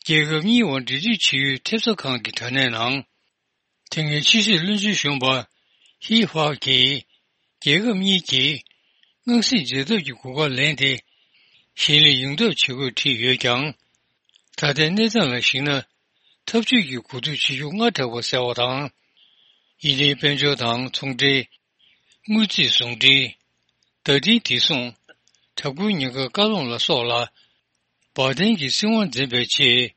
རྒྱལ་ཁབ་གཉིས་བར་འབྲེལ་མཐུད་བྱེད་ཡུལ་ཐེབས་རྩ་ཁང་གི་དྲ་གནས་ནང་། དེ་སྔའི་ཕྱི་སྲིད་བློན་ཆེན་གཞོན་པ་ཧི་ཧྥ་གིས། རྒྱལ་ཁབ་གཉིས་ཀྱིས་དངངས་སྲིད་འཇལ་ཐབས་ཀྱི་གོ་སྐབས་ལེན་ཏེ། ཞི་ལྷོད་ཡོང་ཐབས་བྱེད་དགོས་བྲིས་ཡོད་ཀྱང་། ད་ལྟའི་གནས་སྟངས་ལ་གཞིགས་ན། འཐབ་ཇུས་ཀྱི་གོ་བསྡུར་བྱེད་རྒྱུ་སྔ་དྲགས་པ་གསལ་བ་དང་། ཡིན་ནའི་དཔལ་འབྱོར་དང་ཚོང་འབྲེལ། དངུལ་རྩིས་ཟུང་འབྲེལ། བརྡ་འཕྲིན་བདེ་སྲུང་། དྲག་པོའི་ཉེན་ཁ་བཀག་སློང་ལ་སོགས་ལ། བར་ལྡན་གྱི་སྲིད་དབང་འཛིན་པའི་ཆེད།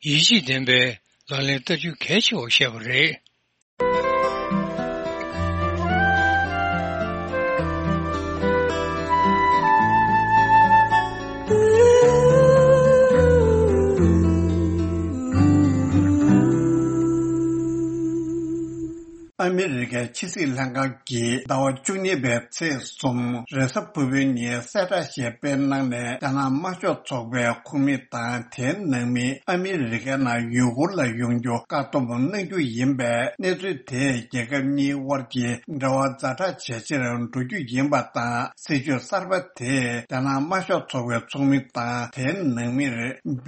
ཡིད་ཆེས་ལྡན་པའི་ལག་ལེན་བསྟར་རྒྱུ་གལ་ཆེ་བར་བཤད་པ་རེད། ཨ་མི་རི་ཀའི་ཕྱི་སྲིད་ལྷན་ཁང་གིས་ཟླ་བ་བཅུ་གཉིས་པའི་ཚེས་གསུམ་རེས་གཟའ་ཕུར་བུའི་ཉིན་གསལ་བསྒྲགས་ཤིག་སྤེལ་གནང་ནས། རྒྱ་ནག་དམར་ཤོག་ཚོགས་པའི་ཁོངས་མི་དང་དེའི་ནང་མི་ཨ་མི་རི་ཀའི་ནང་ཡུ་གུར་ལ་ཡོང་རྒྱུ་བཀག་སྡོམ་གནང་རྒྱུ་ཡིན་པས། གནས་ཚུལ་དེས་རྒྱལ་ཁབ་གཉིས་དབར་གྱི་འབྲེལ་བ་ཛ་དྲག་ཇེ་ཆེར་འགྲོ་རྒྱུ་ཡིན་པ་དང་། སྲིད་བྱུས་གསར་པ་དེས་རྒྱ་ནག་དམར་ཤོག་ཚོགས་པའི་ཚོགས་མི་དང་དེའི་ནང་མིར་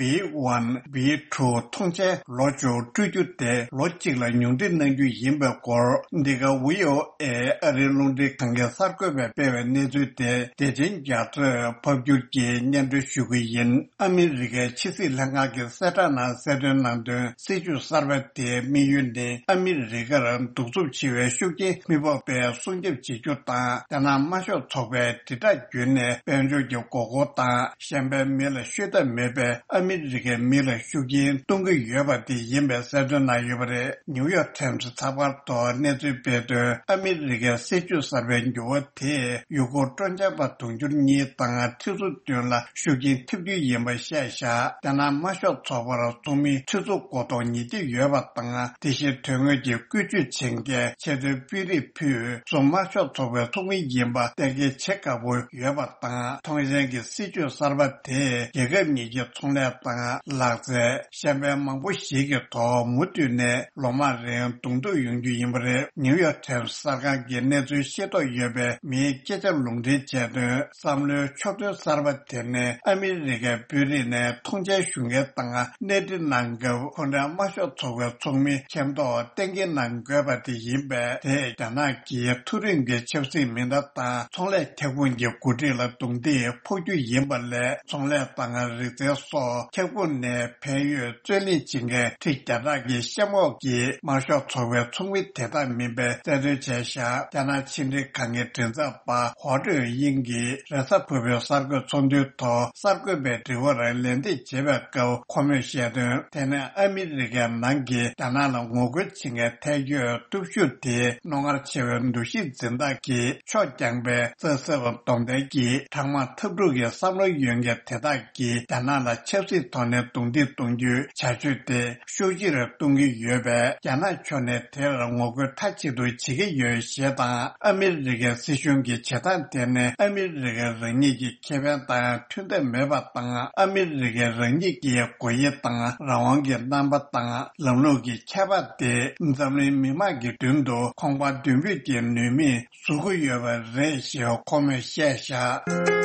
བྷི་ཝན་བྷི་ཊུ་ཐོངས་མཆན་ལོ་བཅུ་སྤྲོད་རྒྱུ་དེ་ལོ་གཅིག་ལ་ཉུང་འཕྲི་གནང་རྒྱུ་ཡིན་པའི་སྐོར། འདི་ག་ཝི་ཨོ་ཨེ་ཨ་རིའི་རླུང་འཕྲིན་ཁང་གི་གསར་འགོད་པས་སྤེལ་བའི་གནས་ཚུལ་དེ་བདེ་ཆེན་རྒྱ་མཚོས་ཕབ་སྒྱུར་གྱིས་སྙན་སྒྲོན་ཞུ་གི་ཡིན། ཨ་མི་རི་ཀའི་ཕྱི་སྲིད་ལྷན་ཁང་གི་གསལ་བསྒྲགས་ནང་གསལ་སྟོན་གནང་དོན། སྲིད་བྱུས་གསར་པ་དེའི་དམིགས་ཡུལ་ནི་ཨ་མི་རི་ཀར་གདུག་རྩུབ་ཆེ་བའི་ཤུགས་རྐྱེན་མི་ཕོག་པའི་སྲུང་སྐྱོབ་བྱེད་རྒྱུ་དང་། རྒྱ་ནག་དམར་ཤོག་ཚོགས་པའི་དྲིལ་བསྒྲགས་བརྒྱུད་ནས་དཔལ་འབྱོར་གྱི་མགོ་སྐོར་དང་། གཞན་པའི་མི་ལ་ཤོད་ཐབས་མེད་པའི་ཨ་མི་རི་ཀའི་མི་ ལ་ཤུགས་རྐྱེན་གཏོང་གི་ཡོད་པ་དེ་ཡིན་པའི་གསལ་སྟོན་གནང་ཡོད་པ་རེད། ནིའུ་ཡོག་ཊའིམ་སི་ཚགས་པར་ཐོག་གནས་ཚུལ་སྤེལ་དོན། ཨ་མི་རི་ཀའི་སྲིད་བྱུས་གསར་པའི་འགྱུར་བ་དེས་ཡུ་གུར་སྤྲོ་འཆམ་པ་དུང་ཕྱུར་གཉིས་དང་ཁྲི་ཚོ་བདུན་ལ་ཤུགས་རྐྱེན་ཐེབས་རྒྱུ་ཡིན་པ་བཤད་བཞག་རྒྱ་ནག་དམར་ཤོག་ཚོགས་པར་ཚོགས་མི་ཁྲི་ཚོ་སྐོར་གཏོང་ཉེ་གི་ཡོད་པ་དང་། དེ་བཞིན་དོན་དངོས་ཀྱི་བཀོལ་སྤྱོད་བྱེད་མཁན་ཆེས་མཐོའི་དཔོན་རིགས་ཕུད་སུ་དམར་ཤོག་ཚོགས་པའི་ཚོགས་མི་ཡིན་པ་གཏན་འཁེལ་བྱེད་དཀའ་པོ་ཡོད་པ་དང་། ཐོངས་མཆན་གྱི་སྲིད་བྱུས་གསར་པ་དེས་རྒྱལ་ཁབ་གཉིས་ཀྱི་ཚོང་ལས་དང་ལག་རྩལ། གཞན་པའི་མང་པོ་ཞིག་གི་ཐོག་མུ་མཐུད་ནས་ལོ་མང་རིང་གདོང་ཐུག་ཡོང་རྒྱུ་ཡིན་པ་རེད། ནིའུ་ཡོག་ཊའིམ་སི་གསར་ཁང་གིས་གནས་ཚུལ་ཤེས་རྟོགས་ཡོད་པའི་མིའི་སྐད་ཆ་ལུང་འདྲེན་བྱས་དོན། བསམ་བློའི་ཕྱོགས་སྟོན་གསར་པ་དེ་ནི་ཨ་མི་རི་ཀའི་དཔོན་རིགས་ནས་ཐོངས་མཆན་ཞུ་མཁན་དང་གནས་འདྲི་གནང་སྐབས། ཁོང་རང་དམར་ཤོག་ཚོགས་པའི་ཚོགས་མི་མཁྱེན་རྟོགས་གཏན་འཁེལ་གནང་དགོས་པ་དེ་ཡིན་པས། དེས་རྒྱ་ནག་གི་མཐོ་རིམ་གྱི་ཆབ་སྲིད་མི་སྣ་དང་ཚོང་ལས་ཁྱབ་ཁོངས་ཀྱི་འགོ་ཁྲིད་ལ་རྡུང་རྡེག་ཕོག་རྒྱུ་ཡིན་པ་ལས། ཚོང་ལས་དང་རིག་རྩལ་སོགས་ཁྱབ་ཁོངས་ནས་ཕན་ཡོད་རྩོད་ལེན་བྱེད་མཁན་ཁྲི་བརྒྱ་ཕྲག་གི་གཤམ་འོག་གི་དམར་ཤོག་ཚོགས་པའི་ཚོགས་མི་དེ་དག་མིན་པའི་གསལ་སྟོན་བྱས་བཞག་རྒྱ་ནག་ཕྱི་འབྲེལ་ཁང་གི་མགྲིན་ཚབ་པ་ཧོ་ཀྲུའུ་དབྱིང་གིས་རེས་གཟའ་ཕུར་བུའི་གསར་འགོད་ཚོགས་འདུའི་ཐོག་གསར་འགོད་པའི་དྲི་བར་ལན་འདེབས་བྱེད་པའི་སྐབས། ཁོ་མོས་བཤད་དོན། དེ་ནི་ཨ་མི་རི་ཀའི་ནང་གི་རྒྱ་ནག་ལ་ངོ་རྒོལ་བྱེད་མཁན་ཐལ་སྐྱོད་སྟོབས་ཤུགས་དེ་རྣོ་ངར་ཆེ་བའི་འདུ་ཤེས་འཛིན་སྟངས་ཀྱིས་ཕྱོགས་རྐྱང་པའི་རྩ་སྲིད་སྡོམ་ལྡན་གྱི་གྲང་དམག་འཐབ་འཁྲུག་གི་བསམ་བློ་ཡོད་མཁན་དེ་དག་གིས་རྒྱ་ནག་ལ་ཆབ་སྲིད་ཐོག་ནས་རྡུང་རྡེག་གཏོང་རྒྱུའི་བྱ་སྤྱོད་དེ་ཤུགས་ཆེར་གཏོང་གི་ཡོད་པས། རྒྱ་ནག་ཕྱོགས་ནས་དེར་ངོ་རྒོལ་མཐའ་གཅིག་ཏུ་བྱེད་ཀྱི་ཡོད་ཞེས་དང་། ཨ་མི་རི་ཀའི་སྲིད་གཞུང་གི་བྱེད་སྟངས་དེ་ནི་ཨ་མི་རི་ཀ་རང་ཉིད་ཀྱི་ཁེ་ཕན་དང་མཐུན་ཐབས་མེད་པ་དང་། ཨ་མི་རི་ཀས་རང་ཉིད་ཀྱི་དགོས་ཡིག་དང་རང་དབང་གི་རྣམ་པ་དང་ལམ་ལུགས་ཀྱི་ཁྱད་པར་དེ་འཛམ་གླིང་མི་དམངས་ཀྱི་མདུན་དུ་ཁང་པ་མདུན་སྤོས་ཀྱི་ནུས་མེད་བཟོ་གི་ཡོད་པ་རེད་ཞེས་ཁོ་མོས་བཤད་བཞག་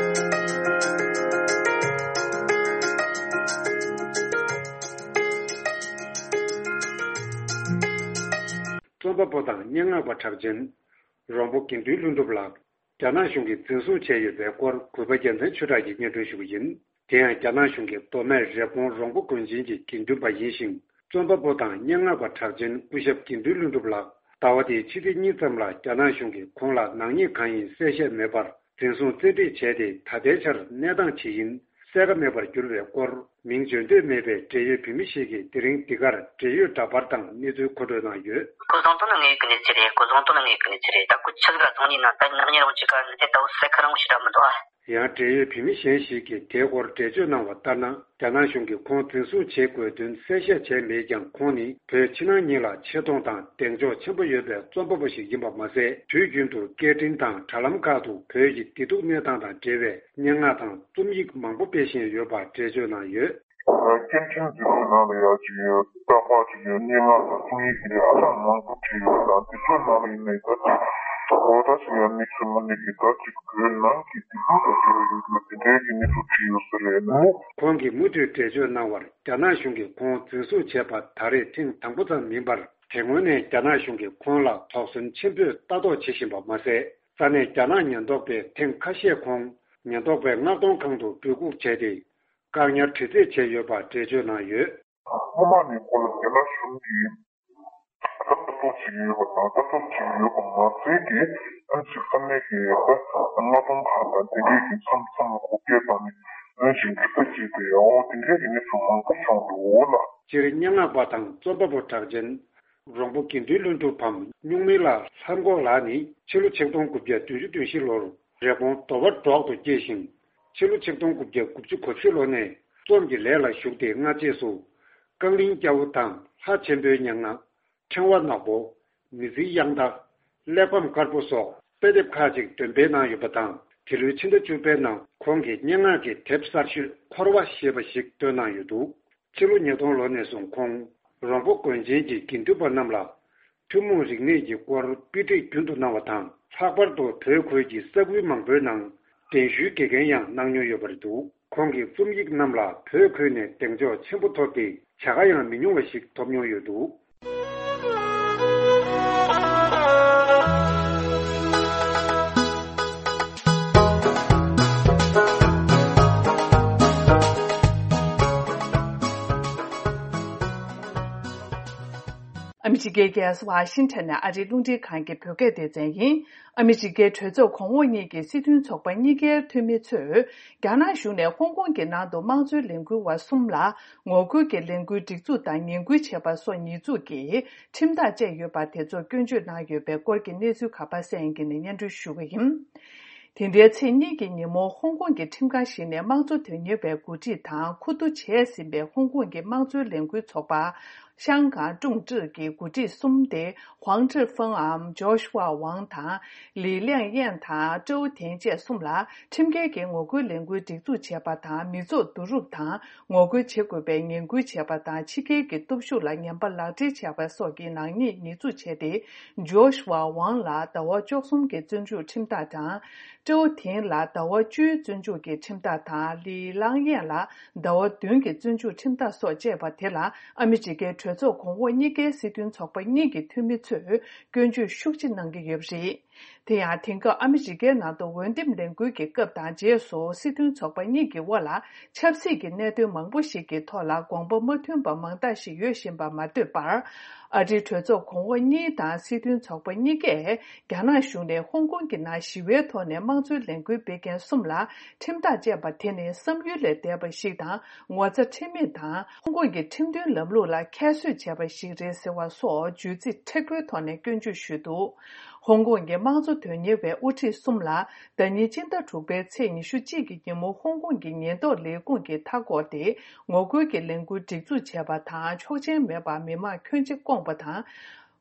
རྩོམ་པ་པོ་དང་སྙན་ངག་པ་གྲགས་ཅན། རོང་པོ་དགེ་འདུན་ལྷུན་གྲུབ་ལགས། རྒྱ་ནག་གཞུང་གིས་འཛིན་བཟུང་བྱས་ཡོད་པའི་སྐོར་གུས་པ་རྒྱལ་མཚན་ཆོས་གྲགས་ཀྱིས་སྙན་སྒྲོན་ཞུ་གི་ཡིན། དེ་ཡང་རྒྱ་ནག་གཞུང་གིས་མདོ་སྨད་རེབ་གོང་རོང་པོ་དགོན་ཆེན་གྱི་དགེ་འདུན་པ་ཡིན་ཞིང་། རྩོམ་པ་པོ་དང་སྙན་ངག་པ་གྲགས་ཅན་སྐུ་ཞབས་དགེ་འདུན་ལྷུན་གྲུབ་ལགས་ཟླ་བ་འདིའི་ཕྱི་ཚེས་གཉིས་ཙམ་ལ་རྒྱ་ནག་གཞུང་གིས་ཁོང་ལ་ནག་ཉེས་གང་ཡིན་གསལ་བཤད་མེད་པར་འཛིན་བཟུང་བཙན་ཁྲིད་བྱས་ཏེ་ད་ལྟའི་ཆར་གནས་སྟངས་ཇི་ཡིན་གསལ་ཁ་མེད་པར་གྱུར་བའི་སྐོར། མིང་བརྗོད་འདོད་མེད་པའི་འབྲེལ་ཡོད་བོད་མི་ཞིག་གིས་དེ་རིང་འདི་གར་འབྲེལ་ཡོད་འདྲ་པར་དང་གནས་ཚུལ་མཁོ་སྤྲོད་གནང་ཡོད། སྐུ་གཟུགས་སྟོང་ན་ངའི་ཀུན་ནས་ཚེ་རེད། སྐུ་གཟུགས་སྟོང་ན་ངའི་ཀུན་ནས་ཚེ་རེད། ད་སྐུ་ཆུ་ཚོད་ལ་སྟོང་གཉིས་ནང་ད་ནག་ཉེས་རུང་ཅི་ག་ནི་དེ་ལྟ་བུ་གསལ་ཁ་རང་བོ་ཞིག་འདྲ་མི་འདུག་ཨ། ཡང་འབྲེལ་ཡོད་བོད་མི་གཞན་ཞིག་གིས་དེའི་སྐོར་འགྲེལ་བརྗོད་གནང་བ་ལྟར་ན། རྒྱ་ནག་གཞུང་གིས་ཁོང་འཛིན་བཟུང་བྱེད་དགོས་དོན་གསལ་བཤད་བྱས་མེད་ཀྱང་། ཁོང་ནི་བོད་ཕྱི་ནང་གཉིས་ལ་ཆེ་མཐོང་དང་གདེང་འཇོག་ཆེན་པོ་ཡོད་པའི་རྩོམ་པ་པོ་ཞིག་ཡིན་པ་མ་ཟད། དུས་རྒྱུན་དུ་སྐད་འཕྲིན་དང་དྲ་ལམ་ཁག་ཏུ་བོད་ཀྱི་བདེ་སྡུག་གནས་སྟངས་དང་འབྲེལ་བའི་སྙན་ངག་དང་རྩོམ་ཡིག་མང་པོ་སྤེལ་བཞིན་ཡོད་པ་འགྲེལ་བརྗོད་གནང་ཡོད། སྐད་འཕྲིན་འཛིན་གྲྭའི་ནང་ལ་ཡང་ཅིག་ཡོད། རྟག་པར་ཅིག་ཡོད། སྙན་ངག་དང་རྩོམ་ཡིག་དེ་ཧ་ཅང་མང་པོ་བྲིས་ཡོད་པ་དང་། དེ་ཚོའི་ནང་ལ་ཡིན་ནའི་ད་ཅིག་ད་ལྟ་ཅིག་ཡང་དམིགས་བསལ་མ་ནས་ཀྱི་ད་ཅིག་བོད་ནང་གི་སྡིགས་ར་དང་འབྲེལ་བ་ཡོད་པ་དེ་འདྲའི་གི་གནས་ཚུལ་བྲིས་ཡོད་ས་རེད། ཁོང་གིས་མུ་མཐུད་འགྲེལ་བརྗོད་གནང་བར། རྒྱ་ནག་གཞུང་གིས་ཁོང་འཛིན་བཟུང་བྱས་པ་ད་རེས་ཐེངས་དང་པོ་ཙམ་མིན་པར། དེ་སྔོན་ནས་རྒྱ་ནག་གཞུང་གིས་ཁོང་ལ་དོགས་ཟོན་ཆེན་པོས་ལྟ་རྟོག་བྱེད་བཞིན་པ་མ་ཟད། ས་གནས་རྒྱ་ནག་ཉེན་རྟོག་པས་ཐེངས་ཁ་ཤས་ཁོང་ཉེན་རྟོག་པའི་མངགས་གཏོང་ཁང་དུ་འབོད་འགུག་བྱས་ཏེ། བཀག་ཉར་དྲི་རྩད་བྱས་ཡོད་པ་འགྲེལ་བརྗོད་གནང་ཡོད། སྔོན་མ་ནས་ཁོ་ལ་རྒྱ་ནག་གཞུང་གིས་ལྟ་རྟོག་བྱེད་ཀྱི་ཡོད་པ་དང་། ལྟ་རྟོག་བྱེད་ཀྱི་ཡོད་པ་མ་ཟད་ཀྱི། ཨ་ནི་ཅིག་ས་གནས་ཀྱི་ད་མངགས་གཏོང་ཁང་དང་དེ་འདྲས་ཀྱི་མཚམས་མཚམས་ལ་འགོག་རྐྱེན་བཏང་ནས་ཨ་ནི་ཅིག་འདྲི་རྩད་བྱས་ཏེ། འོ་དེ་འདྲས་ཀྱི་གནས་ཚུལ་མང་པོ་བྱུང་འདུག་འོ་ལགས། སྤྱིར་སྙན་ངག་པ་དང་རྩོམ་པ་པོ་གྲགས་ཅན། རོང་པོ་དགེ་འདུན་ལྷུན་གྲུབ་བམ་སྨྱུག་མིང་ལ་ལྷམ་གོག་ལགས་ནི་ཕྱི་ལོ་ཆིག་སྟོང་དགུ་བརྒྱ་བདུན་ཅུ་དོན་བཞི་ལོར་རེབ་གོང་མདོ་བ་འབྲོག་ཏུ་སྐྱེས་ཤིང་། ཕྱི་ལོ་ཆིག་སྟོང་དགུ་བརྒྱ་དགུ་བཅུ་གོ་བཞི་ལོ་ནས་རྩོམ་གྱི་ལས་ལ་ཞུགས་ཏེ། སྔ་རྗེས་སུ་རྐང་གླིང་སྐྱ་བོ་དང་ལྷ་ཆེན་པོའི་སྙན་ངག། ཕྲེང་བ་ནག་པོ། མི་ཚེའི་དབྱངས་རྟ། གླེགས་བམ་དཀར་པོ་སོགས་དཔེ་དེབ་ཁག་ཅིག་འདོན་སྤེལ་གནང་ཡོད་པ་དང་། འདི་ལོའི་ཕྱི་ཟླ་བཅུ་པའི་ནང་ཁོང་གི་སྙན་ངག་གི་དེབ་གསར་ཤོས་འཁོར་བ་ཞེས་པ་ཞིག་བཏོན་གནང་ཡོད་འདུག་ཕྱི་ལོ་ཉིས་སྟོང་ལོ་ནས་བཟུང་ཁོང་རོང་པོ་དགོན་ཆེན་གྱི་དགེ་འདུན་པ་རྣམས་ལ་ཐུན་མོང་རིག་གནས་ཀྱི་སྐོར་དཔེ་ཁྲིད་རྒྱུན་དུ་གནང་བ་དང་། ལྷག་པར་དུ་བོད་ཁུལ་གྱི་ས་ཁུལ་མང་པོའི་ནང་གདན་ཞུའི་དགེ་རྒན་ཡང་གནང་མྱོང་ཡོད་པ་རེད་འདུག་ཁོང་གི་རྩོམ་ཡིག་རྣམས་ལ་བོད་ཁུལ་ནས་གདེང་འཇོག་ཆེན་པོ་ཐོབ་སྟེ། བྱ་དགའ་ཡང་མི་ཉུང་བ་ཞིག་ཐོབ་མྱོང་ཡོད་འདུག་ཨ་མི་རི་ཀའི་རྒྱལ་ས་ཝ་ཤིང་ཊོན་ནས་ཨ་རིའི་རླུང་འཕྲིན་ཁང་གི་བོད་སྐད་སྡེ་ཚན་ཡིན། ཨ་མི་རི་ཀའི་གྲོས་ཚོགས་གོང་འོག་གཉིས་ཀྱི་སྲིད་དོན་ཚོགས་པ་གཉིས་ཀའི་འཐུས་མི་ཚོས། རྒྱ་ནག་གཞུང་ནས་ཧོང་ཀོང་གི་ནང་དུ་དམངས་གཙོའི་ལས་འགུལ་བ་གསུམ་ལ། ངོ་རྒོལ་གྱི་ལས་འགུལ་སྒྲིག་འཛུགས་དང་ངན་སྐུལ་བྱས་པ་སོགས་ཉེས་འཛུགས་ཀྱིས་ཁྲིམས་ཐག་བཅད་ཡོད་པ་དེ་ཚོར་སྐྱོན་བརྗོད་གནང་ཡོད་པའི་སྐོར་གྱི་གནས་ཚུལ་ག་པར་གསན་ཡིན་གྱི་ནས་སྙན་སྒྲོན་ཞུ་གི་ཡིན། དེ་འདྲའི་ཚེས་གཉིས་ཀྱི་ཉིན་མོ་ཧོང་ཀོང་གི་ཁྲིམས་ཁང་ཞིག་ནས་དམངས་གཙོ་དོན་གཉེར་བའི་འགོ་ཁྲིད་དང་ཁུ་བསྡུ་བྱས་ཟིན་པའི་ཧོང་ཀོང་གི་དམངས་གཙོའི་ལས་འགུལ་ཚོགས་པ། ཤང་ཀང་ཀྲུང་ཀྲི་གི་འགོ་ཁྲིད་གསུམ་སྟེ། ཧུའང་ཀྲི་ཧྥང་འམ་ཇོ་ཤུ་ཝ་ཝང་དང་། ལི་ལིང་ཡན་དང་ཀྲོའུ་ཐེན་བཅས་གསུམ་ལ་ཁྲིམས་འགལ་གྱི་ངོ་རྒོལ་ལས་འགུལ་སྒྲིག་འཛུགས་བྱས་པ་དང་མི་ཚོགས་བསྡུ་རུབ་དང་ངོ་རྒོལ་བྱེད་དགོས་པའི་ངན་སྐུལ་བྱས་པ་དང་ཕྱི་རྒྱལ་གྱི་སྟོབས་ཤུགས་ལ་ངན་པ་ལག་སྦྲེལ་བྱས་པ་སོགས་ཀྱི་ནག་ཉེས་ཉེས་འཛུགས་བྱས་ཏེ། ཇོ་ཤུ་ཝ་ཝང་ལ་ཟླ་བ་བཅུ་གསུམ་གྱི་བཙོན་འཇུག་ཁྲིམས་ཐག་དང་། ཀྲོའུ་ཐེན་ལ་ཟླ་བ་བཅུའི་བཙོན་འཇུག་གི་ཁྲིམས་ཐག་དང་ལི་ལིང་ཡན་ལ་ཟླ་བ་བདུན་གྱི་བཙོན་འཇུག་ཁྲིམས་ཐག་སོགས་བཅད་པ་དེ་ལ་ཨ་མི་རི་ཀའི་གྲོས་ཚོགས་གོང་འོག་གཉིས་ཀའི་སྲིད་དོན་ཚོགས་པ་གཉིས་ཀྱི་འཐུས་མི་ཚོས་སྐྱོན་བརྗོད་ཤུགས་ཆེ་གནང་གི་ཡོད་པ་རེད། དེ་ཡང་དེང་སྐབས་ཨ་མི་རི་ཀའི་ནང་དུ་འོས་འདེམས་ལས་འགུལ་གྱི་སྐབས་དང་རྗེས་སུ་སྲིད་དོན་ཚོགས་པ་གཉིས་ཀྱི་དབར་ལ་ཆབ་སྲིད་ཀྱི་གནད་དོན་མང་པོ་ཞིག་གི་ཐོག་ལ་དགོངས་པ་མ་མཐུན་པ་མང་དག་ཞིག་ཡོད་བཞིན་པ་མ་ཟད་པར། ཨ་རིའི་གྲོས་ཚོགས་གོང་འོག་གཉིས་དང་སྲིད་དོན་ཚོགས་པ་གཉིས་ཀས་རྒྱ་ནག་གཞུང་ནས་ཧོང་ཀོང་གི་ནང་ཞི་བའི་ཐོག་ནས་དམངས་གཙོའི་ལས་འགུལ་སྤེལ་མཁན་གསུམ་ལ་ཁྲིམས་ཐག་བཅད་པ་དེ་ནི་བསམ་ཡུལ་ལས་འདས་པ་ཞིག་དང་ངོ་ཚ་ཁྲེལ་མེད་དང་ཧོང་ཀོང་གི་ཁྲིམས་མཐུན་ལམ་ལུགས་ལ་ཁྱད་གསོད་བྱས་པ་ཞིག་རེད་ཟེར་བ་སོགས་བརྗོད་ཚིག་མཁྲེགས་པོའི་ཐོག་ནས་སྐྱོན་བརྗོད་ཞུས་འདུག་ཧོང་ཀོང་གི་དམངས་གཙོ་དོན་གཉེར་བའི་དབུ་ཁྲིད་གསུམ་ལ། ཟླ་ཉིན་སྤྱི་ཟླ་དྲུག་པའི་ཚེས་ཉི་ཤུ་གཅིག་གི་ཉིན་མོ་ཧོང་ཀོང་གི་ཉེན་རྟོག་ལས་ཁུངས་ཀྱིས་མཐའ་བསྐོར་ཏེ་ངོ་རྒོལ་གྱི་ལས་འགུལ་སྒྲིག་འཛུགས་བྱས་པ་དང་ཆོག་མཆན་མེད་པར་མི་མང་ཁྱོན་ཆེ་བསྐོངས་པ་དང་།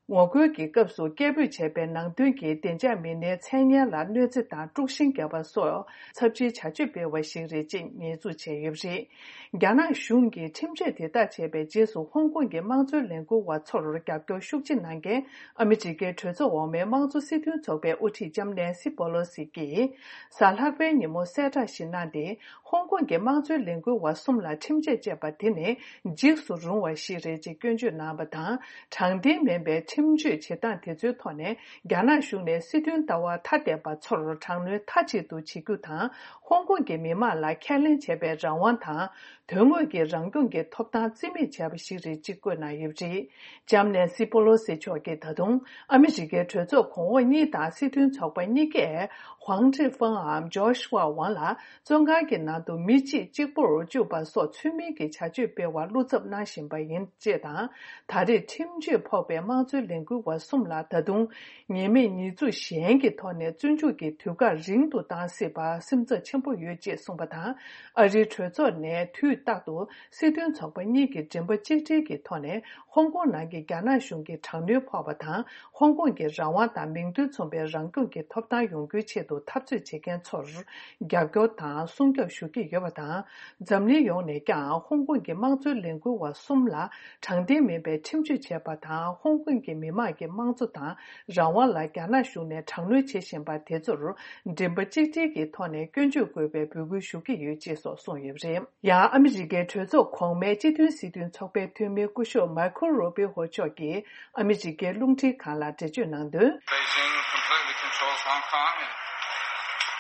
ངོ་རྒོལ་གྱི་སྐབས་སུ་སྐད་འབོད་བྱས་པའི་ནང་དོན་གྱིས་བདེ་འཇགས་མི་སྣའི་མཚན་སྙན་ལ་གནོད་འཚེ་དང་དཀྲུག་ཤིང་བརྒྱབ་པ་སོགས་ཚབས་ཆེའི་བྱ་སྤྱོད་སྤེལ་བ་ཞིག་རེད་ཅེས་ཉེས་འཛུགས་བྱས་ཡོད་པ་རེད། རྒྱ་ནག་གཞུང་གིས་ཁྲིམས་གཅོད་དེ་དག་བྱས་པའི་རྗེས་སུ་ཧོང་ཀོང་གི་དམངས་གཙོའི་ལས་འགུལ་བ་ཚོར་རྒྱབ་སྐྱོར་ཤུགས་ཆེ་གནང་མཁན་ཨ་མི་རི་ཀའི་གྲོས་ཚོགས་འོག་མའི་དམངས་གཙོ་སྲིད་དོན་ཚོགས་པའི་དབུ་ཁྲིད་ལྕམ་ནན་སི་པོ་ལོ་སི་ཀྱིས་གཟའ་ལྷག་པའི་ཉིན་མོ་གསལ་བསྒྲགས་ཤིག་གནང་སྟེ། ཧོང་ཀོང་གི་དམངས་གཙོའི་ལས་འགུལ་བ་གསུམ་ལ་ཁྲིམས་ཆད་བཅད་པ་དེ་ནི་འཇིགས་སུ་རུང་བ་ཞིག་རེད་ཅེས་སྐྱོན་བརྗོད་གནང་བ་དང་། དྲང་བདེན་མིན་པའི་ཁྲིམས་གཅོད་བྱེད་སྟངས་དེ་ཚོའི་ཐོག་ནས་རྒྱ་ནག་གཞུང་ནས་སྲིད་དོན་ལྟ་བ་ཐ་དད་པ་ཚོར་དྲག་གནོན་མཐའ་གཅིག་ཏུ་བྱེད་རྒྱུ་དང་། ཧོང་ཀོང་གི་མི་དམངས་ལ་ཁས་ལེན་བྱེད་པའི་རང་དབང་དང་། དོན་དངོས་ཀྱི་རང་སྐྱོང་གི་ཐོབ་ཐང་རྩིས་མེད་བྱས་པ་ཞིག་རེད་ཅེས་བཀོད་གནང་ཡོད་པ་རེད། ལྕམ་ནན་སི་པོ་ལོ་སི་མཆོག་གིས་ད་དུང་ཨ་མི་རི་ཀའི་གྲོས་ཚོགས་གོང་འོག་གཉིས་དང་སྲིད་དོན་ཚོགས་པ་གཉིས་ཀས་ཧུའང་ཀྲི་ཧྥང་འམ་ཇོ་ཤུ་ཝ་ཝང་ལ་བཙོན་ཁང་གི་ནང་དུ་མི་གཅིག་གཅིག་པོར་གཅུག་པ་སོགས་ཚུལ་མིན་གྱི་བྱ་སྤྱོད་སྤེལ་བར་བློ་འཚབ་གནང་བཞིན་པ་ཡིན་ཅེས་དང་། ད་རེས་ཁྲིམས་གཅོད་ཕོག་པའི་དམངས་གཙོའི་ལས་འགུལ་བ་གསུམ་ལ་ད་དུང་ཉེས་མེད་ཉེས་འཛུགས་གཞན་གྱི་ཐོག་ནས་བཙོན་འཇུག་གི་དུས་བཀག་རིང་དུ་བཏང་སྲིད་པར་སེམས་འཚབ་ཆེན་པོ་ཡོད་ཅེས་གསུངས་པ་དང་། ཨ་རིའི་གྲོས་ཚོགས་ནས་དུས་རྟག་ཏུ་སྲིད་དོན་ཚོགས་པ་གཉིས་ཀྱི་མགྲིན་པ་གཅིག་སྒྲིལ་གྱི་ཐོག་ནས་ཧོང་ཀོང་ནང་གི་རྒྱ་ནག་གཞུང་གི་དྲག་གནོན་ཕོག་པ་དང་། ཧོང་ཀོང་གི་རང་དབང་དང་མིང་དོན་མཚུངས་པའི་རང་སྐྱོང་གི་ཐོབ་ཐང་ཡོང་རྒྱུའི་ཆེད་དུ་འཐབ་རྩོད་བྱེད་མཁན་ཚོར་རྒྱབ་སྐྱོར་དང་སྲུང་སྐྱོབ་ཞུ་གི་ཡོད་པ་དང་། འཛམ་གླིང་ཡོངས་ནས་ཀྱང་ཧོང་ཀོང་གི་དམངས་གཙོའི་ལས་འགུལ་བ་གསུམ་ལ་དྲང་བདེན་མིན་པའི་ཁྲིམས་གཅོད་བྱས་པ་དང་། ཧོང་ཀོང་གི་མི་དམངས་ཀྱི་དམངས་གཙོ་དང་རང་དབང་ལ་རྒྱ་ནག་གཞུང་ནས་དྲག་གནོན་བྱེད་བཞིན་པ་དེ་ཚོར་མགྲིན་པ་གཅིག་སྒྲིལ་གྱི་ཐོག་ནས་སྐྱོན་བརྗོད་དགོས་པའི་འབོད་སྐུལ་ཞུ་གི་ཡོད་ཅེས་སོགས་གསུངས་ཡོད་པ་རེད། ཡང་ཨ་མི་རི་ཀའི་གྲོས་ཚོགས་གོང་མའི་སྤྱི་མཐུན་སྲིད་དོན་ཚོགས་པའི་འཐུས་མི་སྐུ་ཞབས་མཱི་ཁོ་རུ་པི་ཧོ་མཆོག་གིས་ཨ་མི་རི་ཀའི་རླུང་འཕྲིན་ཁང་ལ་འགྲེལ་བརྗོད་གནང་དོན། Beijing completely controls Hong Kong, and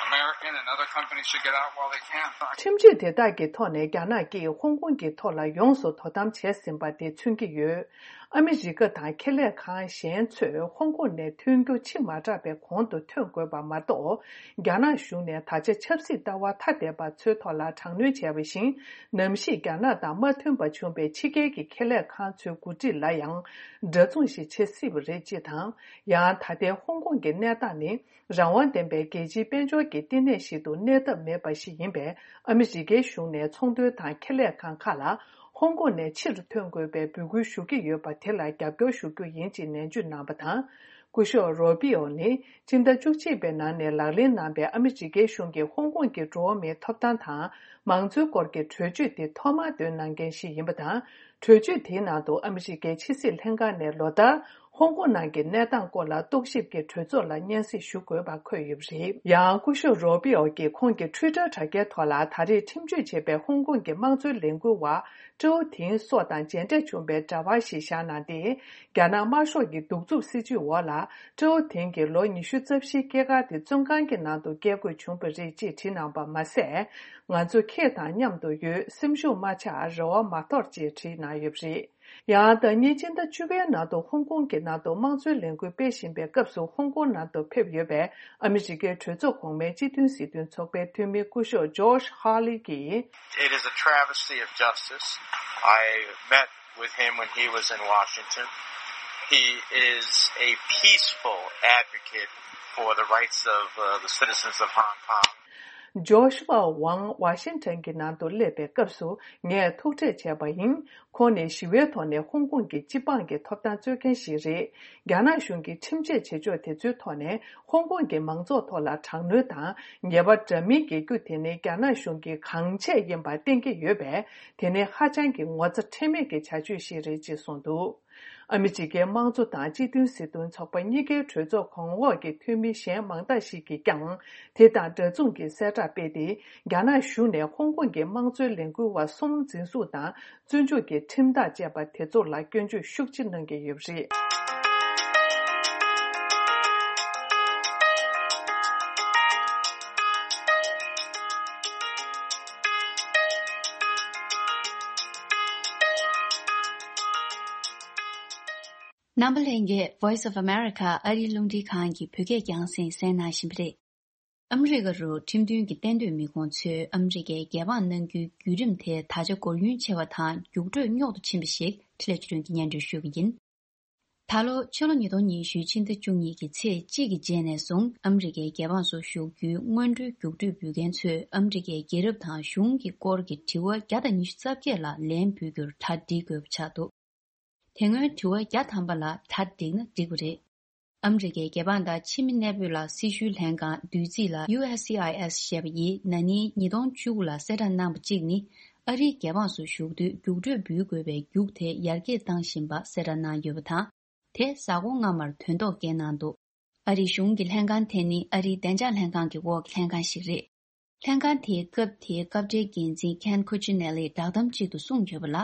American and other companies should get out while they can. ཁྲིམས་གཅོད་དེ་དག་གི་ཐོག་ནས་རྒྱ་ནག་གིས་ཧོང་ཀོང་གི་ཐོག་ལ་ཡོངས་སུ་དོ་དམ་བྱས་ཟིན་པ་དེ་མཚོན་གྱི་ཡོད། ཨ་མི་རི་ཀ་དང་ཁེ་ལས་ཁང་གཞན་ཚོས་ཧོང་ཀོང་ནས་ཐོན་རྒྱུ་ཕྱི་མ་དྲགས་པའི་གོང་དུ་ཐོན་དགོས་པ་མ་གཏོགས། རྒྱ་ནག་གཞུང་ནས་ད་ཆ་ཆབ་སྲིད་ལྟ་བ་ཐ་དད་པ་ཚོའི་ཐོག་ལ་དྲག་གནོན་བྱས་པ་བཞིན། ནམ་ཞིག་རྒྱ་ནག་དང་མ་མཐུན་པ་བྱུང་བའི་ཕྱི་རྒྱལ་གྱི་ཁེ་ལས་ཁང་ཚོའི་འགོ་ཁྲིད་ལ་ཡང་འདྲ་མཚུངས་ཤིག་བྱེད་སྲིད་པ་རེད་ཅེས་དང་། ཡང་ད་ལྟའི་ཧོང་ཀོང་གི་གནས་སྟངས་ནི། རང་དབང་ལྡན་པའི་རྒྱལ་སྤྱིའི་དཔལ་འབྱོར་གྱི་བསྟི་གནས་ཤིག་ཏུ་གནས་ཐབས་མེད་པ་ཞིག་ཡིན་པས། ཨ་མི་རི་ཀའི་གཞུང་ནས་ཚོང་དོན་དང་ཁེ་ལས་ཁང་ཁག་ལ་ཧོང་ཀོང་ནས་ཕྱིར་ཐོན་དགོས་པའི་འབོད་སྐུལ་ཞུ་གི་ཡོད་པ་དེ་ལ་རྒྱབ་སྐྱོར་ཞུ་རྒྱུ་ཡིན་ཅེས་ནན་བརྗོད་གནང་བ་དང་། སྐུ་ཞབས་རོ་པི་ཨོ་ནི་སྤྱི་ཟླ་བཅུ་གཅིག་པའི་ནང་ནས་ལག་ལེན་གནང་པའི་ཨ་མི་རི་ཀའི་གཞུང་གི་ཧོང་ཀོང་གི་འགྲོ་བ་མིའི་ཐོབ་ཐང་དང་མང་གཙོའི་སྐོར་གྱི་གྲོས་ཆོད་དེ་ཐོག་མར་འདོན་གནང་མཁན་ཞིག་ཡིན་པ་དང་། གྲོས་ཆོད་དེའི་ནང་དུ་ཨ་མི་རི་ཀའི་ཕྱི་སྲིད་ལྷན་ཁང་ནས་ལོ་ལྟར་ཧོང་ཀོང་ནང་གི་གནས་སྟངས་སྐོར་ལ་རྟོག་ཞིབ་ཀྱི་གྲོས་ཚོགས་ལ་སྙན་སེང་ཞུ་དགོས་པ་འཁོད་ཡོད་པ་རེད། ཡང་སྐུ་ཞབས་རོ་པི་ཨོ་གིས་ཁོང་གི་ཊུའི་ཊར་དྲ་རྒྱའི་ཐོག་ལ་ད་རེས་ཁྲིམས་གཅོད་བྱས་པའི་ཧོང་ཀོང་གི་དམངས་གཙོའི་ལས་འགུལ་བ་ཀྲོའུ་ཐིང་སོགས་དང་མཇལ་འཕྲད་བྱུང་བའི་འདྲ་པར་ཞིག་བཞག་གནང་སྟེ། རྒྱ་ནག་དམར་ཤོག་གི་གདུག་རྩུབ་སྲིད་བྱུས་འོག་ལ་ཀྲོའུ་ཐིང་གིས་ལོ་ཉི་ཤུ་རྩ་བཞིའི་སྐྱེས་སྐར་དེ་བཙོན་ཁང་གི་ནང་དུ་བསྐྱལ་དགོས་བྱུང་བ་རེད་ཅེས་བྲིས་གནང་པ་མ་ཟད། ང་ཚོ་ཁྱེད་དང་མཉམ་དུ་ཡོད། སེམས་ཤུགས་མ་ཆག་རེ་བ་མ་དོར་ཅེས་བྲིས་གནང་ཡོད་པ་རེད། ཡང་ཟླ་ཉིན་ཕྱི་ཟླ་བཅུ་པའི་ནང་དུ་ཧོང་ཀོང་གི་ནང་དུ་དམངས་གཙོའི་ལས་འགུལ་སྤེལ་བཞིན་པའི་སྐབས་སུ་ཧོང་ཀོང་ནང་དུ་ཕེབས་ཡོད་པའི་ཨ་མི་རི་ཀའི་གྲོས་ཚོགས་གོང་མའི་སྤྱི་མཐུན་སྲིད་དོན་ཚོགས་པའི་འཐུས་མི་སྐུ་ཞབས་Josh Hawley གྱིས། It is a travesty of justice. I met with him when he was in Washington. He is a peaceful advocate for the rights of uh, the citizens of Hong Kong. ཇོ་ཤུ་ཝ་ཝང་ཝ་ཤིང་ཊོན་གྱི་ནང་དུ་སླེབས་པའི་སྐབས་སུ་ངས་ཐུག་འཕྲད་བྱས་པ་ཡིན། ཁོང་ནི་ཞི་བའི་ཐོག་ནས་ཧོང་ཀོང་གི་སྤྱི་འབངས་ཀྱི་ཐོབ་ཐང་རྩོད་མཁན་ཞིག་རེད། རྒྱ་ནག་གཞུང་གིས་ཁྲིམས་ཆད་བྱེད་ཕྱོགས་དེ་ཚོའི་ཐོག་ནས་ཧོང་ཀོང་གི་མང་ཚོགས་ཐོག་ལ་དྲག་གནོན་དང་ཉེས་པ་འདྲ་མིན་འགེལ་རྒྱུ་དེ་ནི་རྒྱ་ནག་གཞུང་གིས་གང་བྱས་ཡིན་པ་བསྟན་གྱི་ཡོད་པས། དེ་ནི་ཧ་ཅང་གི་ངོ་ཚ་ཁྲེལ་མེད་ཀྱི་བྱ་སྤྱོད་ཞིག་རེད་ཅེས་གསུངས་འདུག་ཨ་མི་རི་ཀའི་དམངས་གཙོ་དང་སྤྱི་མཐུན་སྲིད་དོན་ཚོགས་པ་གཉིས་ཀའི་གྲོས་ཚོགས་གོང་འོག་གི་འཐུས་མི་གཞན་མང་དག་ཞིག་གིས་ཀྱང་དེ་དང་འདྲ་མཚུངས་ཀྱི་གསལ་བསྒྲགས་སྤེལ་ཏེ། རྒྱ་ནག་གཞུང་ནས་ཧོང་ཀོང་གི་དམངས་གཙོའི་ལས་འགུལ་བ་གསུམ་འཛིན་བཟུང་དང་བཙོན་འཇུག་གི་ཁྲིམས་ཐག་བཅད་པ་དེ་ཚོ་ལ་སྐྱོན་བརྗོད་ཤུགས་ཆེ་གནང་གི་ཡོད་པ་རེད། རྣམ་པ་ལྷན་རྒྱས། Voice of America ཨ་རིའི་རླུང་འཕྲིན་ཁང་གི་བོད་སྐད་རྒྱང་སྲིང་གསན་གནང་བཞིན་པ་རེད། ཨ་མི་རི་ཀ་རུ་ཁྲིམས་མཐུན་གྱི་གཏན་སྡོད་མི་ཁོང་ཚོས་ཨ་མི་རི་ཀའི་རྒྱལ་འབངས་གནང་རྒྱུའི་བརྒྱུད་རིམ་དེ་ད་ཆ་སྒོར་ཡུན་ཆེ་བ་དང་རྒྱུགས་སྤྲོད་རྙོག་ཏུ་ཕྱིན་པ་ཞིག་འཕྲིན་ལས་ཆོས་སྒྲོན་གྱིས་སྙན་སྒྲོན་ཞུ་གི་ཡིན། ད་ལོ་ཕྱི་ལོ་ཉིས་སྟོང་ཉི་ཤུའི་ཕྱི་ཟླ་བཅུ་གཉིས་ཀྱི་ཚེས་གཅིག་གི་རྗེས་ནས་བཟུང་ཨ་མི་རི་ཀའི་རྒྱལ་འབངས་སུ་བཞུགས་རྒྱུའི་སྔོན་འགྲོའི་རྒྱུགས་སྤྲོད་འབུལ་མཁན་ཚོས་ཨ་མི་རི་ཀའི་རྒྱལ་རབས་དང་གཞུང་གི་སྐོར་གྱི་དྲི་བ་བརྒྱ་དང་ཉི་ཤུ་རྩ་བརྒྱད་ལ་ལན་འབུལ་རྒྱུར་གྲ་སྒྲིག་དགོས་པ་ཆགས་འདུག་དེ་སྔོན་དྲི་བ་བརྒྱ་ཐམ་པ་ལ་གྲ་སྒྲིག་ན་འགྲིག་པ་རེད། ཨ་མི་རི་ཀའི་རྒྱལ་འབངས་དང་ཕྱི་མི་གནས་སྤོས་ལ་སྲི་ཞུའི་ལྷན་ཁང་བདུད་རྩི་ལ་ཡུ་ཨེས་སི་ཨའི་ཨེས་ཞེས་པ་ཡིས་ན་ནིང་ཉིས་སྟོང་བཅུ་དགུ་ལ་གསལ་བསྒྲགས་གནང་བ་གཅིག་ནི། ཨ་རིའི་རྒྱལ་འབངས་སུ་བཞུགས་དུས་རྒྱུགས་སྤྲོད་འབུལ་དགོས་པའི་རྒྱུགས་དེ་ཡར་རྒྱས་བཏང་བཞིན་པ་གསལ་བསྒྲགས་གནང་ཡོད་པ་དང་། དེ་གཟའ་འཁོར་སྔ་མར་དོན་ཐོག་སྐྱེལ་གནང་འདུག་ཨ་རིའི་གཞུང་གི་ལྷན་ཁང་དེ་ནི་ཨ་རིའི་བདེ་འཇགས་ལྷན་ཁང་གི་འོག་གི་ལྷན་ཁང་ཞིག་རེད། ལྷན་ཁང་དེའི་སྐབས་དེའི་སྐབས་འབྲེལ་འགན་འཛིན་Ken Cuccinelli་བསྒྲགས་གཏམ་ཅིག་ཏུ་གསུངས་ཡོད་པ་ལ།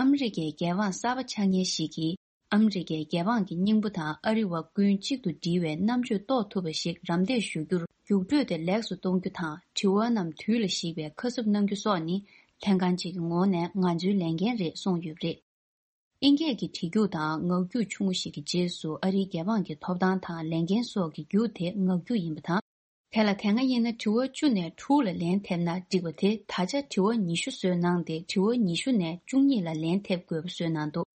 ཨ་མི་རི་ཀའི་རྒྱལ་འབངས་གསར་པ་ཆགས་མཁན་ཞིག་གིས་ཨ་མི་རི་ཀའི་རྒྱལ་འབངས་ཀྱི་སྙིང་པོ་དང་ཨ་རི་བ་ཀུན་གཅིག་ཏུ་སྒྲིལ་བའི་རྣམ་དཔྱོད་རྟོགས་ཐུབ་པ་ཞིག་རམ་འདེགས་ཞུ་རྒྱུར་རྒྱུགས་སྤྲོད་དེ་ལེགས་སུ་གཏོང་རྒྱུ་དང་དྲི་བ་རྣམས་དུས་ལ་གཞིགས་པའི་ཁ་གསབ་གནང་རྒྱུ་སོགས་ནི་ལྷན་ཁང་གཅིག་གི་ངོས་ནས་ང་ཚོའི་ལས་འགན་རེད་གསུངས་ཡོད་པ་རེད། ཨིན་སྐད་ཀྱི་བྲིས་རྒྱུགས་དང་ངག་རྒྱུགས་ཆུང་ངུ་ཞིག་གི་རྗེས་སུ་ཨ་རིའི་རྒྱལ་འབངས་ཀྱི་ཐོབ་ཐང་དང་ལས་འགན་སོགས་ཀྱི་རྒྱུགས་དེ་ངག་རྒྱུགས་ཡིན་པ་དང་། དེ་ལ་དེ་སྔ་ཡིན་ན་དྲི་བ་བཅུ་ནས་དྲུག་ལ་ལན་ཐེབས་ན་འགྲིག་པ་དེ་ད་ཆ་དྲི་བ་ཉི་ཤུ་བཟོས་གནང་སྟེ་དྲི་བ་ཉི་ཤུ་ནས་བཅུ་གཉིས་ལ་ལན་ཐེབས་དགོས་པ་བཟོས་གནང་འདུག་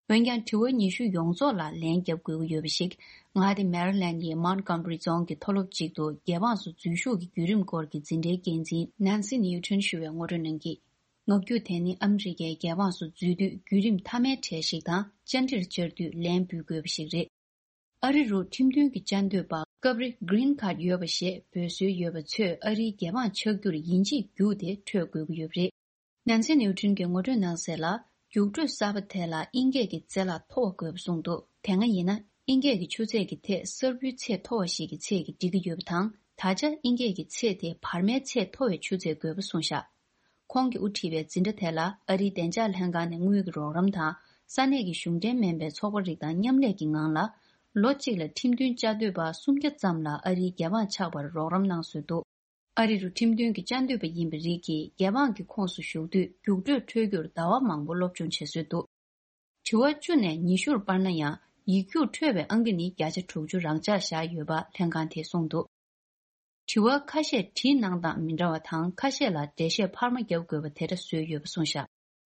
འོན་ཀྱང་དྲི་བ་ཉི་ཤུ་ཡོངས་རྫོགས་ལ་ལན་རྒྱབ་དགོས་ཀྱི་ཡོད་པ་ཞིག་མངའ་སྡེ་མེ་རི་ལན་ཡི་Montgomery རྫོང་གི་མཐོ་སློབ་ཅིག་ཏུ་རྒྱལ་འབངས་སུ་འཛུལ་ཞུགས་ཀྱི་བརྒྱུད་རིམ་སྐོར་གྱི་འཛིན་གྲྭའི་འགན་འཛིན་Nancy Newton ཞུ་བས་ངོ་སྤྲོད་གནང་གིས། ངག་རྒྱུགས་དེ་ནི་ཨ་མི་རི་ཀའི་རྒྱལ་འབངས་སུ་འཛུལ་དུས་བརྒྱུད་རིམ་མཐའ་མའི་གྲས་ཤིག་དང་བཅར་འདྲིར་བཅར་དུས་ལན་འབུལ་དགོས་པ་ཞིག་རེད། ཨ་རི་རུ་ཁྲིམས་མཐུན་གྱི་བཅའ་སྡོད་པ་སྐབས་རེ་Green Card ཡོད་པ་ཞེས་འབོད་སྲོལ་ཡོད་པ་ཚོས་ཨ་རིའི་རྒྱལ་འབངས་ཆགས་རྒྱུར་ཡིན་གཅིག་རྒྱུགས་དེ་འཕྲོད་དགོས་ཀྱི་ཡོད་པ་རེད། Nancy Newton གྱིས་ངོ་སྤྲོད་གནང་གསལ་ལ། རྒྱུགས་སྤྲོད་གསར་པ་དེ་ལ་ཨིན་སྐད་ཀྱི་རྩེ་ལག་མཐོ་བ་དགོས་པ་གསུངས་འདུག་དེ་སྔ་ཡིན་ན་ཨིན་སྐད་ཀྱི་ཆུ་ཚད་ཀྱི་ཐད་གསར་བུའི་ཚད་མཐོ་བ་ཞིག་གི་ཚད་ཀྱིས་འགྲིག་གི་ཡོད་པ་དང་། ད་ཆ་ཨིན་སྐད་ཀྱི་ཚད་དེ་བར་མའི་ཚད་མཐོ་བའི་ཆུ་ཚད་དགོས་པ་གསུངས་བཞག་ཁོང་གིས་དབུ་ཁྲིད་པའི་འཛིན་གྲྭ་དེ་ལ་ཨ་རིའི་བདེ་འཇགས་ལྷན་ཁང་ནས་དངུལ་གྱི་རོགས་རམ་དང་། ས་གནས་ཀྱི་གཞུང་འབྲེལ་མིན་པའི་ཚོགས་པ་རིགས་དང་མཉམ་ལས་ཀྱི་ངང་ལ། ལོ་གཅིག་ལ་ཁྲིམས་མཐུན་བཅའ་སྡོད་པ་སུམ་བརྒྱ་ཙམ་ལ་ཨ་རིའི་རྒྱལ་འབངས་ཆགས་པར་རོགས་རམ་གནང་སྲོལ་འདུག་ཨ་རི་རུ་ཁྲིམས་མཐུན་གྱི་བཅའ་སྡོད་པ་ཡིན་པའི་རིགས་ཀྱིས་རྒྱལ་འབངས་ཀྱི་ཁོངས་སུ་ཞུགས་དུས་རྒྱུགས་སྤྲོད་འཕྲོད་རྒྱུར་ཟླ་བ་མང་པོ་སློབ་སྦྱོང་བྱེད་སྲོལ་འདུག་དྲི་བ་བཅུ་ནས་ཉི་ཤུར་སྤར་ན་ཡང་ཡིག་རྒྱུགས་འཕྲོད་པའི་ཨང་ཀི་ནི་བརྒྱ་ཆ་དྲུག་ཅུ་རང་འཇགས་བཞག་ཡོད་པ་ལྷན་ཁང་དེས་གསུངས་འདུག་དྲི་བ་ཁ་ཤས་བྲིས་གནང་སྟངས་མི་འདྲ་བ་དང་ཁ་ཤས་ལ་འགྲེལ་བཤད་འཕར་མ་བརྒྱབ་དགོས་པ་དེ་འདྲ་བཟོས་ཡོད་པ་གསུངས་བཞག་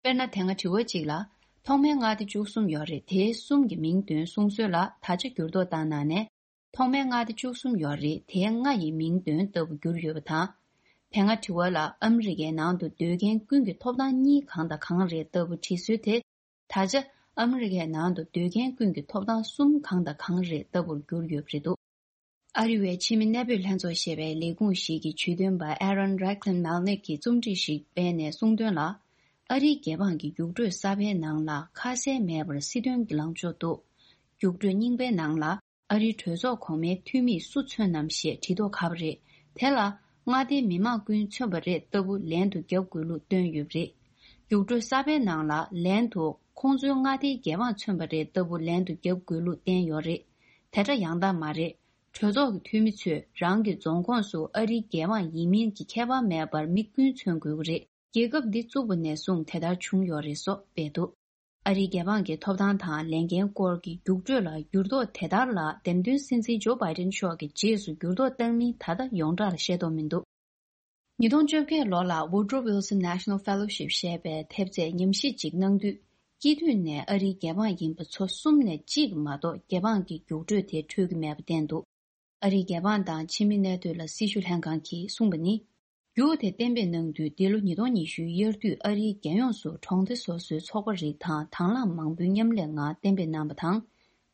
དཔེར་ན་དེ་སྔ་དྲི་བ་གཅིག་ལ། ཐོག་མའི་མངའ་སྡེ་བཅུ་གསུམ་ཡོད་རེད། དེའི་གསུམ་གྱི་མིང་འདོན་གསུང་སྲོལ་ལ་ད་ཆ་འགྱུར་ལྡོག་བཏང་གནང་ནས། ཐོག་མའི་མངའ་སྡེ་བཅུ་གསུམ་ཡོད་རེད། དེའི་ལྔ་ཡི་མིང་འདོན་ལྟ་བུ་གྱུར་ཡོད་པ་དང་། དེ་སྔ་དྲི་བ་ལ་ཨ་མི་རི་ཀའི་ནང་དུ་སྡོད་མཁན་ཀུན་གྱི་ཐོབ་ཐང་གཉིས་གང་དང་གང་རེད་ལྟ་བུ་བྲིས་སྲོལ་དེ། ད་ཆ་ཨ་མི་རི་ཀའི་ནང་དུ་སྡོད་མཁན་ཀུན་གྱི་ཐོབ་ཐང་གསུམ་གང་དང་གང་རེད་ལྟ་བུར་གྱུར་ཡོད་པ་རེད་འདུག་ཨ་རི་བའི་ཕྱི་མི་གནས་སྤོས་ལྷན་ཚོགས་ཞེས་པའི་ལས་ཁུངས་ཤིག་གི་ཇུས་འདོན་པ་Aaron Reichlin Melnick གིས་རྩོམ་སྒྲིག་ཞིག་སྤེལ་ནས་གསུངས་དོན་ལ། ཨ་རིའི་རྒྱལ་འབངས་ཀྱི་རྒྱུགས་སྤྲོད་གསར་པའི་ནང་ལ་ཁ་གསལ་མེད་པར་སྲིད་དོན་གྱི་ལངས་ཕྱོགས་འདུག་རྒྱུགས་སྤྲོད་རྙིང་པའི་ནང་ལ་ཨ་རིའི་གྲོས་ཚོགས་གོང་མའི་འཐུས་མིས་སུ་མཚོན་ནམ་ཞེས་བྲིས་མདོག་ཁ་པོ་རེད། དེ་ལ་མངའ་སྡེའི་མི་མང་ཀུན་མཚོན་པ་རེད་ལྟ་བུ་ལན་དུ་བརྒྱབ་དགོས་ལུགས་བཏོན་ཡོད་པ་རེད། རྒྱུགས་སྤྲོད་གསར་པའི་ནང་ལ་ལན་དུ་ཁོང་ཚོའི་མངའ་སྡེའི་རྒྱལ་འབངས་མཚོན་པ་རེད་ལྟ་བུ་ལན་དུ་བརྒྱབ་དགོས་ལུགས་བསྟན་ཡོད་རེད། དེ་འདྲ་ཡང་དག་མ་རེད། གྲོས་ཚོགས་ཀྱི་འཐུས་མི་ཚོས་རང་གི་རྫོང་ཁོངས་སུ་ཨ་རིའི་རྒྱལ་འབངས་ཡིན་མིན་གྱི་ཁྱད་པར་མེད་པར་མི་ཀུན་མཚོན་དགོས་ཀྱི་རེད། རྒྱལ་ཁབ་འདི་བཙུགས་པ་ནས་བཟུང་དེ་ལྟར་བྱུང་ཡོད་རེད་སོགས་སྤེལ་འདུག་ཨ་རིའི་རྒྱལ་འབངས་ཀྱི་ཐོབ་ཐང་དང་ལས་འགན་སྐོར་གྱི་རྒྱུགས་སྤྲོད་ལ་འགྱུར་ལྡོག་དེ་ལྟར་ལ། འདེམས་ཐོན་སྲིད་འཛིན་ཇོ་བྷའི་ཏིན་མཆོག་གིས་རྗེས་སུ་འགྱུར་ལྡོག་བཏང་མིན་ད་ལྟ་ཡོངས་གྲགས་ལ་ཤེས་རྟོགས་མི་འདུག་ཉིས་སྟོང་བཅོ་བརྒྱད་ལོ་ལ་Woodrow Wilson National Fellowship ཞེས་པའི་ཐེབས་རྩས་ཉམས་ཞིབ་ཅིག་གནང་དུས། སྐྱེས་དུས་ནས་ཨ་རིའི་རྒྱལ་འབངས་ཡིན་པ་ཚོ་གསུམ་ནས་གཅིག་མ་གཏོགས་རྒྱལ་འབངས་ཀྱི་རྒྱུགས་སྤྲོད་དེ་འཕྲོད་ཀྱི་མེད་པ་བསྟན་འདུག་ཨ་རིའི་རྒྱལ་འབངས་དང་ཕྱི་མི་གནས་སྡོད་ལ་སྲི་ཞུ་ལྷན་ཁང་གིས་གསུངས་པ་ནི། རྒྱུགས་དེ་གཏན་འབེབས་གནང་དུས། འདི་ལོ་ཉིས་སྟོང་ཉི་ཤུའི་དབྱར་དུས་ཨ་རིའི་རྒྱལ་ཡོངས་སུ་གྲོང་སྡེ་སོ་སོའི་ཚོགས་པ་རིགས་དང་དང་བླངས་མང་པོའི་མཉམ་ལས་ངང་གཏན་འབེབས་གནང་བ་དང་།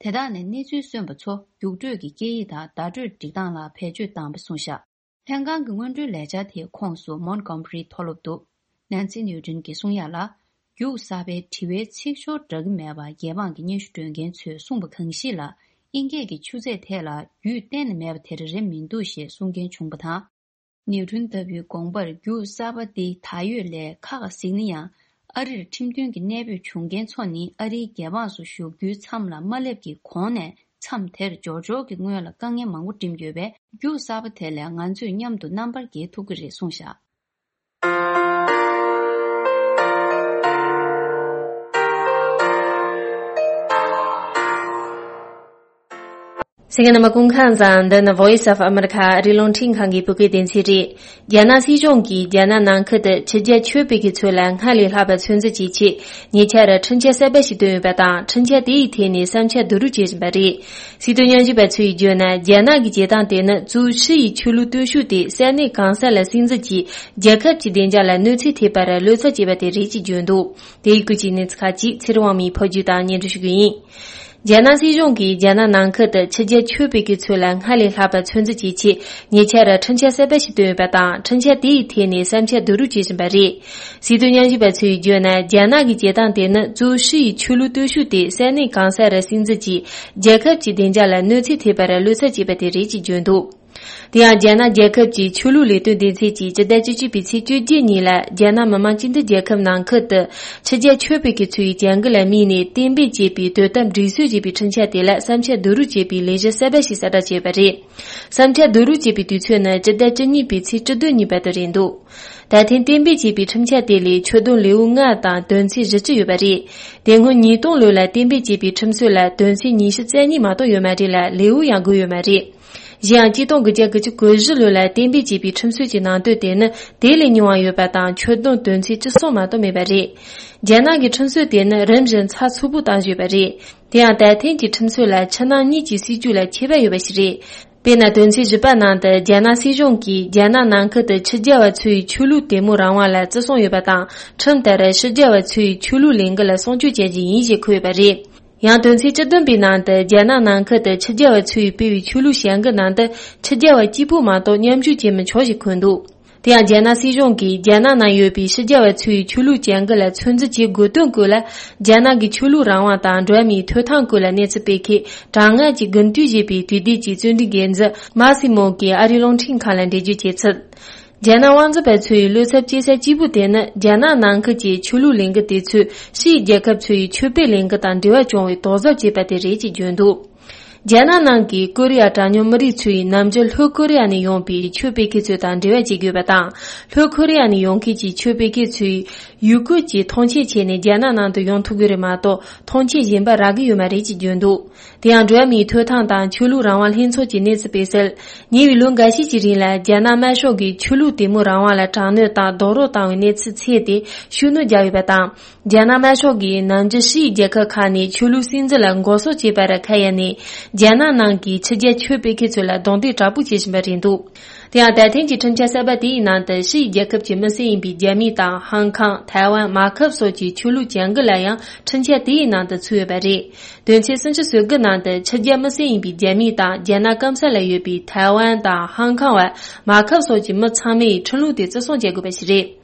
དེ་དག་ནས་གནས་ཚུལ་སོན་པ་ཚོ་རྒྱུགས་སྤྲོད་ཀྱི་སྐད་ཡིག་དང་བརྡ་སྤྲོད་སྒྲིག་སྟངས་ལ་བེད་སྤྱོད་བཏང་བ་གསུངས་བཞག་ལྷན་ཁང་གི་སྔོན་འགྲོའི་ལས་འཆར་དེའི་ཁོངས་སུ་མོན་གྷོ་མ་རིའི་མཐོ་སློབ་འདུག་ནན་སི་ནིའུ་ཏྲིན་གྱིས་གསུང་ཡག་ལ། རྒྱུགས་གསར་པའི་དྲི་བའི་ཚིག་སྦྱོར་འདྲ་གི་མེད་པར་རྒྱལ་འབངས་ཀྱི་སྙན་ཞུ་སྤྲོད་མཁན་ཚོས་གསུངས་པ་གང་ཞིག་ལ། དབྱིན་སྐད་ཀྱི་ཆུ་ཚད་ཐད་ལ་རྒྱུས་གཏན་ནས་མེད་པ་དེ་འདྲ་རེད་མི་འདུག་ཞེས་གསུང་མཁན་བྱུང་བ་དང་། ནིའུ་ཏྲིན་ལྟ་བུའི་དགོངས་པར་རྒྱུགས་གསར་པ་འདི་ད་ཡོད་ལས་ཁག་གཟིགས་ན་ཡང་། ཨ་རིར་ཁྲིམས་མཐུན་གྱི་གནས་སྤོས་བྱུང་མཁན་ཚོ་ནི་ཨ་རིའི་རྒྱལ་འབངས་སུ་ཞུགས་རྒྱུའི་མཚམས་ལ་མ་སླེབས་ཀྱི་གོང་ནས་མཚམས་དེར་འབྱོར་འབྱོར་གྱི་སྔོན་ལ་དཀའ་ངལ་མང་པོ་འགྲིམ་ཡོད་པས། རྒྱུགས་གསར་པ་དེ་ལས་ང་ཚོས་མཉམ་དུ་རྣམ་པར་རྒྱལ་ཐུབ་ཀྱི་རེད་གསུངས་བཞག་གསན་མཁན་རྣམ་པ་སྐུ་ཁམས་བཟང་། འདི་ནི་Voice of America ཨ་རིའི་རླུང་འཕྲིན་ཁང་གི་བོད་སྐད་སྡེ་ཚན་རེད། རྒྱ་ནག་སྲིད་གཞུང་གིས་རྒྱ་ནག་ནང་ཁུལ་དུ་ཕྱི་རྒྱལ་ཆོས་སྤེལ་མཁན་ཚོ་ལ་སྔར་ལས་ལྷག་པའི་ཚོད་འཛིན་བྱེད་ཆེད་ཉེ་ཆར་ཁྲིམས་འཆར་གསར་པ་ཞིག་བཏོན་ཡོད་པ་དང་། ཁྲིམས་འཆར་དེ་ཡི་ཐད་ནས་བསམ་འཆར་བསྡུ་རུབ་བྱེད་བཞིན་པ་རེད། སྲིད་དོན་ཉམས་ཞིབ་པ་ཚོས་བརྗོད་ན། རྒྱ་ནག་གི་བྱེད་སྟངས་དེ་ནི་གཙོ་བོ་ཕྱི་ཡི་ཆོས་ལུགས་སྟོབས་ཤུགས་དེ་ས་གནས་གང་ས་ལ་སྲིད་འཛིན་གྱིས་རྒྱལ་ཁབ་ཀྱི་བདེ་འཇགས་ལ་གནོད་འཚེ་ཐེབས་པར་བློ་འཚབ་བྱེད་པ་དེ་རེད་ཅེས་བརྗོད་འདུག་དེ་ཡི་སྐོར་གྱི་གནས་ཚུལ་ཁག་ཅིག་ཚེ་རིང་དབང་མོས་ཕབ་སྒྱུར་དང་སྙན་སྒྲོན་ཞུ་རྒྱུ་ཡིན། རྒྱ་ནག་སྲིད་གཞུང་གིས་རྒྱ་ནག་ནང་ཁུལ་དུ་ཕྱི་རྒྱལ་ཆོས་སྤེལ་མཁན་ཚོ་ལ་སྔར་ལས་ལྷག་པའི་ཚོད་འཛིན་བྱེད་ཆེད་ཉེ་ཆར་ཁྲིམས་འཆར་གསར་པ་ཞིག་བཏོན་ཡོད་པ་དང་། ཁྲིམས་འཆར་དེ་ཡི་ཐད་ནས་བསམ་འཆར་བསྡུ་རུབ་བྱེད་བཞིན་པ་རེད། སྲིད་དོན་ཉམས་ཞིབ་པ་ཚོས་བརྗོད་ན། རྒྱ་ནག་གི་བྱེད་སྟངས་དེ་ནི་གཙོ་བོ་ཕྱི་ཡི་ཆོས་ལུགས་སྟོབས་ཤུགས་དེ་ས་གནས་གང་ས་རུ་སྲིད་འཛིན་གྱིས་རྒྱལ་ཁབ་ཀྱི་བདེ་འཇགས་ལ་གནོད་འཚེ་ཐེབས་པར་བློ་འཚབ་བྱེད་པ་དེ་རེད་ཅེས་བརྗོད་འདུག་དེ་ཡང་། རྒྱ་ནག་རྒྱལ་ཁབ་ཀྱི་ཆོས་ལུགས་ལས་དོན་སྡེ་ཚན་གྱིས་སྤྱི་ཟླ་བཅུ་གཅིག་པའི་ཚེས་བཅོ་བརྒྱད་ཉིན་ལ། རྒྱ་ནག་མི་དམངས་སྤྱི་མཐུན་རྒྱལ་ཁབ་ནང་ཁུལ་དུ་ཕྱི་རྒྱལ་ཆོས་སྤེལ་མཁན་ཚོའི་བྱ་འགུལ་ལ་དམིགས་ནས་གཏན་འབེབས་བྱས་པའི་དོ་དམ་སྒྲིག་སྲོལ་ཞེས་པའི་ཁྲིམས་འཆར་དེ་ལ་བསམ་འཆར་བསྡུ་རུབ་བྱེད་པའི་ལས་གཞི་གསར་པ་ཞིག་གསལ་བསྒྲགས་བྱས་པ་རེད། བསམ་འཆར་བསྡུ་རུབ་བྱས་པའི་དུས་ཚོད་ནི་སྤྱི་ཟླ་བཅུ་གཉིས་པའི་ཚེས་བཅུ་བདུན་ཉིན་བར་དུ་རེད་འདུག་ད་ཐེངས་གཏན་འབེབས་བྱས་པའི་ཁྲིམས་འཆར་དེ་ལས་ཆོད་དོན་ལེའུ་ལྔ་དང་དོན་ཚན་བཞི་བཅུ་ཡོད་པ་རེད། དེ་སྔོན་ཉིས་སྟོང་ལོ་ལ་གཏན་འབེབས་བྱས་པའི་ཁྲིམས་སྲོལ་ལ་དོན་ཚན་ཉི་ཤུ་རྩ་གཉིས་མ་གཏོགས་ཡོད་མ་རེད་ལ། ལེའུ་ཡང་དགུ་ཡོད་མ་རེད། གཞན་ཡང་། གཅིག་སྟོང་དགུ་བརྒྱ་དགུ་བཅུ་གོ་བཞི་ལོ་ལ་གཏན་འབེབས་བྱས་པའི་ཁྲིམས་སྲོལ་གྱི་ནང་དོན་དེ་ནི་དེ་ལས་ཉུང་བ་ཡོད་པ་དང་། ཆོད་དོན་དོན་ཚན་བཅུ་གསུམ་མ་གཏོགས་མེད་པ་རེད། རྒྱ་ནག་གི་ཁྲིམས་སྲོལ་དེ་ནི་རིམ་བཞིན་ཚགས་ཚུད་པོ་བཏང་བཞིན་ཡོད་པ་རེད། དེ་ཡང་། ད་ཐེངས་ཀྱི་ཁྲིམས་སྲོལ་ལ་ཕྱི་ནང་གཉིས་ཀྱི་སྲིད་ཇུས་ལ་ཁྱད་པར་ཡོད་པ་ཞིག་རེད། དཔེར་ན། དོན་ཚན་བཞི་པ་ནང་དུ། རྒྱ་ནག་སྲིད་གཞུང་གིས་རྒྱ་ནག་ནང་ཁུལ་དུ་ཕྱི་རྒྱལ་བ་ཚོའི་ཆོས་ལུགས་དད་མོས་རང་དབང་ལ་བརྩི་སྲུང་ཡོད་པ་དང་། ཁྲིམས་ལྟར་ཕྱི་རྒྱལ་བ་ཚོའི་ཆོས་ལུགས་ལས་འགུལ་ལ་སྲུང་སྐྱོབ་བྱ་རྒྱུ་ཡིན་ཞེས་འཁོད་ཡོད་པ་རེད། ཡང་། དོན་ཚན་བཅུ་བདུན་པའི་ནང་དུ། རྒྱ་ནག་ནང་ཁུལ་དུ་ཕྱི་རྒྱལ་བ་ཚོས་སྤེལ་བའི་ཆོས་ལུགས་བྱ་འགུལ་ནང་དུ་ཕྱི་རྒྱལ་བ་གཅིག་པུ་མ་གཏོགས་མཉམ་ཞུགས་བྱེད་མི་ཆོག་ཅེས་འཁོད་འདུག་དེ་ཡང་། རྒྱ་ནག་སྲིད་གཞུང་གིས་རྒྱ་ནག་ནང་ཡོད་པའི་ཕྱི་རྒྱལ་བ་ཚོའི་ཆོས་ལུགས་བྱ་འགུལ་ལ་ཚོད་འཛིན་བྱེད་དགོས་དོན་སྐོར་ལ། རྒྱ་ནག་གི་ཆོས་ལུགས་རང་དབང་དང་འགྲོ་བ་མིའི་ཐོབ་ཐང་སྐོར་ལ་གནས་ཚུལ་སྤེལ་མཁན་གྲངས་ལྔ་གཅིག་རྒུན་འབྲེལ་བྱས་པའི་དུས་དེབ་ཀྱི་རྩོམ་སྒྲིག་འགན་འཛིན་མཱ་སི་མོ་གིས་ཨ་རིའི་རླུང་འཕྲིན་ཁང་ལ་འགྲེལ་བརྗོད་བྱས་ཚུལ། རྒྱ་ནག་དབང་འཛིན་པ་ཚོའི་བློ་འཚབ་སྐྱེ་ས་གཅིག་པུ་དེ་ནི། རྒྱ་ནག་ནང་ཁུལ་གྱི་ཆོས་ལུགས་ལས་འགུལ་དེ་ཚོས་ཕྱིའི་རྒྱལ་ཁབ་ཚོའི་ཆོས་སྤེལ་ལས་འགུལ་དང་འབྲེལ་བ་བྱུང་བའི་དོགས་གཟབ་བྱས་པ་དེ་རེད་ཅེས་བརྗོད་འདུག་རྒྱ་ནག་ནང་གི་ཀོ་རི་ཡ་གྲངས་ཉུང་མི་རིགས་ཚོས་ནམ་རྒྱུན་ལྷོ་ཀོ་རི་ཡ་ནས་ཡོང་པའི་ཆོས་སྤེལ་མཁན་ཚོ་དང་འབྲེལ་བ་བྱེད་དགོས་པ་དང་། ལྷོ་ཀོ་རི་ཡ་ནས་ཡོང་མཁན་གྱི་ཆོས་སྤེལ་མཁན་ཚོས་ཡུལ་སྐོར་གྱི་ཐོངས་མཆན་བྱས་ནས་རྒྱ་ནག་ནང་དུ་ཡོང་ཐུབ་ཀྱི་རེད་མ་གཏོགས། ཐོངས་མཆན་གཞན་པ་རག་གི་ཡོད་མ་རེད་ཅེས་བརྗོད་འདུག་དེ་ཡང་། འགྲོ་བ་མིའི་ཐོབ་ཐང་དང་ཆོས་ལུགས་རང་དབང་ལྷན་ཚོགས་ཀྱིས་གནས་ཚུལ་སྤེལ་གསལ། ཉེ་བའི་ལོ་འགའ་ཤས་ཀྱི་རིང་ལ། རྒྱ་ནག་དམར་ཤོག་གིས་ཆོས་ལུགས་དད་མོས་རང་དབང་ལ་དྲག་གནོན་དང་རྡོག་རོལ་བཏང་བའི་གནས་ཚུལ་འཚོལ་ཏེ་ཤུགས་སྣོན་བརྒྱབ་ཡོད་པ་དང་། རྒྱ་ནག་དམར་ཤོག་གིས་ནམ་རྒྱུན་ཕྱིའི་རྒྱལ་ཁབ་ཁག་ནས་ཆོས་ལུགས་སྲིད་འཛིན་ལ་འགོག་སྲུང་བྱེད་པར་ཁ་གཡར་ནས། རྒྱ་ནག་ནང་གི་ཕྱི་རྒྱལ་ཆོས་སྤེལ་མཁན་ཚོ་ལ་རྡུང་རྡེག་དྲག་པོ་བྱེད་བཞིན་པ་རེད་འདུག་དེ་ཡང་། ད་ཐེངས་ཀྱི་ཁྲིམས་འཆར་གསར་པ་དེའི་ནང་དུ། ཕྱིའི་རྒྱལ་ཁབ་ཀྱི་མི་སེར་ཡིན་པའི་རྒྱ་མི་དང་། ཧང་ཀང་། ཐའེ་ཝན། མར་ཁབ་སོགས་ཀྱི་ཆོས་ལུགས་བྱ་འགུལ་ལ་ཡང་ཁྲིམས་འཆར་དེའི་ནང་དུ་ཚུད་ཡོད་པ་རེད། དོན་ཚན་སུམ་ཅུ་སོ་དགུ་ནང་དུ། ཕྱི་རྒྱལ་མི་སེར་ཡིན་པའི་རྒྱ་མི་དང་རྒྱ་ནག་སྐམ་ས་ལ་ཡོད་པའི་ཐའེ་ཝན་དང་། ཧང་ཀང་བ། མར་ཁབ་སོགས་ཀྱི་མི་ཚང་མས་ཁྲིམས་ལུགས་དེ་བརྩི་སྲུང་བྱེད་དགོས་པ་ཞིག་རེད།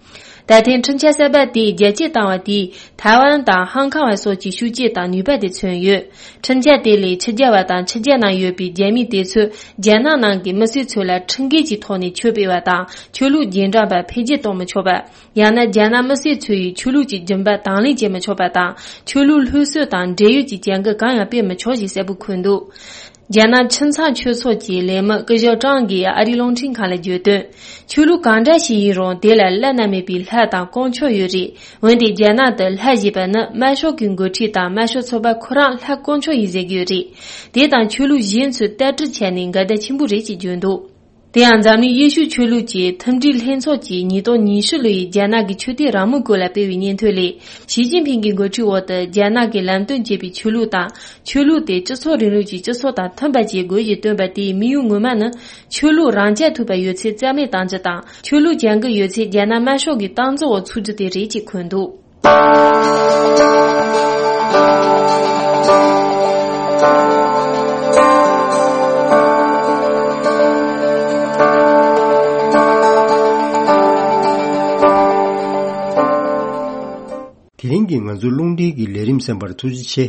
ད་ཐེངས་ཁྲིམས་འཆར་གསར་པ་དེས་རྒྱ་སྐྱེད་བཏང་བ་དེས། ཐའེ་ཝན་དང་ཧང་ཀང་བ་སོགས་ཀྱི་ཤུགས་རྐྱེན་དང་ནུས་པ་དེ་མཚོན་ཡོད། ཁྲིམས་འཆར་དེ་ལས་ཕྱི་རྒྱལ་བ་དང་ཕྱི་རྒྱལ་ནང་ཡོད་པའི་རྒྱ་མི་དེ་ཚོས་རྒྱ་ནག་ནང་གི་མི་སེར་ཚོ་ལ་ཁྲིམས་འགལ་གྱི་ཐོག་ནས་ཆོས་སྤེལ་བ་དང་ཆོས་ལུགས་རྗེས་འབྲང་པ་འཕེལ་རྒྱས་གཏོང་མི་ཆོག་པ། ཡང་ན་རྒྱ་ནག་མི་སེར་ཚོ་ཡི་ཆོས་ལུགས་ཀྱི་སྦྱིན་པ་དང་ལེན་བྱེད་མི་ཆོག་པ་དང་། ཆོས་ལུགས་སློབ་གསོ་དང་འབྲེལ་ཡོད་ཀྱི་བྱ་འགུལ་གང་ཡང་སྤེལ་མི་ཆོག་ཞེས་གསལ་པོ་འཁོད་འདུག་རྒྱ་ནག་ཁྱིམ་ཚང་ཆོས་ཚོགས་ཀྱི་ལས་མི་སྐུ་ཞབས་ཀྲང་གིས་ཨ་རིའི་རླུང་འཕྲིན་ཁང་ལ་བརྗོད་དོན། ཆོས་ལུགས་གང་འདྲ་ཞིག་ཡིན་རུང་དེ་ལ་བླ་ན་མེད་པའི་ལྷ་དང་དཀོན་མཆོག་ཡོད་རེད། འོན་ཏེ་རྒྱ་ནག་ཏུ་ལྷ་ཞེས་པ་ནི་དམར་ཤོག་གི་འགོ་ཁྲིད་དང་དམར་ཤོག་ཚོགས་པ་ཁོ་རང་ལྷ་དཀོན་མཆོག་ཡིན་ཟེར་གྱི་ཡོད་རེད། དེ་དང་ཆོས་ལུགས་གཞན་ཚོས་ལྟ་གྲུབ་བྱས་ནས་འགལ་ཟླ་ཆེན་པོ་རེད་ཅེས་བརྗོད་འདུག་དེ་ཡང་འཛམ་གླིང་ཡེ་ཤུ་ཆོས་ལུགས་ཀྱི་མཐུན་སྒྲིལ་ལྷན་ཚོགས་ཀྱིས་ཉིས་སྟོང་ཉི་ཤུ་ལོ་ཡི་རྒྱ་ནག་གི་ཆོས་དད་རང་མོས་སྐོར་ལ་སྤེལ་བའི་སྙན་ཐོ་ལས། ཞི་ཅིན་ཕིང་གི་འགོ་ཁྲིད་འོག་ཏུ་རྒྱ་ནག་གིས་ལམ་སྟོན་བྱས་པའི་ཆོས་ལུགས་དང་། ཆོས་ལུགས་དེ་སྤྱི་ཚོགས་རིང་ལུགས་ཀྱི་སྤྱི་ཚོགས་དང་མཐུན་པ་བྱེད་དགོས་ཞེས་བཏོན་པ་དེའི་དམིགས་ཡུལ་ངོ་མ་ནི། ཆོས་ལུགས་རང་རྐྱ་ཐུབ་པ་ཡོད་ཚད་རྩ་མེད་གཏང་རྒྱུ་དང་། ཆོས་ལུགས་ཅན་གྱི་ཡོད་ཚད་རྒྱ་ནག་དམར་ཤོག་གི་སྟངས་འཛིན་འོག་ཚུད་རྒྱུ་དེ་རེད་ཅེས་འཁོད་འདུག་དེ་རིང་གི་ང་ཚོའི་རླུང་འཕྲིན་གྱི་ལས་རིམ་གསན་པར་ཐུགས་རྗེ་ཆེ།